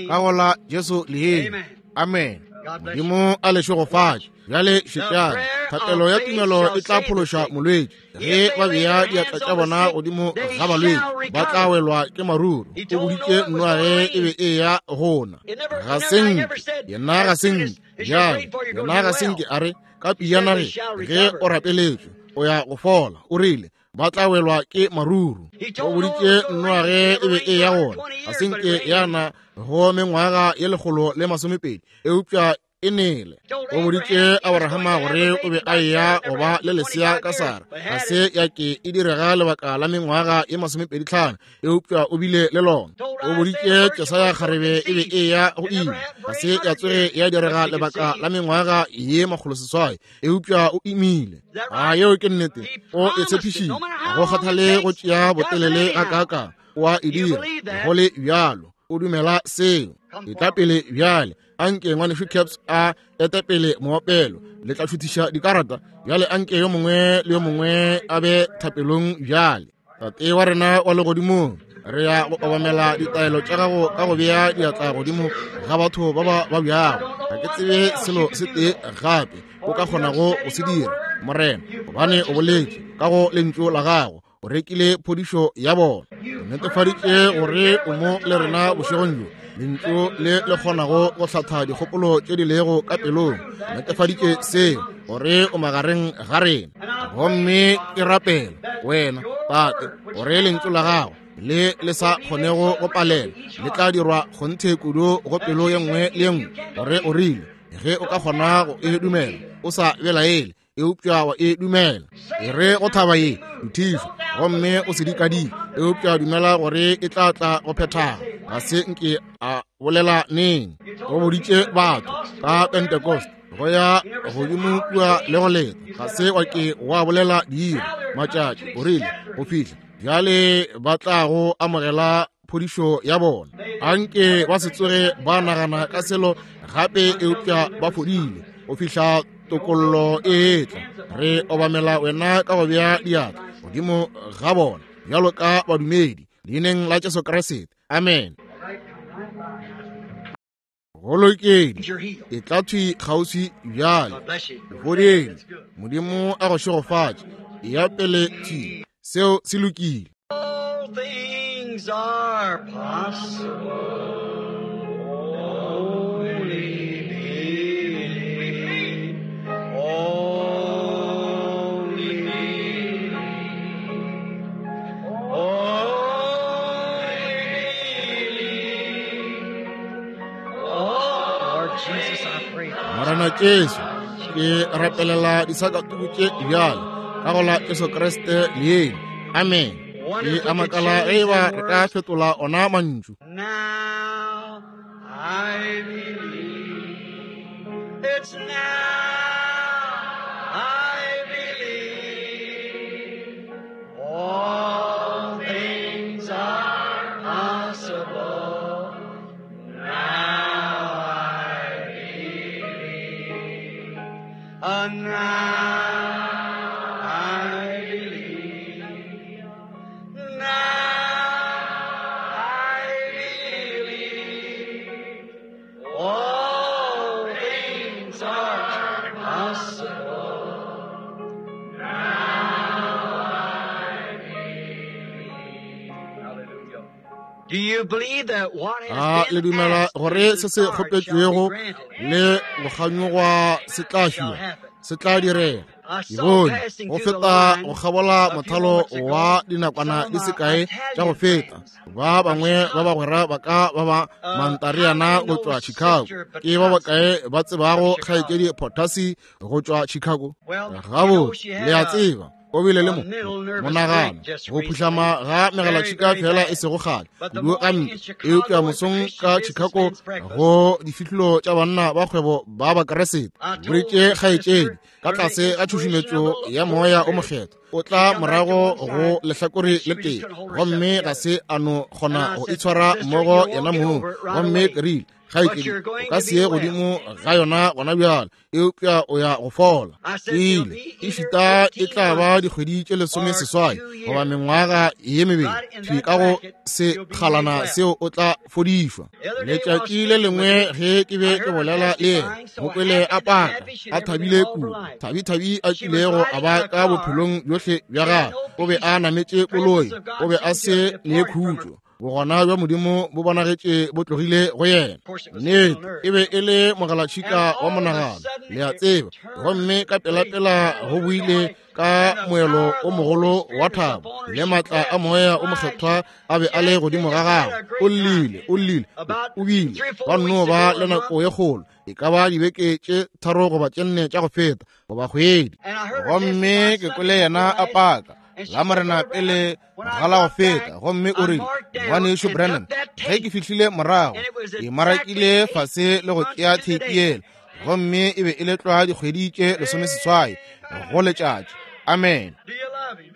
[SPEAKER 2] ka go la Jesu leina. Amen. Modimo a le šegofatše. Bjale šetšang, thapelo ya tumelo e tla phološa molwetši. Ge ba bea diatla tša bona godimo ga balwetši, ba tla welwa ke maruru. O boditše Noage e be e ya gona. Ga se nke yena, ga se nke bjale yena, ga se nke a re ka piana ge ge o rapeletšwe o ya go fola. O rile ba tla welwa ke maruru. O boditše Noage e be e ya gona. Ga se nke yana go mengwaga ye lekgolo le masomepedi, eupša e nele. O boditše Abrahama gore o be a eya go ba le lesea ka Sara. Ga se ya ke e direga lebaka la mengwaga ye masomepedi tlhano, eupša o bile le lona. O boditše Jesaya kgarebe e be e ya go ima. Ga se ya tsoge ya direga lebaka la mengwaga ye makgolo seswai, eupša o imile. A yeo ke nnete. O e tshepišitše. Go kgathale go tšea botelele ga kaaka, wa e dira go le bjalo. O dumela seo. E tla pele bjale. Anke ngwanešu Caps a ete pele moopelo. Le tla šuthiša dikarata bjale. Anke yo mongwe le yo mongwe a be thapelong bjale. Tate wa rena wa legodimong, re ya go obamela ditaelo tša gago ka go bea diatla godimo ga batho ba ba babjago. Ga ke tsebe selo se tee gape o ka kgonago go se dira, Morena, gobane o boletše ka go lentšu la gago. O rekile phodišo ya bona. O netefaditše gore o mo le rena bošegong bjo, lentšu le le kgonago go hlatha dikgopolo tše di lego ka pelong. O netefaditše seo gore o magareng ga rena. Gomme ke rapela wena, Tate, gore lentšu la gago le le sa kgonego go palela le tla dirwa kgonthe kudu go pelo ye nngwe le ye nngwe, gore o rile ge o ka kgona go e dumela o sa belaele, eupša wa e dumela. E re go thaba ye nthišo, gomme o se dikadike, eupša dumela gore e tla tla go phethaga. Ga se nke a bolela neng. O boditše batho ka Pentecost go ya godimo kua le go leta. Ga se wa ke wa bolela diiri matšatši, o rile go fihla bjale ba tla go amogela phodišo ya bona. Anke ba se tsoge ba nagana ka selo gape, eupša ba fodile go fihla tokollo e tla. Re obamela wena ka go bea diatla godimo ga bona bjalo ka badumedi, leineng la Jesu Kriste. Amen. Go lokile. E tla thwi kgauswi bjale. Fodile. Modimo a go šegofatše. E ya pele thwi. Seo se lokile.
[SPEAKER 1] All things are possible. Only believe. Only believe. Only believe. Oh, Lord Jesus, I pray.
[SPEAKER 2] Morena Jesu, ke rapelela disakatuku tše bjale ka go la Jesu Kriste leina. Amen. Ke a makala ge eba re ka fetola ona mantšu.
[SPEAKER 1] Now I believe. It's now I believe. All things are possible. Now I believe. And now I believe. Now I believe. All things are possible. Now I believe. Hallelujah. Do you believe that what
[SPEAKER 2] A
[SPEAKER 1] has
[SPEAKER 2] le
[SPEAKER 1] been
[SPEAKER 2] dumela
[SPEAKER 1] asked
[SPEAKER 2] gore
[SPEAKER 1] and
[SPEAKER 2] se se
[SPEAKER 1] desired shall be
[SPEAKER 2] kgopetšwego
[SPEAKER 1] granted?
[SPEAKER 2] le go kganyogwa se tla
[SPEAKER 1] Shall
[SPEAKER 2] fiwa,
[SPEAKER 1] happen.
[SPEAKER 2] se tla direga.
[SPEAKER 1] I
[SPEAKER 2] Ke
[SPEAKER 1] saw
[SPEAKER 2] bone
[SPEAKER 1] passing
[SPEAKER 2] go
[SPEAKER 1] through the
[SPEAKER 2] feta
[SPEAKER 1] line
[SPEAKER 2] go kgabola
[SPEAKER 1] a few
[SPEAKER 2] mothalo
[SPEAKER 1] moments ago
[SPEAKER 2] wa dinakwana
[SPEAKER 1] some
[SPEAKER 2] di
[SPEAKER 1] of
[SPEAKER 2] se
[SPEAKER 1] my
[SPEAKER 2] kae tša go
[SPEAKER 1] Italian
[SPEAKER 2] feta.
[SPEAKER 1] friends
[SPEAKER 2] Ba
[SPEAKER 1] from
[SPEAKER 2] bangwe ba
[SPEAKER 1] Chicago.
[SPEAKER 2] bagwera ba ka ba ba
[SPEAKER 1] Uh, how
[SPEAKER 2] Mantariana
[SPEAKER 1] many
[SPEAKER 2] go
[SPEAKER 1] know
[SPEAKER 2] tšwa Chicago.
[SPEAKER 1] Sister
[SPEAKER 2] Ke ba
[SPEAKER 1] Patasi
[SPEAKER 2] bakae ba
[SPEAKER 1] from
[SPEAKER 2] tsebago
[SPEAKER 1] Chicago?
[SPEAKER 2] kgaetšedi Potasi go tšwa Chicago?
[SPEAKER 1] Well, you know
[SPEAKER 2] Gabotse,
[SPEAKER 1] she
[SPEAKER 2] le
[SPEAKER 1] had
[SPEAKER 2] a
[SPEAKER 1] a,
[SPEAKER 2] tseba o bile le
[SPEAKER 1] a
[SPEAKER 2] mo
[SPEAKER 1] mental nervous
[SPEAKER 2] monagano
[SPEAKER 1] break just
[SPEAKER 2] go
[SPEAKER 1] recently.
[SPEAKER 2] phuhlama ga
[SPEAKER 1] Very,
[SPEAKER 2] megalatšhika
[SPEAKER 1] very
[SPEAKER 2] fela e
[SPEAKER 1] bad.
[SPEAKER 2] sego kgale
[SPEAKER 1] But the
[SPEAKER 2] kudu ga
[SPEAKER 1] morning
[SPEAKER 2] mpe.
[SPEAKER 1] in
[SPEAKER 2] Eupša
[SPEAKER 1] Chicago at the
[SPEAKER 2] mosong
[SPEAKER 1] Christian
[SPEAKER 2] ka Chicago
[SPEAKER 1] Businessmen's Breakfast,
[SPEAKER 2] go difihlolo tša banna ba kgwebo ba Bakeresete,
[SPEAKER 1] I told
[SPEAKER 2] boletše
[SPEAKER 1] the
[SPEAKER 2] kgaetšedi
[SPEAKER 1] sister
[SPEAKER 2] ka
[SPEAKER 1] under the
[SPEAKER 2] tlase ga
[SPEAKER 1] inspiration of
[SPEAKER 2] tšhušumetšo
[SPEAKER 1] the
[SPEAKER 2] ya
[SPEAKER 1] Holy
[SPEAKER 2] moya o
[SPEAKER 1] Spirit.
[SPEAKER 2] mokgethwa o
[SPEAKER 1] She
[SPEAKER 2] tla
[SPEAKER 1] come back to
[SPEAKER 2] morago
[SPEAKER 1] one
[SPEAKER 2] go
[SPEAKER 1] side
[SPEAKER 2] lehlakore
[SPEAKER 1] and she
[SPEAKER 2] le
[SPEAKER 1] just
[SPEAKER 2] tee
[SPEAKER 1] couldn't hold herself
[SPEAKER 2] gomme ga
[SPEAKER 1] together.
[SPEAKER 2] se a no
[SPEAKER 1] And
[SPEAKER 2] kgona
[SPEAKER 1] I
[SPEAKER 2] go
[SPEAKER 1] said,
[SPEAKER 2] itshwara
[SPEAKER 1] Sister,
[SPEAKER 2] mmogo
[SPEAKER 1] you'll
[SPEAKER 2] yena
[SPEAKER 1] get
[SPEAKER 2] mong.
[SPEAKER 1] over it right
[SPEAKER 2] Gomme
[SPEAKER 1] away.
[SPEAKER 2] ke rile,
[SPEAKER 1] But
[SPEAKER 2] kgaetšedi
[SPEAKER 1] you're
[SPEAKER 2] o
[SPEAKER 1] going
[SPEAKER 2] ka
[SPEAKER 1] to
[SPEAKER 2] se
[SPEAKER 1] be
[SPEAKER 2] ye
[SPEAKER 1] well.
[SPEAKER 2] godimo ga yona gona bjale, eupša o ya go fola.
[SPEAKER 1] I
[SPEAKER 2] Ke
[SPEAKER 1] said, it'll
[SPEAKER 2] ile
[SPEAKER 1] be
[SPEAKER 2] e
[SPEAKER 1] either
[SPEAKER 2] šita e
[SPEAKER 1] eighteen
[SPEAKER 2] tla ba
[SPEAKER 1] months
[SPEAKER 2] dikgwedi tše lesome
[SPEAKER 1] or
[SPEAKER 2] seswai
[SPEAKER 1] two
[SPEAKER 2] goba
[SPEAKER 1] years.
[SPEAKER 2] mengwaga ye mebedi
[SPEAKER 1] Right in
[SPEAKER 2] thwi
[SPEAKER 1] that
[SPEAKER 2] ka go
[SPEAKER 1] bracket, you'll be made
[SPEAKER 2] sekgalana
[SPEAKER 1] well.
[SPEAKER 2] seo o tla fodišwa.
[SPEAKER 1] The other day while
[SPEAKER 2] Letšatši le
[SPEAKER 1] speaking with
[SPEAKER 2] lengwe
[SPEAKER 1] her,
[SPEAKER 2] ge ke
[SPEAKER 1] I
[SPEAKER 2] be
[SPEAKER 1] heard
[SPEAKER 2] ke
[SPEAKER 1] her
[SPEAKER 2] bolela le yena,
[SPEAKER 1] testifying, so
[SPEAKER 2] mo kwele
[SPEAKER 1] happy
[SPEAKER 2] a
[SPEAKER 1] and
[SPEAKER 2] paka
[SPEAKER 1] happy she'd
[SPEAKER 2] a
[SPEAKER 1] ever been
[SPEAKER 2] thabile
[SPEAKER 1] all her
[SPEAKER 2] kudu,
[SPEAKER 1] life.
[SPEAKER 2] thabithabi a
[SPEAKER 1] She was
[SPEAKER 2] kilego a
[SPEAKER 1] riding
[SPEAKER 2] ba
[SPEAKER 1] in a
[SPEAKER 2] ka
[SPEAKER 1] car.
[SPEAKER 2] bophelong bjohle bja
[SPEAKER 1] She had
[SPEAKER 2] gagwe.
[SPEAKER 1] no
[SPEAKER 2] O be
[SPEAKER 1] peace.
[SPEAKER 2] a nametše
[SPEAKER 1] Presence
[SPEAKER 2] koloi,
[SPEAKER 1] of
[SPEAKER 2] o
[SPEAKER 1] God
[SPEAKER 2] be a
[SPEAKER 1] seemed to
[SPEAKER 2] se
[SPEAKER 1] have
[SPEAKER 2] ne
[SPEAKER 1] departed from her.
[SPEAKER 2] khutšo. Bogona bja Modimo bo bonagetše bo tlogile go yena.
[SPEAKER 1] Of course, it was mental
[SPEAKER 2] Nnete
[SPEAKER 1] nerve.
[SPEAKER 2] e be e le
[SPEAKER 1] And
[SPEAKER 2] mogalatšhika wa
[SPEAKER 1] all of a
[SPEAKER 2] monagano,
[SPEAKER 1] sudden,
[SPEAKER 2] le a
[SPEAKER 1] it
[SPEAKER 2] tseba.
[SPEAKER 1] turned
[SPEAKER 2] Gomme
[SPEAKER 1] to
[SPEAKER 2] ka
[SPEAKER 1] great
[SPEAKER 2] pelapela go boile
[SPEAKER 1] joy.
[SPEAKER 2] ka
[SPEAKER 1] And the
[SPEAKER 2] moelo
[SPEAKER 1] power
[SPEAKER 2] o
[SPEAKER 1] of the Holy
[SPEAKER 2] mogolo wa
[SPEAKER 1] Spirit was
[SPEAKER 2] thabo
[SPEAKER 1] upon her.
[SPEAKER 2] le
[SPEAKER 1] She
[SPEAKER 2] maatla a
[SPEAKER 1] wept,
[SPEAKER 2] moya o
[SPEAKER 1] cried.
[SPEAKER 2] mokgethwa a be
[SPEAKER 1] She
[SPEAKER 2] a le
[SPEAKER 1] had,
[SPEAKER 2] godimo
[SPEAKER 1] they
[SPEAKER 2] ga
[SPEAKER 1] just had
[SPEAKER 2] gagwe.
[SPEAKER 1] a
[SPEAKER 2] O
[SPEAKER 1] great time.
[SPEAKER 2] llile, o llile,
[SPEAKER 1] About
[SPEAKER 2] o bile
[SPEAKER 1] three or
[SPEAKER 2] ba
[SPEAKER 1] four
[SPEAKER 2] nno
[SPEAKER 1] weeks
[SPEAKER 2] ba
[SPEAKER 1] ago,
[SPEAKER 2] le
[SPEAKER 1] a
[SPEAKER 2] nako
[SPEAKER 1] month,
[SPEAKER 2] ye kgolo, e ka ba dibeke tše tharo goba tše nne tša go feta goba kgwedi.
[SPEAKER 1] and I heard her
[SPEAKER 2] Gomme
[SPEAKER 1] testify
[SPEAKER 2] ke
[SPEAKER 1] Sunday
[SPEAKER 2] kwele
[SPEAKER 1] before
[SPEAKER 2] yena a
[SPEAKER 1] last,
[SPEAKER 2] paka
[SPEAKER 1] and she
[SPEAKER 2] la
[SPEAKER 1] said,
[SPEAKER 2] Morena
[SPEAKER 1] Brother
[SPEAKER 2] pele
[SPEAKER 1] Branham, when I
[SPEAKER 2] ga la go
[SPEAKER 1] got
[SPEAKER 2] feta.
[SPEAKER 1] back,
[SPEAKER 2] Gomme o
[SPEAKER 1] I
[SPEAKER 2] rile,
[SPEAKER 1] marked down
[SPEAKER 2] ngwanešu
[SPEAKER 1] and
[SPEAKER 2] Branham,
[SPEAKER 1] took that
[SPEAKER 2] ge ke
[SPEAKER 1] tape,
[SPEAKER 2] fihlile morago
[SPEAKER 1] and it was
[SPEAKER 2] ke
[SPEAKER 1] exactly
[SPEAKER 2] marakile fase le go
[SPEAKER 1] eight
[SPEAKER 2] tšea
[SPEAKER 1] months to the
[SPEAKER 2] theipi
[SPEAKER 1] day.
[SPEAKER 2] yela, gomme e be e le tlwa dikgwedi tše lesomeseswai go letšatši. Amen.
[SPEAKER 1] Do you love him?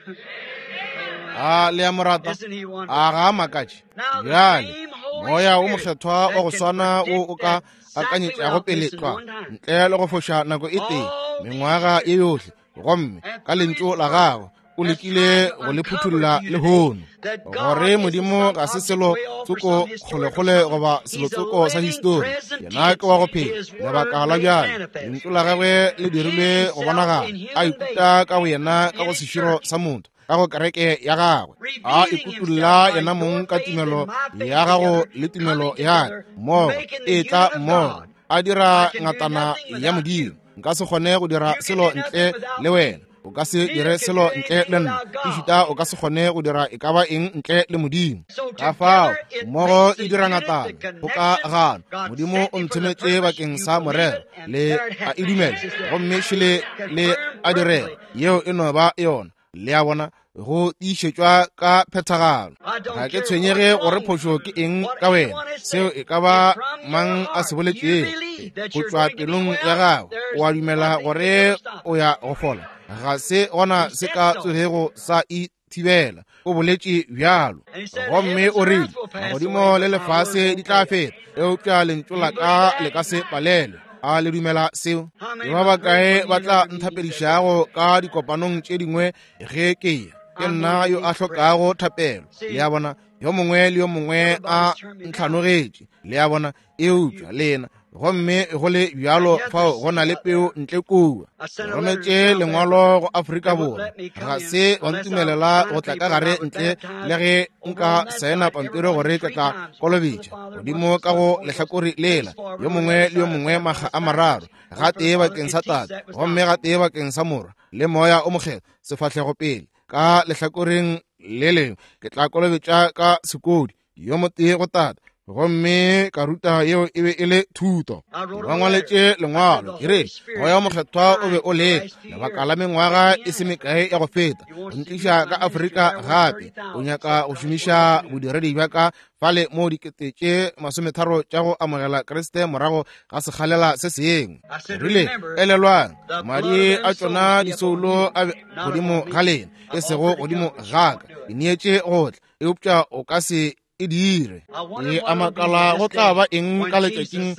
[SPEAKER 2] A le a mo rata?
[SPEAKER 1] Isn't he
[SPEAKER 2] A
[SPEAKER 1] wonderful?
[SPEAKER 2] ga a makatše?
[SPEAKER 1] Now the
[SPEAKER 2] Bjale
[SPEAKER 1] same Holy
[SPEAKER 2] moya o
[SPEAKER 1] Spirit
[SPEAKER 2] mokgethwa wa
[SPEAKER 1] that
[SPEAKER 2] go
[SPEAKER 1] can
[SPEAKER 2] swana wo
[SPEAKER 1] predict
[SPEAKER 2] o ka
[SPEAKER 1] that exactly
[SPEAKER 2] akanyetšago
[SPEAKER 1] without
[SPEAKER 2] pele
[SPEAKER 1] missing
[SPEAKER 2] tlwa
[SPEAKER 1] one time,
[SPEAKER 2] ntle le go foša nako e tee
[SPEAKER 1] all these
[SPEAKER 2] mengwaga ye
[SPEAKER 1] years,
[SPEAKER 2] yohle, gomme
[SPEAKER 1] and
[SPEAKER 2] ka
[SPEAKER 1] through his
[SPEAKER 2] lentšu la
[SPEAKER 1] word
[SPEAKER 2] gagwe o
[SPEAKER 1] has
[SPEAKER 2] lekile
[SPEAKER 1] tried to
[SPEAKER 2] go le
[SPEAKER 1] uncover
[SPEAKER 2] phuthulla
[SPEAKER 1] to you today
[SPEAKER 2] lehono
[SPEAKER 1] that God
[SPEAKER 2] gore
[SPEAKER 1] isn't
[SPEAKER 2] Modimo
[SPEAKER 1] some
[SPEAKER 2] ga se
[SPEAKER 1] object
[SPEAKER 2] selo
[SPEAKER 1] way off or
[SPEAKER 2] tsoko
[SPEAKER 1] some historical
[SPEAKER 2] kgolekgole
[SPEAKER 1] something.
[SPEAKER 2] goba selo
[SPEAKER 1] He's a
[SPEAKER 2] tsoko sa
[SPEAKER 1] living
[SPEAKER 2] histori.
[SPEAKER 1] present
[SPEAKER 2] Yena ke
[SPEAKER 1] tense,
[SPEAKER 2] wa go phela
[SPEAKER 1] his word
[SPEAKER 2] lebaka la
[SPEAKER 1] made
[SPEAKER 2] bjale.
[SPEAKER 1] manifest.
[SPEAKER 2] Lentšu la gagwe le
[SPEAKER 1] Hid
[SPEAKER 2] dirilwe go
[SPEAKER 1] himself
[SPEAKER 2] bonagala,
[SPEAKER 1] in
[SPEAKER 2] a
[SPEAKER 1] human
[SPEAKER 2] ikuta
[SPEAKER 1] beings
[SPEAKER 2] ka go yena ka
[SPEAKER 1] in
[SPEAKER 2] go
[SPEAKER 1] his
[SPEAKER 2] seširo
[SPEAKER 1] church,
[SPEAKER 2] sa motho, ka go kereke ya gagwe, a
[SPEAKER 1] revealing
[SPEAKER 2] ikutolla
[SPEAKER 1] himself by
[SPEAKER 2] yena
[SPEAKER 1] your
[SPEAKER 2] mong ka
[SPEAKER 1] faith and
[SPEAKER 2] tumelo
[SPEAKER 1] my faith
[SPEAKER 2] ya gago
[SPEAKER 1] together,
[SPEAKER 2] le tumelo
[SPEAKER 1] coming
[SPEAKER 2] ya ka
[SPEAKER 1] together,
[SPEAKER 2] mmogo,
[SPEAKER 1] making the
[SPEAKER 2] e tla
[SPEAKER 1] unit of
[SPEAKER 2] mmogo,
[SPEAKER 1] God.
[SPEAKER 2] a dira
[SPEAKER 1] I can do
[SPEAKER 2] ngatana
[SPEAKER 1] nothing
[SPEAKER 2] ya
[SPEAKER 1] without
[SPEAKER 2] Modimo.
[SPEAKER 1] you.
[SPEAKER 2] Nka se kgone go dira
[SPEAKER 1] You can
[SPEAKER 2] selo
[SPEAKER 1] do
[SPEAKER 2] ntle
[SPEAKER 1] nothing without
[SPEAKER 2] le
[SPEAKER 1] me.
[SPEAKER 2] wena, o ka se
[SPEAKER 1] Neither
[SPEAKER 2] dire
[SPEAKER 1] can
[SPEAKER 2] selo
[SPEAKER 1] do
[SPEAKER 2] ntle
[SPEAKER 1] anything
[SPEAKER 2] le nna,
[SPEAKER 1] without God.
[SPEAKER 2] ešita o ka se kgone go dira e ka ba eng ntle le Modimo.
[SPEAKER 1] So
[SPEAKER 2] Ka fao
[SPEAKER 1] together it
[SPEAKER 2] mmogo
[SPEAKER 1] makes
[SPEAKER 2] e
[SPEAKER 1] the
[SPEAKER 2] dira
[SPEAKER 1] unit, the
[SPEAKER 2] ngatana,
[SPEAKER 1] connection.
[SPEAKER 2] kgokagano.
[SPEAKER 1] God
[SPEAKER 2] Modimo
[SPEAKER 1] sent
[SPEAKER 2] o
[SPEAKER 1] me for the
[SPEAKER 2] nthometše
[SPEAKER 1] purpose.
[SPEAKER 2] bakeng
[SPEAKER 1] You
[SPEAKER 2] sa
[SPEAKER 1] believe
[SPEAKER 2] morero,
[SPEAKER 1] it, and
[SPEAKER 2] le
[SPEAKER 1] there it
[SPEAKER 2] a e
[SPEAKER 1] happens.
[SPEAKER 2] dumela,
[SPEAKER 1] It's just there.
[SPEAKER 2] gomme šele le
[SPEAKER 1] Confirmed
[SPEAKER 2] a direga.
[SPEAKER 1] perfectly.
[SPEAKER 2] Yeo e no ba yona. Le a bona, go tiišetšwa ka phethagalo.
[SPEAKER 1] I don't
[SPEAKER 2] Ga ke
[SPEAKER 1] care
[SPEAKER 2] tshwenyege
[SPEAKER 1] what's
[SPEAKER 2] gore
[SPEAKER 1] wrong with
[SPEAKER 2] phošo ke
[SPEAKER 1] you,
[SPEAKER 2] eng
[SPEAKER 1] what
[SPEAKER 2] ka wena,
[SPEAKER 1] anyone has
[SPEAKER 2] seo
[SPEAKER 1] said.
[SPEAKER 2] e ka ba
[SPEAKER 1] If from your
[SPEAKER 2] mang a se
[SPEAKER 1] heart you
[SPEAKER 2] boletšego
[SPEAKER 1] believe that
[SPEAKER 2] go
[SPEAKER 1] you're
[SPEAKER 2] tšwa
[SPEAKER 1] going to be
[SPEAKER 2] pelong ya
[SPEAKER 1] well,
[SPEAKER 2] gago,
[SPEAKER 1] there's
[SPEAKER 2] o a dumela
[SPEAKER 1] nothing can
[SPEAKER 2] gore
[SPEAKER 1] ever stop
[SPEAKER 2] o
[SPEAKER 1] it.
[SPEAKER 2] ya go fola. Ga se gona
[SPEAKER 1] He
[SPEAKER 2] se
[SPEAKER 1] said
[SPEAKER 2] ka
[SPEAKER 1] so.
[SPEAKER 2] tsogego sa e thibela. O boletše bjalo.
[SPEAKER 1] And he said,
[SPEAKER 2] Gomme
[SPEAKER 1] Heavens
[SPEAKER 2] o
[SPEAKER 1] and
[SPEAKER 2] rile,
[SPEAKER 1] earth will pass away,
[SPEAKER 2] magodimo le
[SPEAKER 1] but my word
[SPEAKER 2] lefase
[SPEAKER 1] won't
[SPEAKER 2] di tla
[SPEAKER 1] fail.
[SPEAKER 2] feta, eupša lentšu
[SPEAKER 1] You
[SPEAKER 2] la
[SPEAKER 1] believe
[SPEAKER 2] ka le
[SPEAKER 1] that?
[SPEAKER 2] ka se palelwe. A le dumela seo?
[SPEAKER 1] How
[SPEAKER 2] Ke
[SPEAKER 1] many
[SPEAKER 2] ba
[SPEAKER 1] have heard
[SPEAKER 2] bakae
[SPEAKER 1] from
[SPEAKER 2] ba
[SPEAKER 1] me in
[SPEAKER 2] tla
[SPEAKER 1] other meetings that
[SPEAKER 2] nthapedišago ka dikopanong tše dingwe ge ke ya? Ke
[SPEAKER 1] I'm
[SPEAKER 2] nna
[SPEAKER 1] one that
[SPEAKER 2] yo a
[SPEAKER 1] needs prayer?
[SPEAKER 2] hlokago thapelo. Le
[SPEAKER 1] See,
[SPEAKER 2] a bona, yo mongwe le yo mongwe a
[SPEAKER 1] everybody's turned me down.
[SPEAKER 2] ntlhanogetše. Le a bona, eupša
[SPEAKER 1] You.
[SPEAKER 2] lena gomme go le
[SPEAKER 1] And
[SPEAKER 2] bjalo
[SPEAKER 1] yet
[SPEAKER 2] fao
[SPEAKER 1] there's
[SPEAKER 2] go na
[SPEAKER 1] seed
[SPEAKER 2] le
[SPEAKER 1] out
[SPEAKER 2] peo
[SPEAKER 1] there.
[SPEAKER 2] ntle kua.
[SPEAKER 1] I
[SPEAKER 2] Ke
[SPEAKER 1] sent a letter to
[SPEAKER 2] rometše
[SPEAKER 1] South
[SPEAKER 2] lengwalo
[SPEAKER 1] Africa.
[SPEAKER 2] go Afrika
[SPEAKER 1] They wouldn't
[SPEAKER 2] Borwa,
[SPEAKER 1] let me
[SPEAKER 2] ga
[SPEAKER 1] come in
[SPEAKER 2] se ba
[SPEAKER 1] unless I
[SPEAKER 2] ntumelela
[SPEAKER 1] signed
[SPEAKER 2] go
[SPEAKER 1] a
[SPEAKER 2] tla ka
[SPEAKER 1] paper and
[SPEAKER 2] gare
[SPEAKER 1] I was
[SPEAKER 2] ntle le
[SPEAKER 1] baptized
[SPEAKER 2] ge
[SPEAKER 1] over
[SPEAKER 2] nka
[SPEAKER 1] on that
[SPEAKER 2] saena
[SPEAKER 1] side,
[SPEAKER 2] pampiri
[SPEAKER 1] everyone
[SPEAKER 2] gore ke
[SPEAKER 1] three
[SPEAKER 2] tla
[SPEAKER 1] times, once for the
[SPEAKER 2] kolobetša
[SPEAKER 1] Father, once
[SPEAKER 2] godimo
[SPEAKER 1] for the
[SPEAKER 2] ka
[SPEAKER 1] Son,
[SPEAKER 2] go
[SPEAKER 1] Holy Ghost.
[SPEAKER 2] lehlakore lela,
[SPEAKER 1] Henceforward
[SPEAKER 2] yo
[SPEAKER 1] on the
[SPEAKER 2] mongwe
[SPEAKER 1] other
[SPEAKER 2] le yo
[SPEAKER 1] side, I
[SPEAKER 2] mongwe makga
[SPEAKER 1] baptized
[SPEAKER 2] a mararo,
[SPEAKER 1] backwards.
[SPEAKER 2] ga
[SPEAKER 1] Once for the
[SPEAKER 2] tee
[SPEAKER 1] Father
[SPEAKER 2] bakeng
[SPEAKER 1] and
[SPEAKER 2] sa
[SPEAKER 1] teach
[SPEAKER 2] Tate,
[SPEAKER 1] that was
[SPEAKER 2] gomme
[SPEAKER 1] doctrine.
[SPEAKER 2] ga tee bakeng sa Morwa le Moya o Mokgethwa, sefahlego pele. Ka lehlakoreng le lengwe ke tla kolobetša ka sekodi, yo motee go Tate, gomme ka ruta yeo e be e le thuto.
[SPEAKER 1] I
[SPEAKER 2] Ke
[SPEAKER 1] wrote
[SPEAKER 2] ba
[SPEAKER 1] them a letter.
[SPEAKER 2] ngwaletše
[SPEAKER 1] I said
[SPEAKER 2] lengwalo
[SPEAKER 1] the
[SPEAKER 2] ke re
[SPEAKER 1] Holy Spirit
[SPEAKER 2] moya o
[SPEAKER 1] has
[SPEAKER 2] mokgethwa o be
[SPEAKER 1] tried
[SPEAKER 2] o
[SPEAKER 1] for the
[SPEAKER 2] leka
[SPEAKER 1] last few
[SPEAKER 2] lebaka
[SPEAKER 1] years
[SPEAKER 2] la
[SPEAKER 1] to
[SPEAKER 2] mengwaga
[SPEAKER 1] get me
[SPEAKER 2] e se
[SPEAKER 1] out.
[SPEAKER 2] mekae ya go feta
[SPEAKER 1] He
[SPEAKER 2] go
[SPEAKER 1] wants to use
[SPEAKER 2] ntliša
[SPEAKER 1] my
[SPEAKER 2] ka
[SPEAKER 1] ministry
[SPEAKER 2] Afrika
[SPEAKER 1] there worth
[SPEAKER 2] gape.
[SPEAKER 1] thirty
[SPEAKER 2] O
[SPEAKER 1] thousand.
[SPEAKER 2] nyaka
[SPEAKER 1] Except
[SPEAKER 2] go
[SPEAKER 1] Christ
[SPEAKER 2] šomiša
[SPEAKER 1] wants to do.
[SPEAKER 2] bodiredi bja ka fale mo dikete tše masometharo tša go amogela Kriste morago ga sekgalela se sengwe.
[SPEAKER 1] I
[SPEAKER 2] Ke
[SPEAKER 1] said,
[SPEAKER 2] rile,
[SPEAKER 1] remember,
[SPEAKER 2] elelwang
[SPEAKER 1] the blood
[SPEAKER 2] madi
[SPEAKER 1] of
[SPEAKER 2] a
[SPEAKER 1] them
[SPEAKER 2] tšona
[SPEAKER 1] souls be upon
[SPEAKER 2] disoulo
[SPEAKER 1] you,
[SPEAKER 2] a be
[SPEAKER 1] not
[SPEAKER 2] godimo
[SPEAKER 1] upon
[SPEAKER 2] ga
[SPEAKER 1] me.
[SPEAKER 2] lena, e
[SPEAKER 1] I've
[SPEAKER 2] sego
[SPEAKER 1] offered to
[SPEAKER 2] godimo
[SPEAKER 1] come, but you
[SPEAKER 2] ga
[SPEAKER 1] won't
[SPEAKER 2] ka.
[SPEAKER 1] do
[SPEAKER 2] Ke
[SPEAKER 1] it.
[SPEAKER 2] neetše go tla, eupša o ka se e dire. Ke a makala go tla ba eng ka letšatšing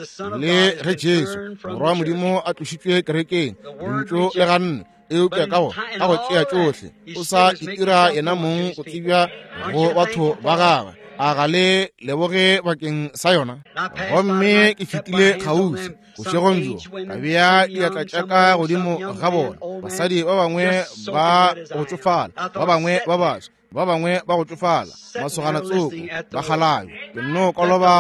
[SPEAKER 2] le ge Jesu Morwa wa Modimo a tlošitšwe kerekeng, lentšu le ganne, eupša ka go ka go tšea tšohle o sa itira yena mong go tsebja go batho ba gagwe. A ga le leboge bakeng sa yona? Gomme ke fetile kgauswi bošegong bjo, ka bea diatla tša ka godimo ga bona, basadi ba bangwe ba go tšofala, ba bangwe ba baswa, ba bangwe ba go tšofala, masogana tsoko, ba kgalabje. Ke nno koloba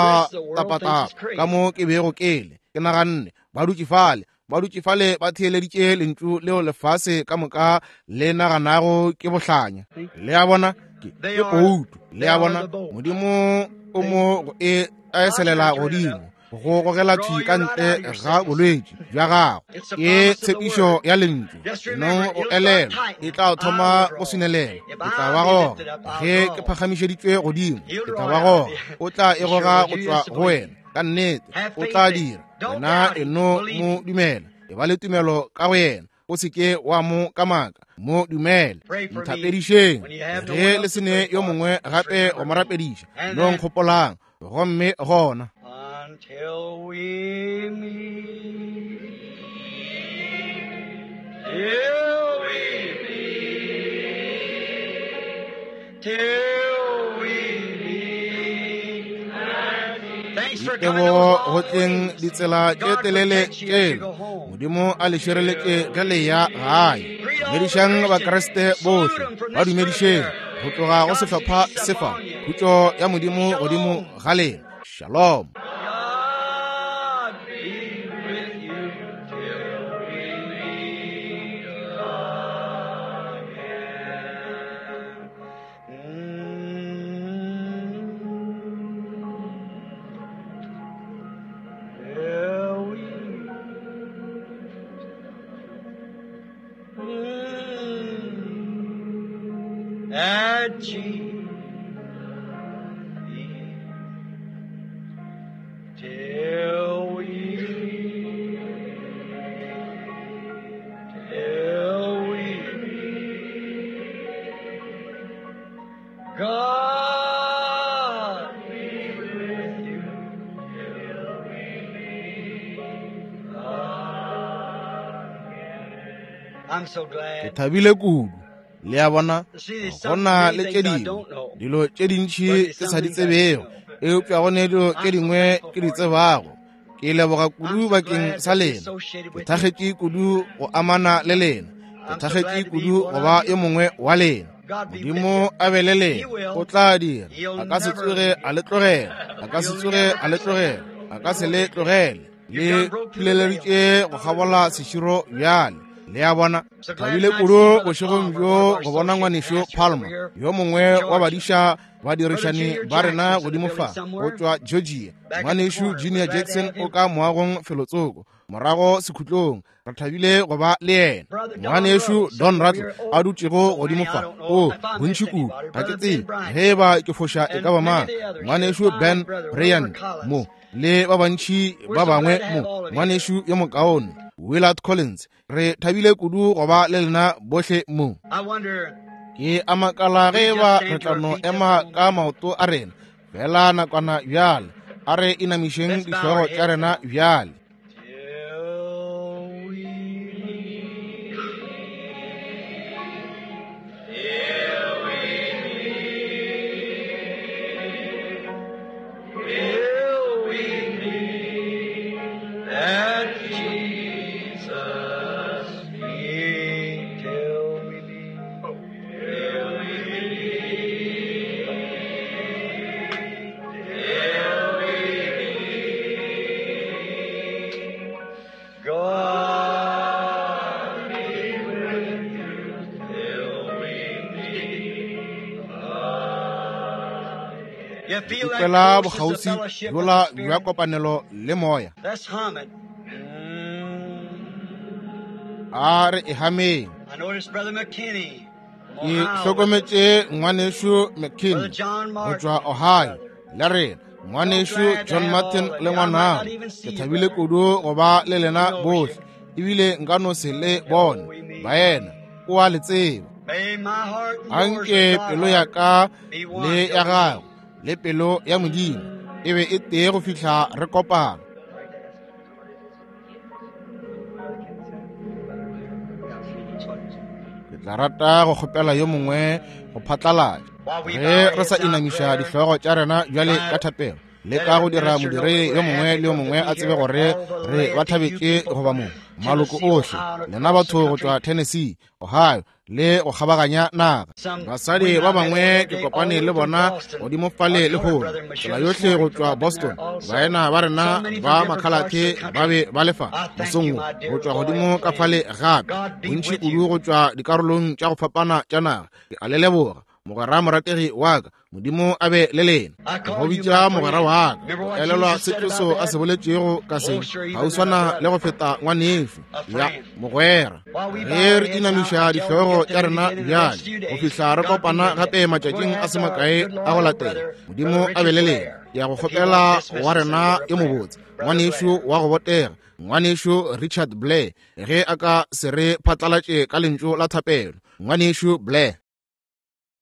[SPEAKER 2] tapatapa ka mo ke bego ke le, ke naganne ba dutše fale, ba dutše fale ba theeleditše lentšu leo lefase ka moka le naganago ke bohlanya. Le a bona, ke ke poutu. Le a bona, Modimo o mo go e eselela godimo, go gogela thwi ka ntle ga bolwetši bja gago. Ke tshepišo ya lentšu. No o elelwa, e tla thoma go swinelela. E tla ba goga ge ke phagamišeditšwe godimo, e tla ba goga. O tla e goga go tšwa go wena. Ka nnete o tla dira. Wena e no mo dumela, e ba le tumelo ka go yena, o se ke wa mo kamaka, mo dumele. Nthapedišeng ge le se ne yo mongwe gape go mo rapediša, no nkgopolang. Gomme gona
[SPEAKER 1] Until we meet, till we meet, till we meet. Thanks for coming
[SPEAKER 2] Ditebogo
[SPEAKER 1] those
[SPEAKER 2] go
[SPEAKER 1] long
[SPEAKER 2] tleng
[SPEAKER 1] ways.
[SPEAKER 2] ditsela tše
[SPEAKER 1] God
[SPEAKER 2] telele
[SPEAKER 1] protect you as you
[SPEAKER 2] tšela.
[SPEAKER 1] go home.
[SPEAKER 2] Modimo a le šireletše ge le ya gae.
[SPEAKER 1] Greet all the
[SPEAKER 2] Dumedišang
[SPEAKER 1] Christians.
[SPEAKER 2] Bakriste
[SPEAKER 1] Salute
[SPEAKER 2] bohle,
[SPEAKER 1] them from
[SPEAKER 2] ba
[SPEAKER 1] this group
[SPEAKER 2] dumedišeng
[SPEAKER 1] here.
[SPEAKER 2] go tloga go
[SPEAKER 1] God's
[SPEAKER 2] sehlopha
[SPEAKER 1] peace
[SPEAKER 2] sefa.
[SPEAKER 1] upon you.
[SPEAKER 2] Khutšo ya Modimo godimo
[SPEAKER 1] Shalom.
[SPEAKER 2] ga lena. Shalom.
[SPEAKER 1] God be with you till we meet again. Mm. Till we mm. At Jesus. Till we, till we God be with you till we meet again. I'm so
[SPEAKER 2] Ke
[SPEAKER 1] glad
[SPEAKER 2] thabile kudu. Le a bona,
[SPEAKER 1] to see there's
[SPEAKER 2] go
[SPEAKER 1] some
[SPEAKER 2] na
[SPEAKER 1] many
[SPEAKER 2] le tše
[SPEAKER 1] things I
[SPEAKER 2] dingwe
[SPEAKER 1] don't know,
[SPEAKER 2] dilo tše dintši
[SPEAKER 1] but there's
[SPEAKER 2] ke sa
[SPEAKER 1] some
[SPEAKER 2] di
[SPEAKER 1] things I do
[SPEAKER 2] tsebego,
[SPEAKER 1] know.
[SPEAKER 2] eupša go ne dilo tše
[SPEAKER 1] I'm so
[SPEAKER 2] dingwe
[SPEAKER 1] thankful
[SPEAKER 2] ke di
[SPEAKER 1] for you.
[SPEAKER 2] tsebago. Ke leboga
[SPEAKER 1] I'm
[SPEAKER 2] kudu
[SPEAKER 1] so
[SPEAKER 2] bakeng
[SPEAKER 1] glad
[SPEAKER 2] sa
[SPEAKER 1] to be
[SPEAKER 2] lena.
[SPEAKER 1] associated
[SPEAKER 2] Ke
[SPEAKER 1] with you.
[SPEAKER 2] thakgetše kudu go amana le lena. Ke
[SPEAKER 1] I'm so
[SPEAKER 2] thakgetše
[SPEAKER 1] glad to be
[SPEAKER 2] kudu
[SPEAKER 1] one
[SPEAKER 2] go
[SPEAKER 1] of
[SPEAKER 2] ba
[SPEAKER 1] you.
[SPEAKER 2] yo mongwe wa lena.
[SPEAKER 1] God be with
[SPEAKER 2] Modimo
[SPEAKER 1] you.
[SPEAKER 2] a be le
[SPEAKER 1] He
[SPEAKER 2] lena. O
[SPEAKER 1] will.
[SPEAKER 2] tla dira.
[SPEAKER 1] He'll
[SPEAKER 2] A ka se
[SPEAKER 1] never
[SPEAKER 2] tsoge
[SPEAKER 1] leave
[SPEAKER 2] a
[SPEAKER 1] you.
[SPEAKER 2] le tlogela. A ka se
[SPEAKER 1] He'll
[SPEAKER 2] tsoge
[SPEAKER 1] never
[SPEAKER 2] a le
[SPEAKER 1] forsake
[SPEAKER 2] tlogela.
[SPEAKER 1] you.
[SPEAKER 2] A ka se le tlogele.
[SPEAKER 1] You've
[SPEAKER 2] Le
[SPEAKER 1] done broke through the veil.
[SPEAKER 2] phuleleditše go kgabola seširo bjale. Le a bona,
[SPEAKER 1] So glad
[SPEAKER 2] thabile
[SPEAKER 1] tonight to see
[SPEAKER 2] kudu
[SPEAKER 1] Brother
[SPEAKER 2] bošegong
[SPEAKER 1] Palmer,
[SPEAKER 2] bjo
[SPEAKER 1] one of our
[SPEAKER 2] go bona
[SPEAKER 1] associate
[SPEAKER 2] ngwanešu
[SPEAKER 1] pastors over
[SPEAKER 2] Palmer,
[SPEAKER 1] here
[SPEAKER 2] yo
[SPEAKER 1] from
[SPEAKER 2] mongwe wa
[SPEAKER 1] Georgia.
[SPEAKER 2] badiša
[SPEAKER 1] Brother
[SPEAKER 2] badirišani
[SPEAKER 1] Junior
[SPEAKER 2] ba rena
[SPEAKER 1] Jackson's in the
[SPEAKER 2] godimo
[SPEAKER 1] building
[SPEAKER 2] fa go
[SPEAKER 1] somewhere,
[SPEAKER 2] tšwa Georgia.
[SPEAKER 1] back at the
[SPEAKER 2] Ngwanešu
[SPEAKER 1] corner. We're
[SPEAKER 2] Junior
[SPEAKER 1] glad to
[SPEAKER 2] Jackson
[SPEAKER 1] have
[SPEAKER 2] o
[SPEAKER 1] him.
[SPEAKER 2] ka moagong felotsoko morago sekhutlong. Re thabile go ba le yena.
[SPEAKER 1] Brother Don
[SPEAKER 2] Ngwanešu
[SPEAKER 1] Rose
[SPEAKER 2] Don
[SPEAKER 1] sitting over
[SPEAKER 2] Rattle
[SPEAKER 1] here.
[SPEAKER 2] a
[SPEAKER 1] Oh,
[SPEAKER 2] dutšego
[SPEAKER 1] so
[SPEAKER 2] godimo
[SPEAKER 1] many I
[SPEAKER 2] fa.
[SPEAKER 1] don't know
[SPEAKER 2] O
[SPEAKER 1] if I
[SPEAKER 2] bontši
[SPEAKER 1] missed
[SPEAKER 2] kudu,
[SPEAKER 1] anybody.
[SPEAKER 2] ga ke
[SPEAKER 1] Brother Ben
[SPEAKER 2] tsebe
[SPEAKER 1] Bryant
[SPEAKER 2] ge e ba ke foša e
[SPEAKER 1] and
[SPEAKER 2] ka ba
[SPEAKER 1] many
[SPEAKER 2] mang.
[SPEAKER 1] of the others here.
[SPEAKER 2] Ngwanešu
[SPEAKER 1] Fine
[SPEAKER 2] Ben
[SPEAKER 1] brother Wilbur
[SPEAKER 2] Bryant
[SPEAKER 1] Collins.
[SPEAKER 2] mo le ba bantši
[SPEAKER 1] We're
[SPEAKER 2] ba
[SPEAKER 1] so
[SPEAKER 2] bangwe
[SPEAKER 1] glad to
[SPEAKER 2] mo.
[SPEAKER 1] have all of you here.
[SPEAKER 2] Ngwanešu yo mokaone Willard Collins, re thabile kudu go ba le lena bohle mo.
[SPEAKER 1] I wonder
[SPEAKER 2] Ke a makala
[SPEAKER 1] we
[SPEAKER 2] ge
[SPEAKER 1] just
[SPEAKER 2] ba re
[SPEAKER 1] stand to
[SPEAKER 2] tla
[SPEAKER 1] our
[SPEAKER 2] no
[SPEAKER 1] feet just a
[SPEAKER 2] ema
[SPEAKER 1] moment.
[SPEAKER 2] ka maoto a rena fela nakwana bjale. A re inamišeng
[SPEAKER 1] Let's bow
[SPEAKER 2] dihlogo
[SPEAKER 1] our
[SPEAKER 2] tša
[SPEAKER 1] heads
[SPEAKER 2] rena
[SPEAKER 1] now.
[SPEAKER 2] bjale.
[SPEAKER 1] Till we meet, till we meet, till we meet at Jesus' feet, till we meet, till we meet, till we meet. God be with you till we meet again. You
[SPEAKER 2] Ke
[SPEAKER 1] feel that
[SPEAKER 2] kwela
[SPEAKER 1] closeness of
[SPEAKER 2] bokgauswi
[SPEAKER 1] fellowship with
[SPEAKER 2] bjola
[SPEAKER 1] the
[SPEAKER 2] bja
[SPEAKER 1] Spirit?
[SPEAKER 2] kopanelo le moya.
[SPEAKER 1] Let's hum it. Mm.
[SPEAKER 2] A re e hameng.
[SPEAKER 1] I noticed Brother McKinney from
[SPEAKER 2] Ke
[SPEAKER 1] Ohio with us.
[SPEAKER 2] hlokometše ngwanešu
[SPEAKER 1] Brother
[SPEAKER 2] McKinney
[SPEAKER 1] John
[SPEAKER 2] go
[SPEAKER 1] Martin,
[SPEAKER 2] tšwa Ohio
[SPEAKER 1] brother.
[SPEAKER 2] le rena.
[SPEAKER 1] So
[SPEAKER 2] Ngwanešu
[SPEAKER 1] glad to
[SPEAKER 2] John
[SPEAKER 1] have
[SPEAKER 2] Martin
[SPEAKER 1] all of
[SPEAKER 2] le
[SPEAKER 1] you. I might not
[SPEAKER 2] ngwanabo.
[SPEAKER 1] even
[SPEAKER 2] Ke
[SPEAKER 1] see you,
[SPEAKER 2] thabile
[SPEAKER 1] brother.
[SPEAKER 2] kudu go ba le
[SPEAKER 1] Who
[SPEAKER 2] lena
[SPEAKER 1] knows
[SPEAKER 2] bohle,
[SPEAKER 1] you?
[SPEAKER 2] ebile nka no se le
[SPEAKER 1] Till
[SPEAKER 2] bone.
[SPEAKER 1] we meet.
[SPEAKER 2] Baena, o a le tseba.
[SPEAKER 1] May my heart and yours
[SPEAKER 2] Anke
[SPEAKER 1] with thy
[SPEAKER 2] pelo ya
[SPEAKER 1] heart
[SPEAKER 2] ka
[SPEAKER 1] be one
[SPEAKER 2] le
[SPEAKER 1] till
[SPEAKER 2] ya
[SPEAKER 1] we
[SPEAKER 2] gago
[SPEAKER 1] meet.
[SPEAKER 2] le pelo ya Modimo e be e tee go fihla re kopana. Ke tla rata go kgopela yo mongwe go phatlalatša ge re sa inamiša dihlogo tša rena bjale ka thapelo, le ka go dira modire yo mongwe le yo mongwe a tsebe gore re ba thabetše goba mo maloko ohle, lena batho go tšwa Tennessee, Ohio le go kgabaganya naga. Basadi ba bangwe ke kopane le bona godimo fale lehono, tsela yohle go tšwa Boston. Baena ba rena ba makhalathe ba be ba le fa mosong wo, go tšwa godimo ka fale gape, bontši kudu go tšwa dikarolong tša go fapana tša naga. Ke a le leboga, mogwera morategi wa ka. Modimo a be le lena. Go bitša mogwera wa ka, go elelwa se Jesu a se boletšego ka se, ga o swana le go feta ngwanešu ya mogwera. Ge re inamiša dihlogo tša rena bjale go fihla re kopana gape matšatšing a se makae a go latela, Modimo a be le lena. Ke ya go kgopela wa rena yo mobotse, ngwanešu wa go botega, ngwanešu Richard Blair, ge a ka se re phatlalatše ka lentšu la thapelo. Ngwanešu Blair.